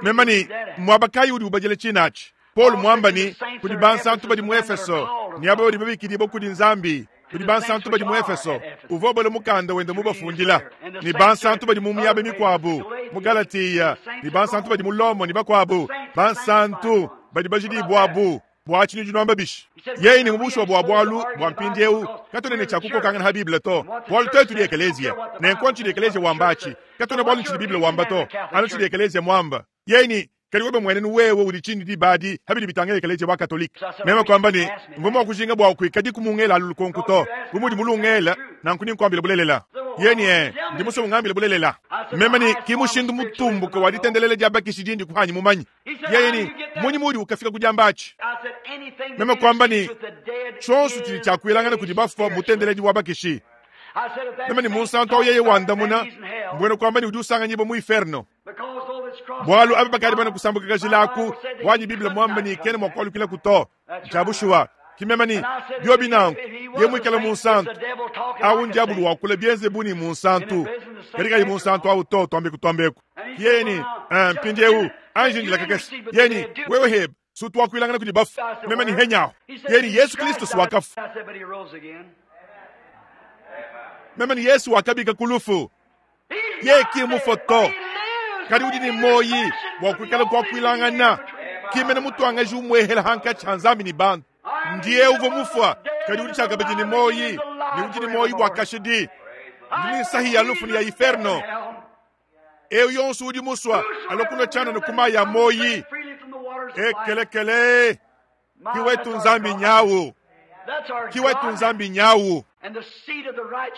Mema ne, Mmwaba kayi udi ubadila ciine aci? Polu mwamba ne, Kudi bansantu badi mu Efeso, ne aba badi babikidiibwa kudi Nzambi, kudi bansantu badi mu Efeso, uvua ubala mukanda wende mubafundila, ne bansantu badi mu miaba mikuabu, mu Galatiya, ne bansantu badi mu Lomo ne bakuabu, bansantu badi bajidibuabu. Bua tshinyi udi nuamba bishi? Yeye ne mu bushuwa bua bualu bua mpindieu katuena ne tshia kukokangana ha Bible to, bualu tuetu tudi ekeleziya. Nenku anu tshidi ekeleziya wamba atshi, katuena bualu ne tshidi Bible wamba to, anu tshidi ekeleziya muamba. Yeye ne, Kadi webe muenenu wewe udi tshinyi diba adi ha bidi bitangila ekeleziya wa Katolike? Meme kuamba ne, Mvua mua kujinga bua kuikadiku mungela alu lukonko to. Bu mudi mulungela, nanku ninkuambile bulelela. Yeye ne, Ee, ndi musue ungambile bulelela. Meme ne, Ki mushindu mutumbuke wa ditendelela dia bakishi dindi kuhanyi mumanye. Yeye ne, Mmunyi muudi ukafika ku diamba atshi? Meme kuamba ne, Tshionso tshidi tshia kuelangana kudi bafua mutendeledi wa bakishi. Meme ne, Munsantu au yeye wandamuna, mbuena kuamba ne udi usanganyibua mu iferno. Bualu aba bakadi bana kusambuka kajila aku, wanyi Bible muamba ne kena mua kualukilaku to. Ntshia bushuwa. Ki meme ne, Biobi nanku, yeye muikale munsantu, au ndiabulu wakula bienze bu ne munsantu, kadi kayi munsantu au to, tuambeku tuambeku. Yeye ne, Mpindieu, anji indila kakese. Yeye ne, Wewe hebe, si utu wakuilangana kudi bafue. Meme ne, Henyahu. Yeye ne, Yesu Kristo si wakafua. Meme ne, Yesu wakabika ku lufu. Yeye ki mufue to, kadi udi ne muoyi bua kuikala kuakuilangana. Ki mene mutuangaji umuehela hankatshi ha Nzambi ne bantu. Ndiye uvua mufua, kadi udi tshiakabidi ne muoyi, ne udi ne muoyi bua kashidi. Ndi ne nsahi ya lufu ne ya iferno. Eu yonso udi musua alua kunua tshianana ku mayi a muoyi. Ekelekele! Ki wetu Nzambi nyawu. Ki wetu Nzambi nyawu.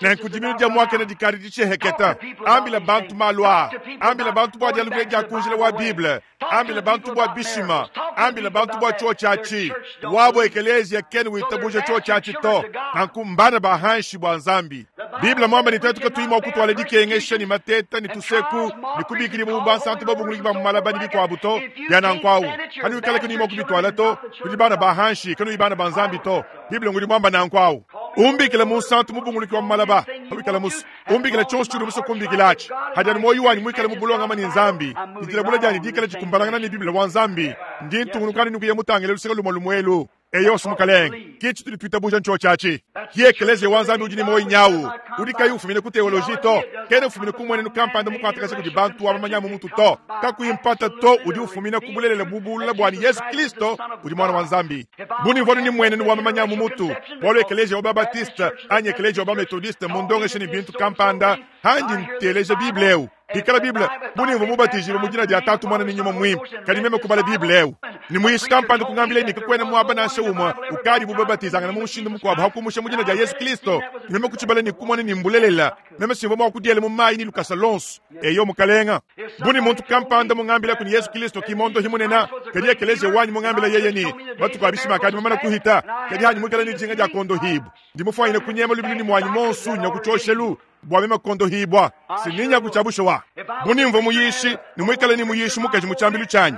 Nenku diminu dia muakane dikadi ditshiheketa. Ambila bantu malu aa. Ambila bantu bua dialukila dia ku njila wa Bible. Ambila bantu bua bishima. Ambila bantu bua tshiotshi atshi. Wabo ekeleziya kena witabuja tshiotshi atshi to. Nanku mbana ba hanshi bua Nzambi. Bible muamba ne tuetu katuyi mua kutuala dikengesha ne mateta ne tuseku ne kubikidibua bu bansantu babunguluki ba mu malaba ne bikuabu to. Bia nanku awu, kanuikala kanuyi mua kubituala to. Nudi bana ba hanshi, kanuyi bana ba Nzambi to. Bible ngudi muamba nanku awu. Umbikila munsantu mubunguluki wa mu malaba, pawikala musue. Umbikila tshionso tshiudi musue kumbikila atshi. Hadi anu muoyo wanyi muikale mu bulongame ne Nzambi, ne dilabula dianyi dikale dikumbanangana ne Bible wa Nzambi, ndi ntungunuka anu ne kuya mutangile luseke lumue lumue elu. Eyo, Mukalenge, ki tshitudi tuitabuja ntshiotshi atshi. Ki Ekeleziya wa Nzambi udi ne muoyo nyawu, udi kayi ufumina ku teoloji to, kena ufumina ku mmuenenu kampanda mukuatakaja kudi bantu wa mamanya a mu mutu to. Kakuyi mpata to, udi ufumina ku bulelela bubulula bua ne Yezu Kristo udi Muana wa Nzambi. Bu ne mvua ne mmuenenu wa mamanya a mu mutu, bualu ekeleziya wa ba-Batiste anyi ekeleziya wa ba-Metodiste mmundongeshe ne bintu kampanda, handi nteleja Bible eu. Bikala Bible, bu ne mvua mubatijibue mu dina dia Tatu, Muana ne Nyuma Muimpe, kadi meme kubala Bible eu, ne muyishi kampanda kungambila ne kakuena muaba nansha umue ukadibu babatizangana mu mushindu mukuabu ha kumusha mu dina dia Yezu Kristo, ne meme kutshibala ne kumona ne mbulelela, meme simvua mua kudiela mu mayi ne lukasa luonso. Eyo, Mukalenga. Bu ne muntu kampanda mungambilaku ne Yezu Kristo ki mondohi munene, kadi ekeleziya wanyi mungambila yeye ne matuku a bishima akadi mamane kuhita, kadi hanyi muikale ne dijinga dia kuondohibua, ndi mufuanyine kunyema lubilu ne muanyi muonso nya ku tshioshelu bua meme kuondohibua. Si ninya ku tshia bushuwa. Bu ne mvua muyishi ne muikale ne muyishi mukaji mu tshiambilu tshianyi,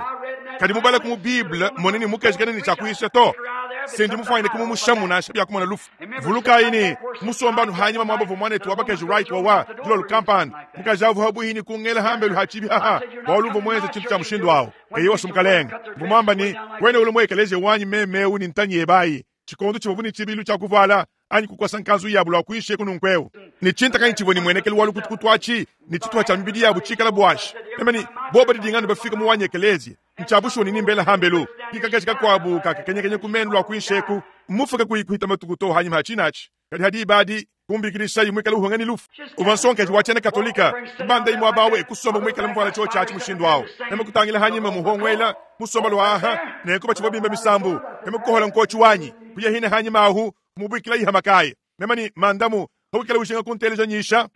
kadi mubalaku mu Bible mone ne mukaji kena ne tshia kuyisha to, si ndi mufuanyine kumumushamu nansha bia kumona lufu. Vulukayi ne, musomba anu hanyima muaba uvua muanetu wa bakaji Wright wawa dilolo kampanda, mukaji avu habuihi ne kungela hambelu ha tshibi haha, bualu uvua muenze tshintu tshia mushindu awu. Eyowa, Mukalenge, mvua muamba ne, Kuena ulua mu ekeleziya wanyi meme ewu ne ntanyi yebe ayi, tshikondo tshivuabu ne tshibilu tshia kuvuala anyi kukosa nkanzu yabu lua kuinshi eku nunku eu, ne tshintakanyi tshivua ne muenekelu wa lukutukutu atshi, ne tshituha tshia mibidi yabu tshikala buashi. Meme ne, bobo didinga anu bafika mu wanyi ekeleziya. Ntshia bushuwa ne nimbela hambelu, ki kakaji kakuabu kakakenyakenya ku menu lua kuinshi eku, mmufuke kuyi kuhita matuku to hanyima ha tshina atshi. Kadi ha diba adi, kumbikidishayi muikale uhunga ne lufu. Uvua nsongakaji wa tshiena Katolika, kubandayi muaba awu e kusomba muikale muvuala tshiotshi atshi mushindu awu. Meme kutangila hanyima muhonguela, musomba lua aha, nenku batshivua bimba misambu. Meme kukohola nkotshi wanyi, kuya hine hanyima ahu, kumubuikilayi ha makaya. Meme ne, Mandamu, pawikala ujinga kunteleja nyisha,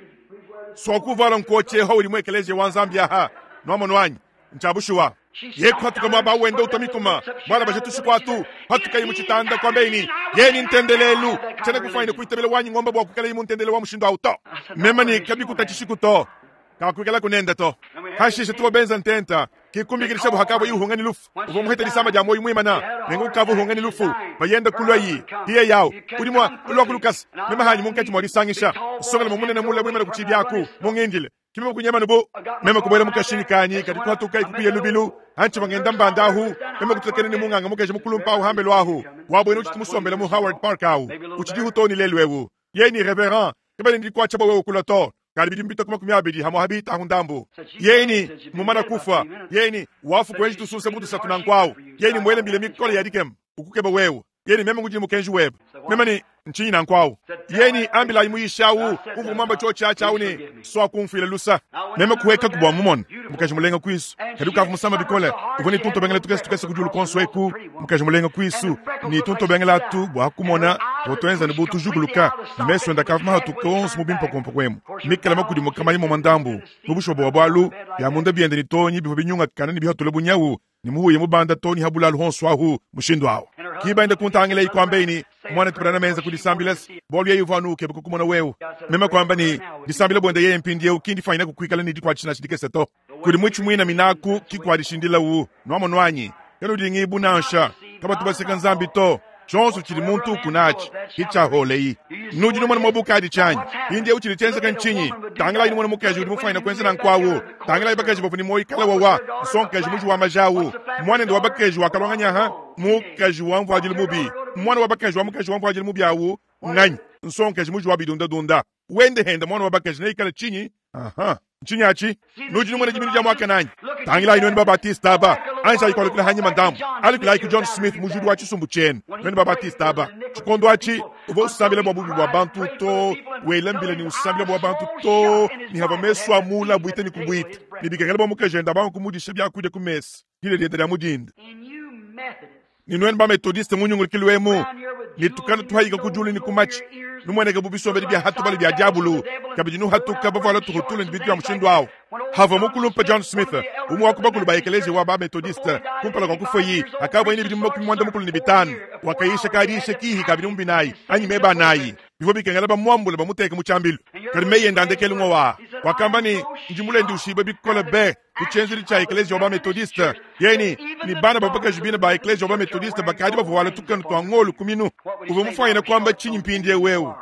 sua kuvuala nkotshi eho udi mu ekeleziya wa Nzambi aha. Nuamonu anyi? Ntshia bushuwa. Ye kuhatuka muaba wenda utua mikuma, mualabaje tushiku atu, patukaye mu tshitanda, kuambaye ne, Ye ni ntendelelu, tshiena kufuanyine kuitabila wanyi ngomba bua kuikalaye mu ntendelelu wa mushindu au to. Meme ne, Kabikutatshishiku to. Kakuikalaku nende to. Hashishe tuvua benza ntenta, ki kumbikidishabu hakavua uhunga ne lufu. Uvua muhete disama dia muoyo muimana, nenku ukavua uhunga ne lufu. Bayenda kulua yi, hiye yawu, udi mua kulua ku lukasa. Meme hanyi munkatshi mua disangisha, nsongalume munene mule muimane ku tshibi aku, mungindile. Ki meme kunyema nubu, meme kubuela mu kashinyi kanyi, kadi kuhatuka kuya lubilu. Hantshivua ngenda mbanda ahu, meme kututakena ne munganga mukaji mukulumpa ahu hambelu ahu, wabuena utshidi musombele mu Howard Park ahu, utshidihu too ne lelu eu. Yeye ne reverend, kabena ne dikuatsha bua wewe kulua to. Kadi bidimu bitue ku 20 hamua ha bitahu ndambu. Yeye ne, Mumana kufua. Yeye ne, Wafu kuenji tusunsa bu tusatu nanku awu. Yeye ne, Muele mbila mikole ya dikema, ukukeba wewe. Yeye ne, Meme ngudi ne mukenji webe. Meme ne, Ntshinyi nanku awu? Yeye ne, Ambilayi muyishi awu uvua muamba tshiotshi atshi awu ne, Sua kumfuila lusa. Meme kuhuekaku bua mumone. Mukaji mulenga kuisu, kadi ukavua musama bikole. Uvua ne tuntobengela tukese tukese ku diulu kuonso eku. Mukaji mulenga kuisu, ne tuntobengela atu bua kumona tuvua tuenza ne bu tujukuluka, ne mesu ende akavua mahatuke onso mu bimpokompoku emu, mikale makudimuka mayi momua ndambu. Mu bushuwa bua bualu, bia munda biende ne tonyi bivua binyungakana ne bihatula bunyawu, ne muhuya mubanda too ne ha bulalu honso ahu mushindu awu. Ki baenda kuntangilayi kuambayi ne, Muanetu Branham enza kudisambila se bualu yeye uvua anu ukeba kukumona wewe. Meme kuamba ne, Disambila buende yeye mpindieu ki ndifuanyine kuikala ne dikuatshisha nansha dikese to. Kudi muitshi muina minaku ki kuadishindilawu. Nuamonu anyi? Kanudingibu nansha. Kabatu baseka Nzambi to. Tshionso tshidi muntu ukuna atshi ki tshia holeyi. Nudi numona muaba ukadi tshianyi. Mpindieu tshidi tshienzeka ntshinyi? Tangilayi numone mukaji udi mufuanyine kuenza nanku awu. Tangilayi bakaji bavua ne muoyo kale wawa, nsongakaji muji wa maja awu, muanende wa bakaji wakaluanganyaha, mukaji wa mvuadilu mubi. Muana wa bakaji wa mukaji wa mvuadilu mubi awu nnganyi? Nsongakaji muji wa bidundadunda. Wende hende muana wa bakaji neikale tshinyi? Aha. Ntshinyi atshi? Nudi numona diminu dia muakane anyi? Tangilayi nuenu ba-Batiste aba, anjayi kualukila hanyima ndambu. Alukilayi ku John Smith, mujudi wa tshisumbu tshienu, nuenu ba-Batiste aba. Tshikondo atshi, uvua usambila bua bubi bua bantu to, wela mbila ne usambila bua bantu to, ne havua mesu a mula abuita ne kubuita, ne bikengela bua mukajende abange kumudisha biakudia ku mesa dile diende dia mu dinda. Ne nuenu ba-Methodiste mu nyungulukilu emu, ne tukanu tuhayika ku diulu ne ku matshi, numueneke bu bisombedi bia hatubalu bia diabulu, kabidi nuhatuka bavuala tuhutulu ne bintu bia mushindu awu. Havua mukulumpe John Smith, umue wa ku bakulu ba ekeleziya wa ba-Methodiste, kumpala kua kufuaye, hakavuaye ne bidimu 55, wakayisha kadiisha kihi ka bidimu binayi anyi meba anayi. Bivua bikengela bamuambule bamuteke mu tshiambilu. Kadi meyi ende a ndekelu ng'owa aa, wakamba ne, Ndi mulenduishibue bikole be ku tshienzedi tshia ekeleziya wa ba-Methodiste. Yeye ne, ne bana ba bakaji bine ba ekeleziya wa ba-Methodiste bakadi bavuala tukanu tua ngolo ku minu. Uvua mufuanyine kuamba tshinyi mpindieu eu?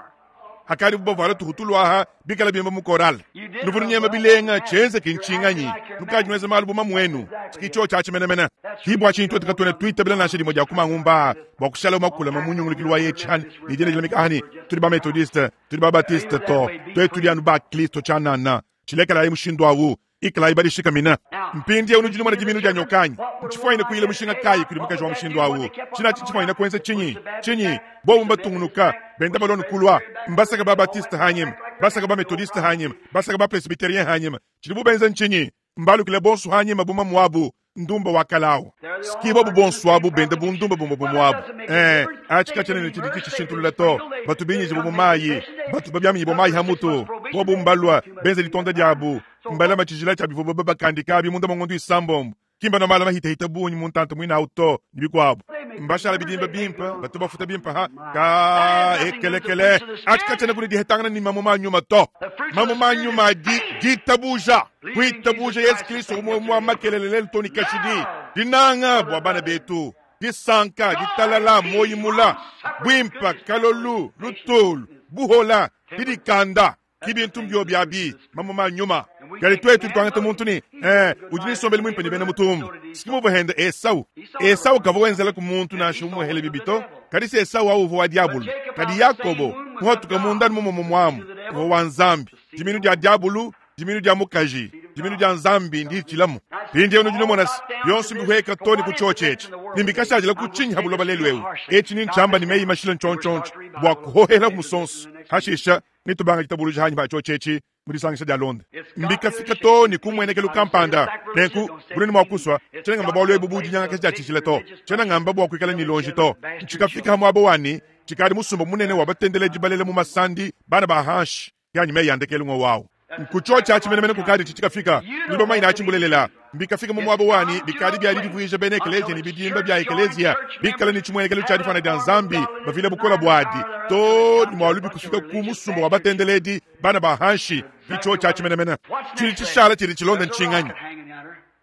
Hakadibu bavuala tuhutulu aha bikala bimba mu korale. Nuvua nunyema bilenga, tshienzeke ntshinganyi? Nukadi nuenza malu bu mamuenu. Ki tshiotshi atshi menemene. Ki bua tshinyi tuetu katuena tuitabila nansha dimue dia ku mangumba aa bua kushala makulama mu nyungulukilu wa etshi ne dienda dilamika aha ne tudi ba Methodiste, tudi ba Baptiste to. Tuetu tudi anu ba Kristo tshianana. Tshilekelayi mushindu awu. Ikalayi badishikamina. Mpindieu nudi numona diminu dia nyoka anyi? Ntshifuanyine kuyila mushinga kayi kudi mukaji wa mushindu awu? Tshina atshi ntshifuanyine kuenza tshinyi? Tshinyi? Bobu mbatungunuka, benda balua ne kulua. Mbasaka ba-Baptiste hanyima, basaka ba-Methodiste hanyima, basaka ba-Presbyterien hanyima. Tshidibu benza ntshinyi? Mbalukile bonso hanyima bu mamuabu, ndumba wa kale awu. Ski bobu bonso abu benda bu ndumba bumue bumue abu. Ee, atshi katshiena ne tshidi tshishintulula to. Batu binyijibua mu mayi, batu babiaminyibua mayi ha mutu. Bobu mbalua, benza ditonda diabu, mbalama tshijila tshia bivuabu babakandika abi munda mua ngondo isambombo. Ki mbanua malu mahitahita bungi mu ntanta muine au to, ne bikuabu. Mbashala bidimba bimpe, batu bafuta bimpe ha ka ekelekele. Atshi katshiena kudi dihetangana ne mamuma a nyuma to. Mamuma a nyuma adi ditabuja, kuitabuja Yesu Kristo umue umue wa makelele lelu to ne kashidi, dinanga bua bana betu, disanka, ditalala, muoyo mula, buimpe, kalolu, lutulu, buhola, didikanda. Ki bintu mbiobi abi, mamuma a nyuma. Kadi tuetu tuangata muntu ne, eh, udi ne nsombelu muimpe ne bena mutumba. Si muvua hende Esau. Esau kavua wenzelaku muntu nansha umue hele bibi to. Kadi se Esau au uvua wa diabulu. Kadi Yakobo, muhatuka munda anu mumue muamu, uvua wa Nzambi. Diminu dia diabulu, diminu dia mukaji, diminu dia Nzambi nditshilamu. Mpindieu nudi numona se, bionso mbihueka to ne ku tshiotshi etshi, ne mbikashadila ku tshinyi ha buloba lelu eu. Etshi ni ntshiamba ne meyi mashile ntshontshontshi bua kuhohela ku musonso. Hashisha, netubanga ditabuluja hanyi pa tshiotshi etshi mu disangisha dialonda. Mbikafika too ne ku mmuenekelu kampanda. Nenku, bunene mua kusua, tshiena ngamba bualu ebu bu dinyangakaja dia tshijila to. Tshiena ngamba bua kuikala ne luonji to. Ntshikafika ha muaba wa ne, tshikadi musumba munene wa batendeledi balela mu masandi, bana ba hanshi, ke anyi meyi a ndekelu ngowu awu. Nku tshiotshi atshi menemene kukadi tshitshikafika. Nudi bamanye ne atshi mbulelela. Mbikafika mu muaba wanyi bikadi bia didivuija bena ekeleziya ne bidimba bia ekeleziya bikale ne tshimuenekelu tshia difuana dia Nzambi, bavila bukole buadi too ne mualubi kufika ku musumba wa batendeledi bana ba hanshi. Ke tshiotshi atshi menemene. Tshidi tshishala tshidi tshilonda ntshinganyi?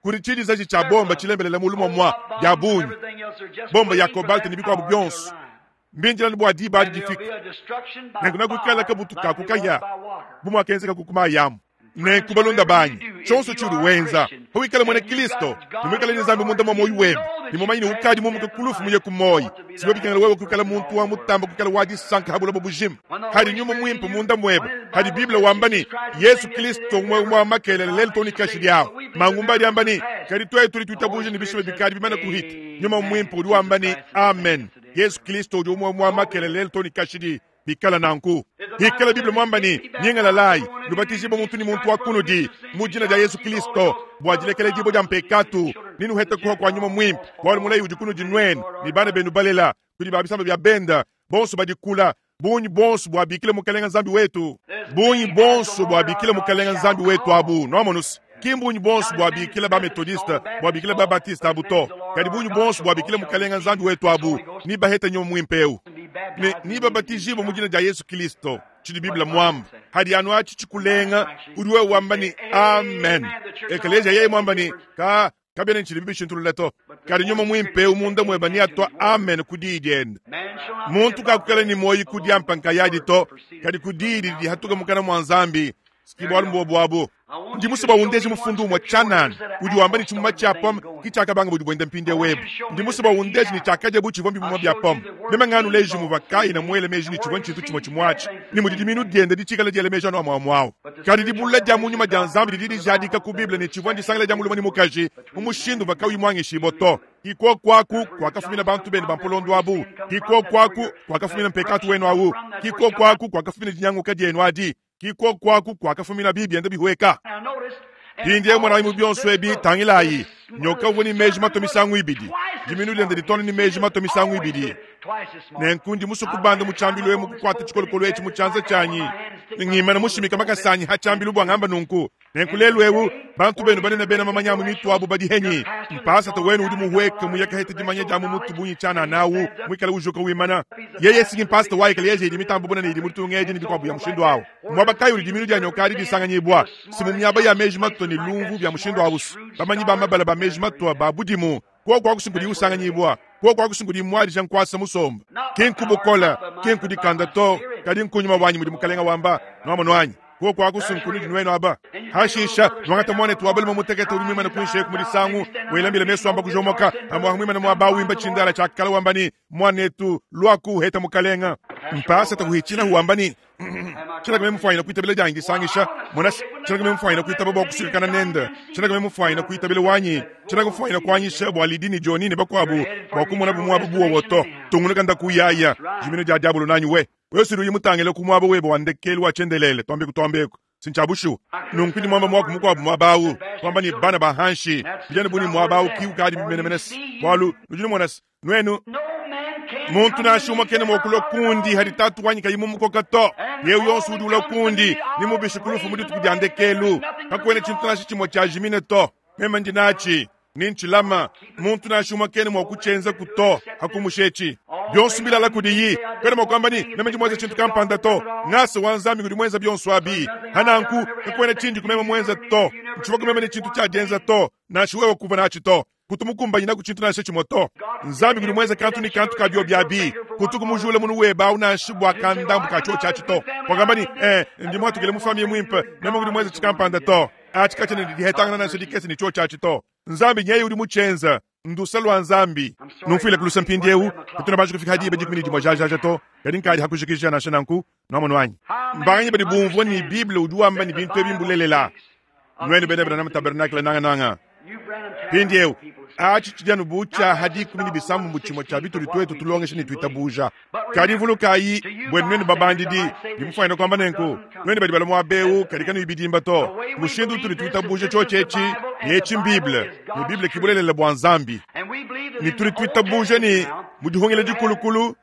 Kudi tshidizaji tshia bomba tshilembelela mulu muamua bia bungi, bomba ya cobalt ne bikuabu bionso. Mbindile anu bua diba adi difike. Nenku nakuikala kabutu ka ku kahia bu muakenzeka ku mayi amu. Nenku balunda banyi, tshionso tshiudi wenza, pawikala muena Kristo ne muikale ne Nzambi munda mua muoyo webe, ne mumanye ne ukadi mumuke ku lufu muye ku muoyo, sibio bikengela wewe kuikala muntu wa mutamba kuikala wa disanka ha buloba bujima. Hadi nyuma muimpe munda muebe, hadi Bible wamba ne Yesu Kristo umue umue wa makelele lelu too ne kashidi awu. Mangumba adi amba ne, kadi tuetu tudi tuitabuja ne bishima bikadi bimane kuhita. Nyuma muimpe udi wamba ne, Amen. Yesu Kristo udi umue umue wa makelele lelu too ne kashidi. Bikala nanku, hikala Bible muamba ne, nyingalalayi, nubatijibue muntu ne muntu wa kunudi mu dina dia Yesu Kristo bua dilekeledibua dia mpekatu, ne nuhete kuha kua Nyuma Muimpe, bualu mulayi udi kunudi nuenu ne bana benu balela, kudi ba bisamba bia benda bonso badi kula, bungi bonso buabikila Mukelenge Nzambi wetu, bungi bonso buabikila Mukelenge Nzambi wetu abu. Nuamonuse, ki mbungi bonso buabikila ba Methodiste, buabikila ba Baptiste abu to, kadi bungi bonso buabikila Mukelenge Nzambi wetu abu, ni bahete Nyuma Muimpe eu ne ni babatijibue mu dina dia Yesu Kristo. Tshidi Bible muamba hadi anu atshi tshikulenga, udi wewe wamba ne amen. Ekeleziya yeye muamba ne ka kabiena ne tshidi bishintulula to, kadi Nyuma Muimpe eu munda muebe neatua amen ku diyi diende. Muntu kakukala ne muoyo ku diampa nkayadi to, kadi ku diyi didi dihatuka mukana mua Nzambi. Ski bualu mbuobu abu. Ndi musue bua undeje mufundu umue tshianana udi wamba ne tshimuma tshia pomme ki tshiakabanga budi buenda mpindieu ebu. Ndi musue bua undeje ne tshiakadia bu tshivua mbimuma bia pomme. Meme nganuleji muvua Kaina muele meji ne tshivua ntshintu tshimue tshimue atshi, ne mudi diminu diende ditshikale diela meji anu amue amue au. Kadi dibulula dia mu nyuma dia Nzambi didi dijadika ku Bible ne tshivua ndisangila dia mulume ne mukaji mu mushindu uvua kauyi muanyishibue to. Ki kuoku aku kuakafumina bantu benu ba mpolondo abu, ki kuoku aku kuakafumina mpekatu wenu au, ki kuoku aku kuakafumina dinyanguka dienu adi, Ki kuoku aku kuakafumina bibi bienda bihueka. Mpindieu monayi mu bionso ebi, tangilayi, nyoka uvua ne meji matue misangu ibidi. Diminu diende ditu anu ne meji matue misangu ibidi. Nenku ndi musue kubanda mu tshiambilu emu kukuata tshikolokolo etshi mu tshianza tshianyi ne ngimana mushimike makasa anyi ha tshiambilu bua ngamba nunku. Nenku lelu eu bantu benu banene bena mamanya a mu mitu abu badi henyi? Mpasata wenu udi muhueke muyakaheta dimanya dia mu mutu bungi tshianana awu muikale ujuka wimana. Yeye singi mpasata wa ekeleziya idi mitambe bunene idi mu ditunga edi ne bikuabu bia mushindu awu. Muaba kayi udi diminu dia nyoka adi disanganyibua? Si mu miaba ya meji matua ne lumvu bia mushindu awu. Bamanyi ba mabala ba meji matua ba budimu Kuoku aku si nkudi usanganyibua, kuoku aku si nkudi muadija nkuasa musomba. Ki nku bukole, ki nku dikanda to, kadi nku nyuma wanyi mudi Mukalenga wamba. Nuamonu anyi? Kuoku aku si nkunudi nuenu aba. Hashisha, nuangata muanetu wa balume mutekete udi muimane kuinshi eku mu disangu, wela mbila mesu amba kujomoka, amuaha muimane muaba awu wimba tshindala tshia kala wamba ne, Muanetu, luaku uheta Mukalenga. Mpasata uhitshila wamba ne, Tshiena meme mufuanyine kuitabila dianyi disangisha. Mona, tshiena meme mufuanyine kuitaba bua kusuikakana nende. Tshiena meme mufuanyine kuitabila wanyi. Tshiena mufuanyine kuanyisha bua Lydie ne Johnny ne bakuabu bua kumonabu muaba bu wowo to. Tungunuka nda kuyaya. Jimina dia diabolo nanyi we. Wewe si uyi mutangile ku muaba webe wa ndekelu wa tshiendelele, tuambeku tuambeku. Si ntshia bushuwa. Nunku ndi muamba muaku mukuabu muaba au, kuamba ne bana ba hanshi, bidi anu bu ne muaba au ki ukadi menemene bualu nudi numona se, Nuenu, muntu nansha umue kena mua kulua kundi hadi Tatu wanyi kayi mumukoka to. Eu yonso udi ulua kundi, nemubishe ku lufu mu dituku dia ndekelu. Kakuena tshintu nansha tshimue tshiajimine to. Meme ndi natshi, ne ntshilama. Muntu nansha umue kena mua kutshienzaku to, hakumusha etshi. Bionso mbilala kudiyi. Kuena mua kuamba ne, meme ndi muenze tshintu kampanda to. Ngasa wa Nzambi ngudi muenza bionso abi. Hananku, kakuena tshindi ku meme muenze to. Ntshivua ku meme ne tshintu tshia dienza to, nansha wewe kuvua natshi to. Kutu mukumbanyinaku tshintu nansha tshimue to. Nzambi ngudi muenze kantu ne kantu ka biobi abi. Kutuku mujule munu webe au nansha bua kandambu ka tshiotshi atshi to. Wakamba ne, Eh, ndi muatukile mu famiye muimpe, meme ngudi muenze tshikampanda to. Atshi katshiena ne dihetangana nansha dikese ne tshiotshi atshi to. Nzambi nyeye udi mutshienza. Ndusa lua Nzambi. Numfuileku luse mpindieu, katuena banji kufika ha diba 11 jajaja to, kadi nkadi ha kujikija nansha nanku. Nuamonu anyi? Mbanganyi badi bumvua ne Bible udi wamba ne bintu ebi mbulelela? Nuenu bena Branham Tabernacle nangananga. Mpindieu, atshi tshidi anu bu tshia ha 16 tshimue tshia bitudi tuetu tulongesha ne tuitabuja. Kadi vulukayi, buenu nuenu babandidi, ndi mufuanyine kuamba nenku, nuenu badi balua muaba eu kadi kanuyi bidimba to, mushindu utudi tuitabuja tshiotshi etshi, ne etshi m'Bible, ne Bible ki bulelela bua Nzambi. Ne tudi tuitabuja ne, mu Dihungila Dikulukulu,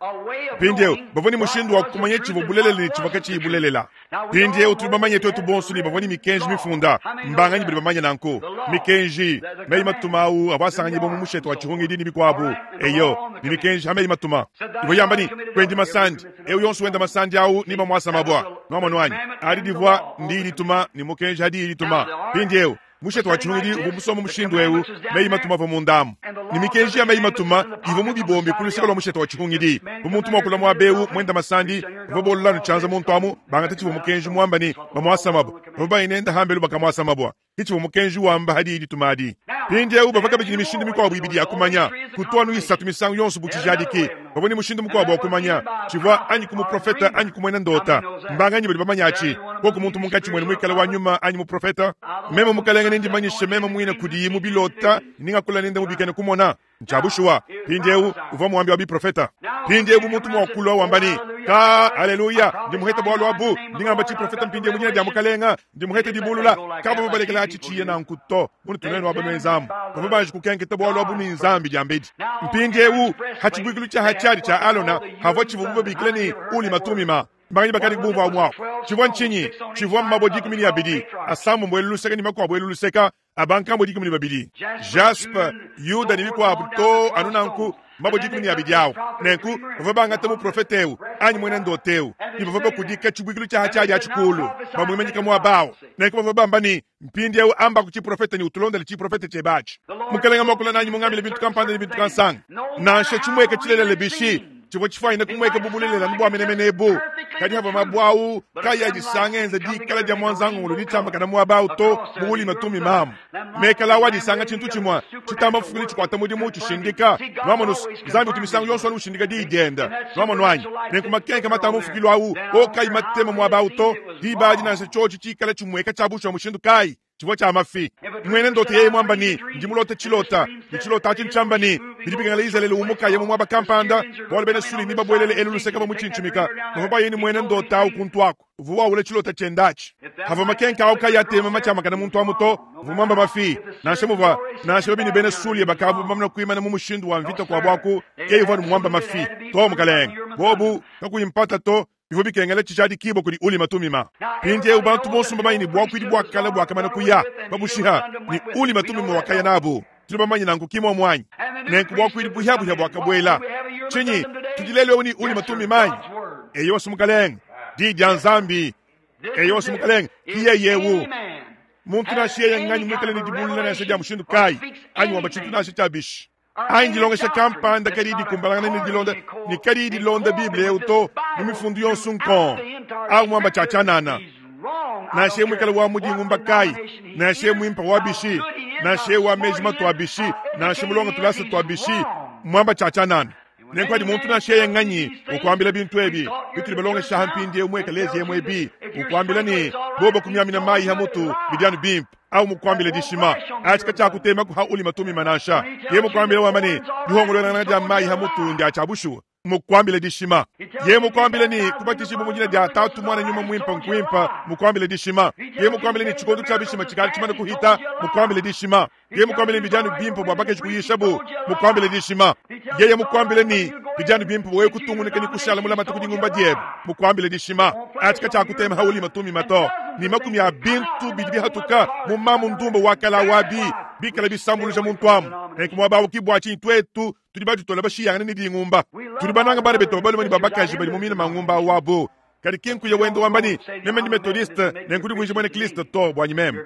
mpindieu, bavua ne mushindu wa kumanya tshivua bulelela ne tshivua katshiyi bulelela. Mpindieu tudi bamanye tuetu bonso ne bavua ne mikenji mifunda. Mbanganyi badi bamanye nanku? Mikenji, meyi matuma au avua asanganyibua mu mushete wa tshihungidi ne bikuabu. Eyo, ne mikenji ha meyi matuma ivua yamba ne, kuendi masandi, eu yonso wenda masandi au ne bamuasa mabua. Nuamonu anyi? Adi divua ndiyi dituma ne mukenji ha diyi dituma. Mpindieu Mushete wa tshihungidi uvua musombe mushindu eu, meyi matuma avua mundamu, ne mikenji ya meyi matuma ivua mu bibombi ku luseke lua mushete wa tshihungidi. Bu muntu mua kulua muaba eu muenda masandi, bavua bolola anu tshianza muntu amu, bangata tshivua mukenji muamba ne bamuasa mabua. Bavua baye nende hambelu bakamuasa mabua. Ke tshivua mukenji wamba ha diyi dituma adi. Mpindieu bavua kabidi ne mishindu mikuabu ibidi ya kumanya, kutu anu isatu misangu yonso bu tshijadiki. Bavua ne mushindu mukuabu wa kumanya tshivua anyi ku muprofete anyi ku muena ndota. Mbanganyi badi bamanya atshi? Koku muntu munkatshi muenu muikale wa nyuma anyi muprofete, meme Mukalenge nendimanyishe meme muine kudiyi mu bilota ne ngakula nende mu bikena kumona. Ntshia bushuwa. Mpindieu uvua muambi wa biprofete. Mpindieu bu muntu mua kulua wamba ne, Ka, aleluya, ndi muhete bualu abu, ndi ngamba tshiprofete mpindieu mu dina dia Mukalenge, ndi muhete dibulula. Kabavua balekela atshi tshiye nanku to. Munutu nuenu aba nuenzamu, bavua banji kukenketa bualu abu ne Nzambi diambedi. Mpindieu ha tshibuikilu tshia ha tshiadi tshia Alona havua tshivuabu babikila ne Ulima Tumima. Mbanganyi bakadi bumvua amu apu? Tshivua ntshinyi? Tshivua mabue 12, asambombo elu luseke ne makuabu elu luseka, a bankambua 12, jaspe, Yuda ne bikuabu to anu nanku, mabue 12 au. Nenku bavua bangata muprofete eu anyi muena ndoto eu ne bavua bakudika tshibuikilu tshia ha tshiadi atshi kulu, bamuimanyika muaba au. Nenku bavua bamba ne, Mpindieu ambaku tshiprofete ne utulondele tshiprofete tshiebe atshi. Mukelenge muakula nanyi mungambile bintu kampanda ne bintu kansanga. Nansha tshimueka tshilelela bishi, tshivua tshifuanyine kumueka bu bulelela anu bua menemene ebu. Kadi havua mabue au kayi adisanga enza dikala dia muanzangungulu ditshiambakana muaba au to mu Ulima Tumimamu. Mekala au adisanga tshintu tshimue tshitamba mfukili tshikuata mudimu tshishindika. Nuamonu, Nzambi utu misangu yonso anu ushindika diyi diende. Nuamonu anyi? Nenku makenka matamba mfukilu au o kayi matema muaba au to, diba adi nansha tshiotshi tshikala tshimueka tshia bushuwa mushindu kayi. Tshivua tshia mafi. Muena ndoto yeye muamba ne, Ndi mulote tshilota, ne tshilota atshi ntshiamba ne, bidi bikengela Izalele umukaye mu muaba kampanda, bualu bena Suli nebabuelele elu luseke bamutshintshimika. Bavua baye ne muena ndota au kuntu aku. Uvua wawula tshilota tshiende atshi. Pavua makenka au kayi atema matshiamakane muntu amu to, uvua muamba mafi. Nansha muvua nansha babi ne bena Sulia bakavua bamane kuimana mu mushindu wa mvita kuabu aku, yeye uvua anu muamba mafi. Too, mukalenge. Bobu, kakuyi mpata to, bivua bikengela tshijadikibua kudi Ulima Tumima. Mpindieu bantu bonso mbamanye ne buakuidi bua kale buakamana kuya babushiha, ne Ulima Tumima wakaya nabu. Tudi bamanye nanku, ki muomu anyi? Nenku buakuidi buhiabuhia buakabuela. Tshinyi tudi lelu eu ne Ulima Tumima anyi? Eyowa, Mukalenge, Diyi dia Nzambi. Eyowa, Mukalenge, ki yeye eu. Muntu nansha yeye nganyi muikale ne dibulula nansha dia mushindu kayi, anyi wamba tshintu nansha tshia bishi, anyi dilongesha kampanda kadiyi dikumbanangana ne dilonda ne kadiyi dilonda Bible eu to mu mifundu yonso nkong, au muamba tshia tshianana. Nansha yeye muikale wa mu dingumba kayi, nansha yeye muimpe wa bishi, nansha yeye wa meji matua bishi, nansha mulonge tulasa tua bishi, muamba tshia tshianana. Nenku adi muntu nansha yeye nganyi ukuambila bintu ebi bitudi balongesha ha mpindieu mu ekeleziya emu ebi, ukuambila ne, bobo kumiamina mayi ha mutu bidi anu bimpe, au mukuambile dishima, atshi katshiakutemaku ha Ulima Tumima nansha. Yeye mukuambile wamba ne, dihongoluelangana dia mayi ha mutu ndia tshia bushuwa, mukuambile dishima. Yeye mukuambile ne, kubatijibua mu dina dia Tatu, Muana, Nyuma Muimpe nkuimpe, mukuambile dishima. Yeye mukuambile ne, tshikondo tshia bishima tshikadi tshimane kuhita, mukuambile dishima. Yeye mukuambile ne, bidi anu bimpe bua bakaji kuyishabu, mukuambile dishima. Yeye mukuambile ne, bidi anu bimpe bua wewe kutungunuka ne kushala mulamate ku dingumba diebe, mukuambile dishima. Atshi katshiakutema ha Ulima Tumima to, ne makumi a bintu bidi bihatuka mu mamu ndumba wa kala wabi bikala bisambuluja muntu amu. Nenku muaba awu ki bua tshinyi tuetu tudi baditola bashiyangane ne dingumba. Tudi bananga bana betu ba balume ne ba bakaji badi mu mine mangumba awu abu. Kadi ki nkuya wenda wamba ne, Meme ndi Methodiste, nenku divuija muena Kristo to, buanyi meme.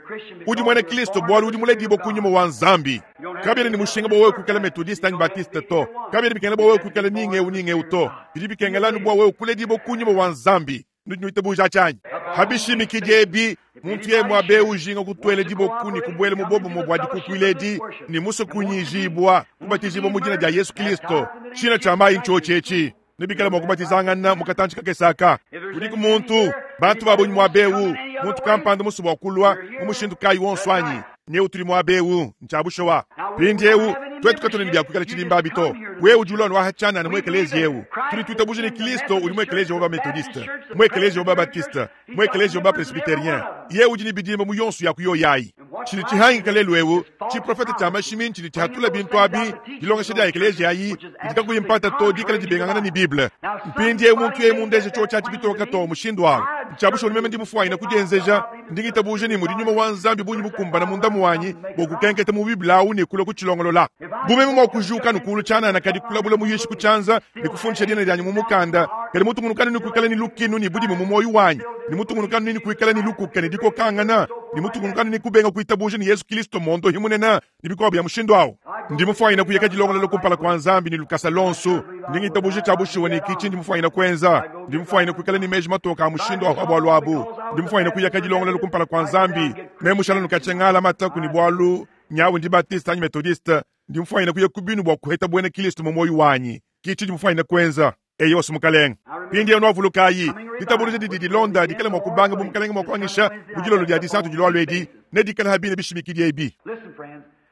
Udi muena Kristo bualu udi muledibue ku nyuma wa Nzambi. Kabiena ne mushinga bua wewe kuikala Methodiste anyi Baptiste to. Kabiena bikengela bua wewe kuikala ni ng'eu ni ng'eu to. Bidi bikengela anu bua wewe kuledibua ku nyuma wa Nzambi. Nudi nuitabuja atshi anyi? Pa bishimikidi ebi, muntu yeye muaba eu ujinga kutuela diboku ne kubuela mu buobumue bua dikukuila edi ne musue kunyijibua, kubatijibua mu dina dia Yesu Kristo, tshina tshia mayi ntshiotshi etshi. Nebikale mua kubatizangana mu katantshi kakese aka. Kudiku muntu, bantu ba bungi muaba eu, muntu kampanda musue bua kulua mu mushindu kayi wonso anyi? Nyewu tudi muaba eu, ntshia bushuwa. Mpindieu, tuetu katuena ne bia kuikala tshidimba abi to. Wewe udi ulua nuaha tshianana mu ekeleziya eu. Tudi tuitabuja ne Kristo udi mu ekeleziya wa ba-Methodiste, mu ekeleziya wa ba-Baptiste, mu ekeleziya wa ba-Presbyterien. Yeye udi ne bidimba mu yonso ya ku yoyi ayi. Tshidi tshihangika lelu eu, tshiprofete tshia mashimi ntshidi tshihatula bintu abi, dilongesha dia ekeleziya ayi didi kakuyi mpata to dikala dibengangana ne Bible. Mpindieu muntu yeye mundeje tshiotshi atshi bitoke too mushindu au, ntshia bushuwa ne meme ndi mufuanyine kudienzeja. Ndi ngitabuja ne mudi nyuma wa Nzambi bungi bukumbana munda muanyi bua kukenketa mu Bible au ne kulua kutshilongolola. Bu meme mua kujuka anu kulu tshianana kadi kulabula muyishi ku tshianza ne kufundisha dina dianyi mu mukanda, kadi mutungunukanu ne kuikala ne lukinu ne budimu mu muoyo wanyi, ne mutungunukanu ne kuikala ne lukuka ne dikokangana, ne mutungunukanu ne kubenga kuitabuja ne Yesu Kristo muondohi munene, ne bikuabu bia mushindu au. Ndi mufuanyine kuya kadilongolola kumpala kua Nzambi ne lukasa luonso. Ndi ngitabuja tshia bushuwa ne ki tshindi mufuanyine kuenza. Ndi mufuanyine kuikala ne meji matoke a mushindu au pa bualu abu. Ndi mufuanyine kuya kadilongolola kumpala kua Nzambi. Meme mushala nukatshia ngala mataku ne bualu nyawu ndi Baptiste anyi Methodiste, ndi mufuanyine kuya ku binu bua kuheta buena Kristo mu muoyo wanyi. Ki tshindi mufuanyine kuenza. Eyowa, Mukalenge. Mpindieu nuavulukayi, ditabuluja didi dilonda dikale mua kubanga bu Mukalenge mua kuanyisha mu dilolo dia Disatu dilualua edi, nedikale ha bine bishimikidi ebi.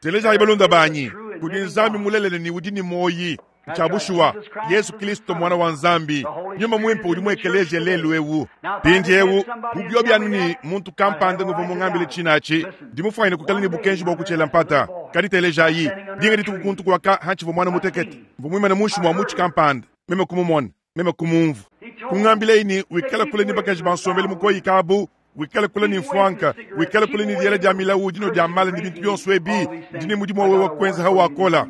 Telejayi balunda banyi, kudi Nzambi mulelela ne udi ne muoyi, ntshia bushuwa, Yesu Kristo Muana wa Nzambi, Nyuma Muimpe udi mu ekeleziya lelu eu. Mpindieu, bu biobi anu ne muntu kampanda nguvua mungambile tshina atshi, ndi mufuanyine kuikala ne bukenji bua kutshiela mpata. Kadi telejayi, dinga dituku kuntu kuaka hantshivua muana mutekete, mvua muimane munshi mua mutshi kampanda, meme kumumona, meme kumumvua. Kungambilaye ne, Wikale kule ne bakaji ba nsombelu mukoyike abu, wikale kule ne mfuanka, wikale kule ne diela dia milawu, dinua dia mala ne bintu bionso ebi. Ndi ne mudimu wa wewe kuenza hawakola.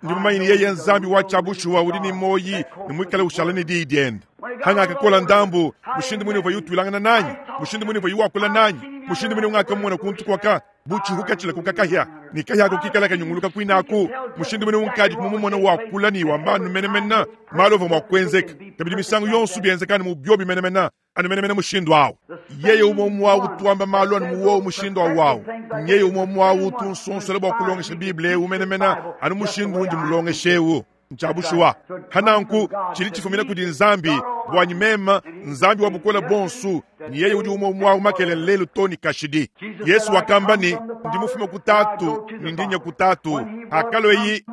Ndi mumanye ne yeye Nzambi wa tshia bushuwa udi ne muoyi ne muikale ushala ne diyi diende. Hangakakola ndambu, mushindu mune uvua utuilangana nanyi, mushindu mune uvua wakula nanyi, mushindu mune ungakamona kuntu kuaka bu tshihuka tshilakuka kahia, ne kahia ako kikala kanyunguluka kuinaku, mushindu mune unkadi kumumona wakula ne wamba anu menemene malu avua mua kuenzeka, kabidi misangu yonso bienzeka anu mu biobi menemene, anu menemene mushindu awu. Yeye umue umue awu utu wamba malu anu mu wowu mushindu awu awu. Nyeye umue umue awu utu unsonsola bua kulongesha Bible eu menemene anu mushindu undi mulongeshe eu. Ntshia bushuwa. Pa nanku, tshidi tshifumina kudi Nzambi. Buanyi meme, Nzambi wa Bukole Buonso, ne yeye udi umue umue awu makelela, lelu too ne kashidi. Yesu wakamba ne, Ndi mufume ku Tatu ne ndi nya ku Tatu. Hakalueyi,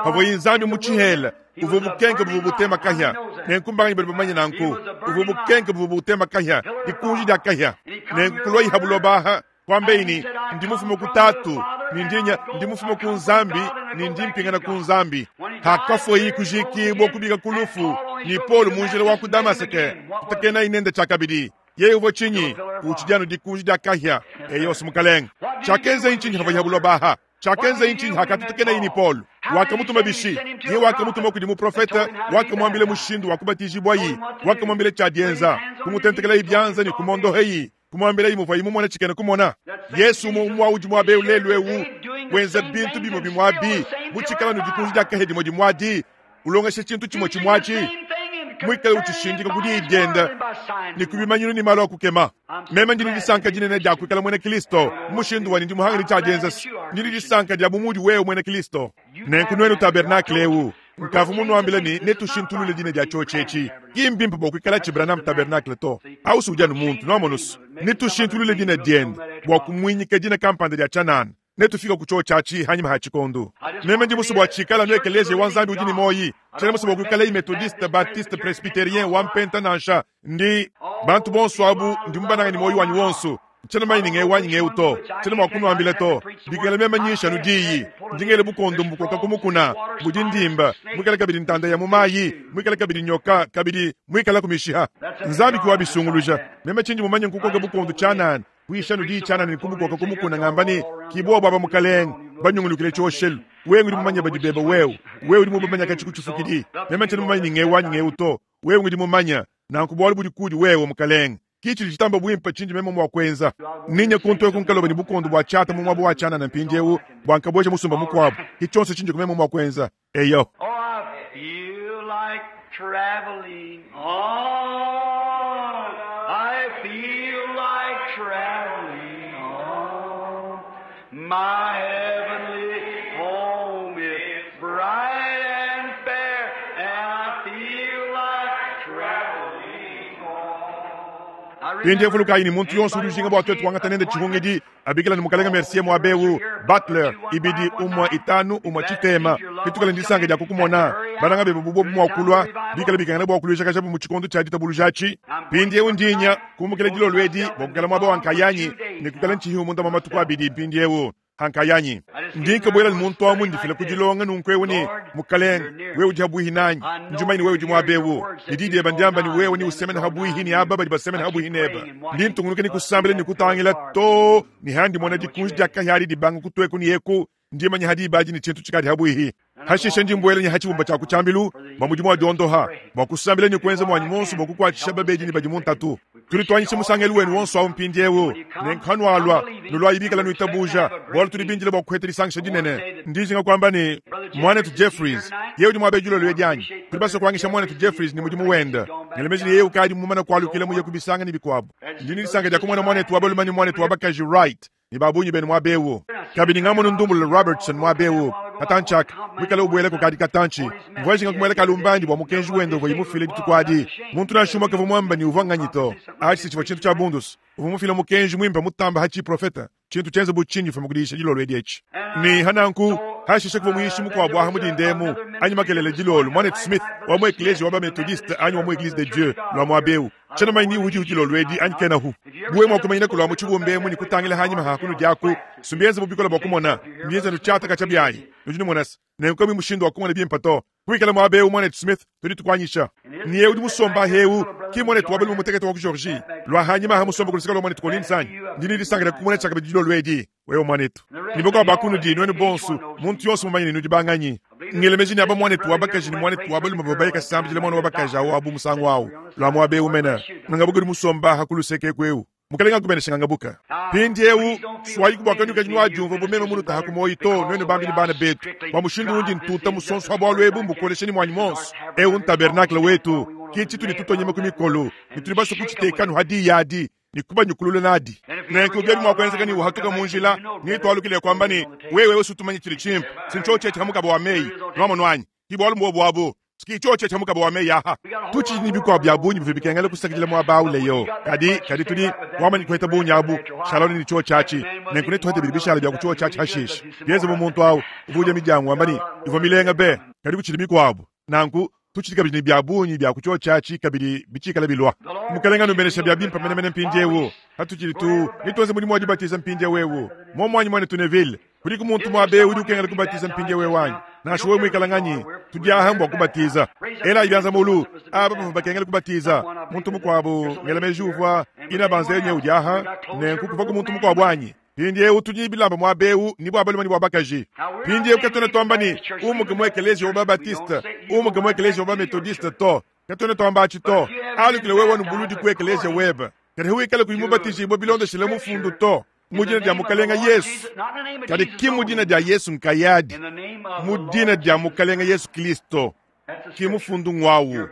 pavuaye Nzambi mu tshihela, uvua bukenke buvua butema kahia. Nenku mbanganyi badi bamanye nanku? Uvua bukenke buvua butema kahia, dikunji dia kahia. Nenku kuluayi ha buloba aha, kuambeyi ne, Ndi mufume ku Tatu ne ndi nya, ndi mufume ku Nzambi ne ndi mpingana ku Nzambi. Hakafueyi kujikibua kubika ku lufu, ne Paulo mu njila wa ku Damaseke, kutakenayi nende tshiakabidi. Yeye uvua tshinyi? Utshidi anu dikunji dia kahia. Eyo, Mukalenge. Tshiakenzayi ntshinyi havuaye ha buloba aha? Tshiakenzayi ntshinyi hakatutakenayi ne Paulo? Wakamutuma bishi? Yeye wakamutuma kudi muprofete, wakamuambila mushindu wa kubatijibuayi, wakamuambila tshia dienza, kumutentekelayi bianza ne kumondoheyi, kumuambilayi muvuaye mumone tshikena kumona. Yesu umue umue udi muaba eu lelu eu, wenza bintu bimue bimue abi, mutshikala ne dikunji dia kahia dimue dimue adi, ulongesha tshintu tshimue tshimue atshi, muikale utshishindika ku diyi diende ne ku bimanyinu ne malu a kukema. Meme ndi ne disanka dinene dia kuikala muena Kristo mu mushindu wanyi ndi muhangile tshia dienza. Ndi ne disanka dia bu mudi wewe muena Kristo. Nenku nuenu tabernakle eu, nkavua munuambile ne netushintulule dina dia tshiotshi etshi. Ki mbimpe bua kuikalatshi Branham Tabernacle to. Au si udi anu muntu, nuamonusu. Netushintulule dina diende bua kumuinyika dina kampanda dia tshianana. Netufike ku tshiotshi atshi hanyima ha tshikondo. Meme ndi musue bua tshikale anu ekeleziya wa Nzambi udi ne muoyi. Tshiena musue bua kuikalayi Methodiste, Baptiste, Presbyterien, wa Mpenta nansha. Ndi bantu bonso abu ndi mubanange ne muoyi wanyi wonso. Ntshiena mumanye ne ngewu anyi ngewu to. Tshiena mua kunuambila to. Bikala meme nyisha anu diyi, ndi ngela bukondo mbukoka ku mukuna, budi ndimba, muikale kabidi ntanda ya mu mayi, muikale kabidi nyoka, kabidi muikalaku mishiha. Nzambi ki wabisunguluja. Meme tshindi mumanye nkukoka bukondo tshianana, kuyisha anu diyi tshianana ne kubukoka ku mukuna ngamba ne, Ki bobu aba Mukalenge, banyungulukile tshioshelu. Wewe ngudi mumanye badi beba wewe. Wewe udi mubamanye katshi ku tshifukidi. Meme ntshiena mumanye ne ngewu anyi ngewu to. Wewe ngudi mumanye. Nanku bualu budi kudi wewe, Mukalenge. Ki tshidi tshitamba buimpe tshindi meme mua kuenza. Ninye kuntu eku nkaloba ne bukondo bua tshiata mu muaba wa tshianana mpindiewu, bua nkabueja musumba mukuabu. Ki tshionso tshindi meme mua kuenza. Eyo. Oh, I feel like traveling on. I feel like traveling on. My heavenly home is bright and fair, and I feel like traveling on. I Mpindieu vulukayi ne muntu yonso udi ujinga bua tuetu kuangata nende tshihungidi abikila ne Mukalenge Mercier muaba eu, Butler, 2 1 5 1 tshitema. Bitukale ne disanka dia kukumona. Bananga bebe bu bobu mua kulua, bikale bikengela bua kuluishakajabu mu tshikondo tshia ditabuluja atshi. Mpindieu ndi nya kumukila dilolo edi bua kuikala muaba wa nkayanyi ne kuikala ntshihiu munda mua matuku abidi mpindieu ha nkayanyi. Ndi nkabuela ne muntu amu ndifila ku dilonga nunku eu ne, Mukalenge, wewe udi habuihi nanyi. Ndi mumanye ne wewe udi muaba eu. Ne di diebe ndiamba ne wewe neusemene habuihi ne aba badi basemena habuihi nebe. Ndi ntungunuka ne kusambila ne kutangila too ne handi mona dikunji dia kahia adi dibanga kutueku ne eku. Ndi manya ha diba adi ne tshintu tshikadi habuihi. Hashishe ndi mbuela ne ha tshibumba tshia ku tshiambilu bua mudimu wa diondoha, bua kusambila ne kuenza muanyi muonso bua kukuatshisha babedi ne badi mu ntatu. Tudi tuanyisha musangelu wenu wonso awu mpindieu, ne nkanualua nuluayi bikala nuitabuja, bualu tudi bindile bua kuheta disangisha dinene. Ndi njinga kuamba ne, muanetu Jeffries, yeye udi muaba dilolo edi anyi? Tudi basue kuangisha muanetu Jeffries ne mudimu wende. Ngela meji ne yeye ukadi mumane kualukila muye ku bisanga ne bikuabu. Ndi ne disanka dia kumona muanetu wa balume ne muanetu wa bakaji Wright ne ba bungi benu muaba eu. Kabidi ngamonu ndumbulula Robertson muaba eu katantshi aka, muikale ubuela kukadi katantshi. Mvua njinga kumuela kalumbandi bua mukenji wende uvuaye mufile dituku adi. Muntu nansha umue kavua muambe ne uvua nganyi to. Atshi si tshivua tshintu tshia bundusu. Uvua mufile mukenji muimpe mutambe ha tshiprofete, tshintu tshienze bu tshinyi mfume ku diyisha dilolo edi etshi. Ne ha nanku, hashishe kuvua muyishi mukuabu aha mu dinda emu, anyi makelela dilolo, muanetu Smith wa mu ekleziya wa ba-Methodiste anyi wa mu Eglise de Dieu lua muaba eu. Tshiena mumanye ni udi dilolo edi anyi kenahu. Bu wewe mua kumanyina kulua mu tshibumba emu ne kutangila hanyima ha kunudi aku, si mbienze bu bikole bua kumona, mbienze anu tshiata katshia biayi. Nudi numona se, nenku kamuyi mushindu wa kumona bimpe to. Kuikala muaba eu, muanetu Smith, tudi tukuanyisha. Ne eu udi musomba aha eu, ki muanetu wa balume mutekete wa ku Georgie, lua hanyima aha musomba ku luseke lua muanetu Collins anyi? Ndi ne disanka dia kukumona tshiakabidi dilolo edi, wewe muanetu. Ne bakuabu ba kunudi, nuenu bonso, muntu yonso mumanye ne nudi banganyi. Ngela meji ne aba muanetu wa bakaji ne muanetu wa balume bavua baye kasambidila muana wa bakaji awu abu musangu awu, lua muaba eu mene. Ngangabuka udi musomba aha ku luseke eku eu. Mukalenge akubeneshe ngangabuka. Mpindiewu, suayiku bua kanuikadi nuadiumvua bu meme munutaha ku muoyi to, nuenu bambi ne bana betu, bua mushindu undi ntuta musonso ha bualu ebu mbukolesha ne muanyi muonso. Eu ntabernakle wetu, ki tshitudi tutua nyima ku mikolo, ne tudi basue kutshiteka anu ha diyi adi ne kubanyukulula nadi. Nenku biobi mua kuenzeka ne uhatuka mu njila, netualukile kuamba ne, Wewe usu tumanye tshidi tshimpe, si ntshiotshi etshi ha mukaba wa meyi. Nuamonu anyi? Ki bualu mbuobu abu. Ki tshiotshi tshia mukaba wa meyi aha. Tutshidi ne bikuabu bia bungi bivua bikengela kusakidila muaba au leyo. Kadi, kadi tudi wamanya kuheta bungi abu, shala ne tshiotshi atshi. Nenku netuhete bidi bishala bia ku tshiotshi atshi hashishe. Bienze bu muntu au uvua udia midiangu wamba ne, ivua milenga be, kadi kutshidi mikuabu. Nanku, tutshidi kabidi ne bia bungi bia ku tshiotshi atshi kabidi bitshikala bilua. Mukelenge anubenesha bia bimpe menemene mpindiewu. Patutshidi tu, netuenze mudimu wa dibatiza mpindiewu ewu. Muomu muanetu Neville, kudiku muntu muaba ewu udi ukengela kubatiza mpindiewu ewu anyi? Nansha wewe muikala nganyi, tudi aha mbua kubatiza. Elayi bianza mulu, aba bavua bakengela kubatiza. Muntu mukuabu, ngela meji uvua ina banzenye udi aha, nenku kuvuaku muntu mukuabu anyi? Mpindiewu tudi ne bilamba muaba ewu, ne bua balume ne bua bakaji. Mpindiewu katuena tuamba ne, umuke mu ekeleziya wa ba-Baptiste, umuke mu ekeleziya wa ba-Methodiste to. Katuena tuamba atshi to. Alukile wewe nubuludi ku ekeleziya webe. Kadi wikale kuyi mubatijibue bilondeshile mufundu to, mu dina dia Mukalenge Yesu. Kadi ki mu dina dia Yesu nkayadi, mu dina dia Mukalenge Yesu Kristo. Ki mufundu ngwawu.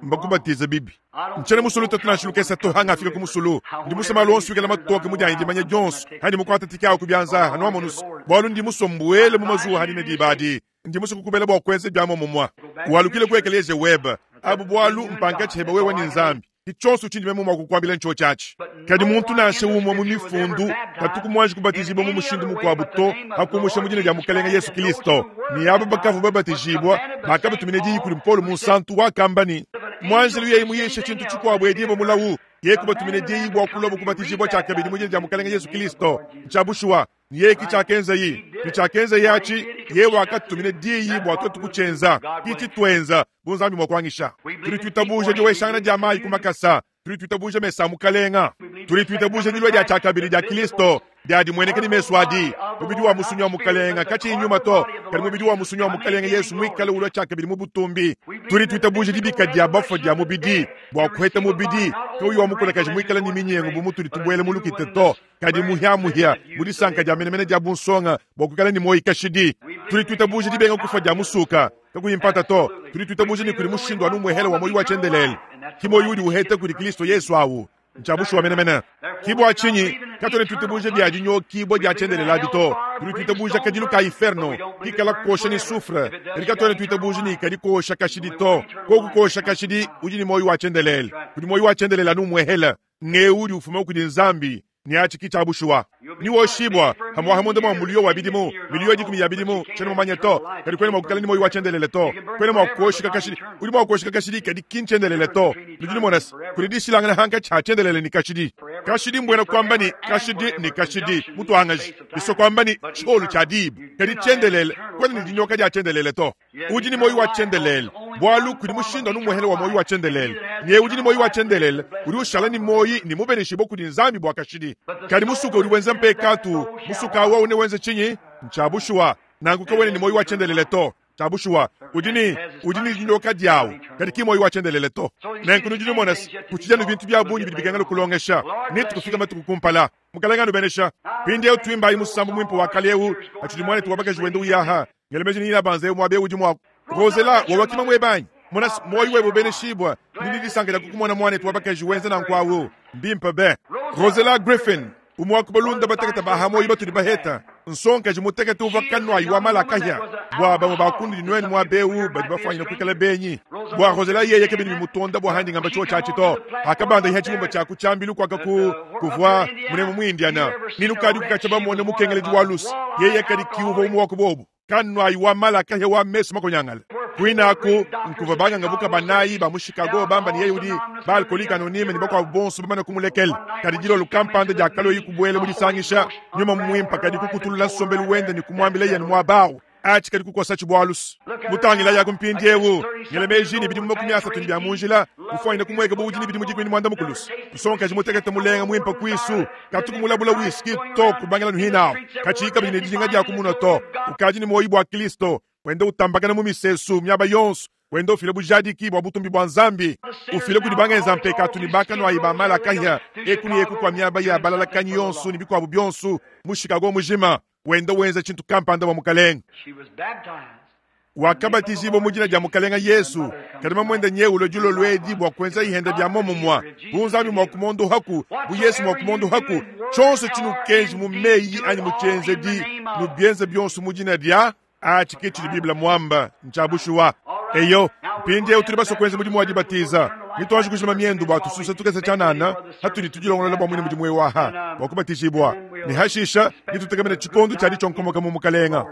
Mbakubatiza bibi. Ntshiena musulu tatu nansha lukese to hangafika ku musulu. Ndi musue malu onso ikala matoke mu dianyi dimanya dionso handi mukuata tike awu ku bianza hanuamonusu, bualu ndi musue mbuele mu mazuwa hanine diba adi. Ndi musue kukubela bua kuenza bia muomumue. Walukile ku ekeleziya webe. Abu bualu mpankatshi hebe wewe ne Nzambi. Ki tshionso tshindi meme mua kukuambila ntshiotshi atshi. Kadi muntu nansha umue mu mifundu katuku muanji kubatijibua mu mushindu mukuabu to, pa kumusha mu dina dia Mukalenge Yesu Kristo. Ne aba bakavua babatijibua bakabatumina diyi kudi Paulo Munsantu, wakamba ne, Muanjelu yeye muyishe tshintu tshikuabu edibue mulawu. Yeye kubatumina diyi bua kuluabu kubatijibua tshiakabidi mu dina dia Mukalenge Yesu Kristo. Ntshia bushuwa. Ne yeye ki tshiakenzaye. Ne tshiakenzaye atshi, yeye wakatutumina diyi bua tuetu kutshienza. Ki tshituenza, bu Nzambi mua kuanyisha. Tudi tuitabuja dioweshangana dia mayi ku makasa. Tudi tuitabuja mesa a Mukalenga. Tudi tuitabuja dilua dia tshiakabidi dia Kilisto, dia dimueneka ne mesu adi, mubidi wa musunyi wa Mukalenga, katshiyi nyuma to, kadi mubidi wa musunyi wa Mukalenga Yesu muikale ulua tshiakabidi mu butumbi. Tudi tuitabuja dibika dia bafue dia mubidi, bua kuheta mubidi kauyi wa mukulakaje muikale ne minyengu bu mutudi tubuela mu lukita to, kadi muhia-muhia mu disanka dia menemene dia bunsonga bua kuikala ne muoyo kashidi. Tudi tuitabuja dibenga kufua dia musuka, kakuyi mpata to. Tudi tuitabuja ne kudi mushindu anu umuehele wa muoyo wa tshiendelele, ki muoyo udi uheta kudi Kristo Yesu awu. Ntshia bushuwa menemene. Ki bua tshinyi katuena tuitabuja bia dinyokibua dia tshiendelele adi to. Tudi tuitabuja kadilu ka inferno kikala kosha ne soufre, kadi katuena tuitabuja ne kadi kosha kashidi to. Koku kosha kashidi, udi ne muoyo wa tshiendelele. Kudi muoyo wa tshiendelele anu umuehele. Ng'eu udi ufuma kudi Nzambi, ne atshi ki tshia bushuwa. Ne woshibua pamu'apa munda mua muliyo wa bidimu, miliyo dikumi ya bidimu, tshiena mumanye to, kadi kuena mua kuikala ne muoyo wa tshiendelele to. Kuena mua kuoshika kashidi. Udi mua kuoshika kashidi, kadi ki ntshiendelele to. Nudi numona se, kudi dishilangana hankatshi ha tshiendelele ne kashidi. Kashidi mbuena kuamba ne, kashidi ne kashidi, mutuangaji, bisua kuamba ne, tshiolu tshia diba. Kadi tshiendelele, kuena ne dinyoka dia tshiendelele to. Udi ne muoyo wa tshiendelele, bualu kudi mushindu anu umuehele wa muoyo wa tshiendelele. Ne udi ne muoyo wa tshiendelele udi ushala ne muoyo ne mubeneshibue kudi Nzambi bua kashidi. Kadi musuka udi wenza mpekatu, musuka au newenze tshinyi? Ntshia bushuwa, nanku kawena ne muoyo wa tshiendelele to. Tshia bushuwa, udi ne udi ne dinyoka diawu, kadi ki muoyo wa tshiendelele to. Nenku nudi numona se, kutshidi anu bintu bia bungi bidi bikengela kulongesha, ne tukufika matuku kumpala. Mukalenge anubenesha. Mpindieu tuimbayi musambu muimpe wa kale eu, patshidi muanetu wa bakaji wenda uyaha. Ngela meji ne inabanza eu muaba eu udi mua Rosela, wawakima muebe anyi? Mona se, muoyo webe ubeneshibua. Ndi ne disanka dia kukumona muanetu wa bakaji wenza nanku au. Mbimpe be. Rosela Griffin, umue wa ku balunda batekete ba ha muoyo batudi baheta, nsongakaji mutekete uvua kanuayi wa mala a kahia. Bua bamue ba kunudi nuenu muaba eu badi bafuanyine kuikala benyi, bua Rosela yeye kabidi bimutonda bua handi ngamba tshiotshi atshi to. Hakabanda iha tshibumba tshia ku tshiambilu kuaka ku kuvua munemu mu Indiana, ni nukadi kukatshia bamone mukengeledi wa luse, yeye kadi ki uvua umue wa ku bobu. Kanuayi wa mala kahia wa mesu makonyangale. Kuine aku nkuvua banganga buka banayi ba mu Chicago bamba ne yeye udi ba Alcoolique Anonyme ne bakuabu bonso bamane kumulekela. Kadi dilolo kampanda diakaluaye kubuela mu disangisha, nyuma muimpe kadi kukutulula nsombelu wende ne kumuambila yeye muaba au. Atshi kadi kukosatshi bualu. Mutangilayi aku mpindieu, ngela meji ne bidimu 30 ne bia mu njila, mufuanyine kumueka bu udi ne bidimu 18. Nsongakaji mutekete mulenga muimpe kuisu, katuku mulabula whisky to kubangila nuhinawu, katshiyi kabidi ne dijinga dia kumunua to. Ukadi ne muoyo bua Kristo, wenda utambakana mu misesu miaba yonso, wenda ufila bujadiki bua butumbi bua Nzambi, ufila kudi bangenza mpekatu ne bakanuayi ba mala kahia, eku ne eku kua miaba ya balalakanyi yonso ne bikuabu bionso mu Chicago mujima, wenda wenza tshintu kampanda bua Mukalenge. Wakabatijibua mu dina dia Mukalenge Yesu, kadi mamuende nyeulue dilolo edi bua kuenza ihenda bia momumua, bu Nzambi mua kumondohaku, bu Yesu mua kumondohaku, tshionso tshinukenji mu meyi anyi mu tshienzedi, nubienze bionso mu dina dia. Atshi ke tshidi Bible muamba, ntshia bushuwa. Eyo, mpindieu tudi basue kuenza mudimu wa dibatiza. Nituanji kujima miendu bua tususa tukese tshianana hatudi tudilongolola bua muine mudimu eu aha bua kubatijibua, ne hashisha nitutekemena tshikondo tshia ditshionkomoka mu Mukalenga.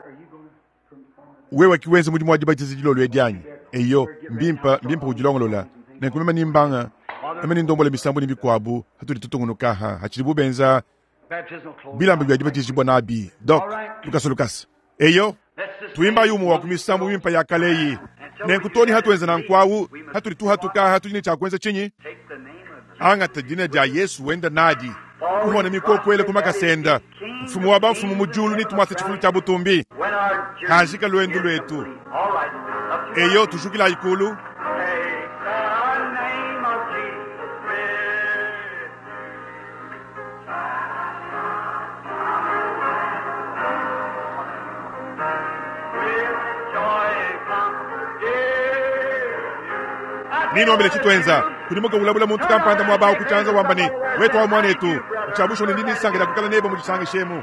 Wewe ki wenza mudimu wa dibatiza dilolo edi anyi? Eyo, mbimpe, mbimpe udilongolola. Nenku meme ni mbanga, meme ni ndombola misambu ne bikuabu hatudi tutungunuka aha hatshidibu benza bilamba bia dibatijibua nabi. Dok, lukasa lukasa. Eyo, tuimbayi umue wa ku misambu mimpe ya kale eyi. Nenku too ne hatuenza nanku awu, hatudi tuhatuka aha, tudi ne tshia kuenza tshinyi? Angata dina dia Yesu wenda nadi, kuhona mikoko ele ku makasa enda. Mfumu wa bamfumu mu diulu netumuase tshifulu tshia butumbi. Hajika luendu luetu. Eyo, tujukilayi kulu. Nenuambile tshituenza. Kudimuka ulabula muntu kampanda muaba au ku tshianza wamba ne, Wetu wa muanetu, ntshiabushuwa ne ndi ne disanka dia kuikala nebe mu disangisha emu.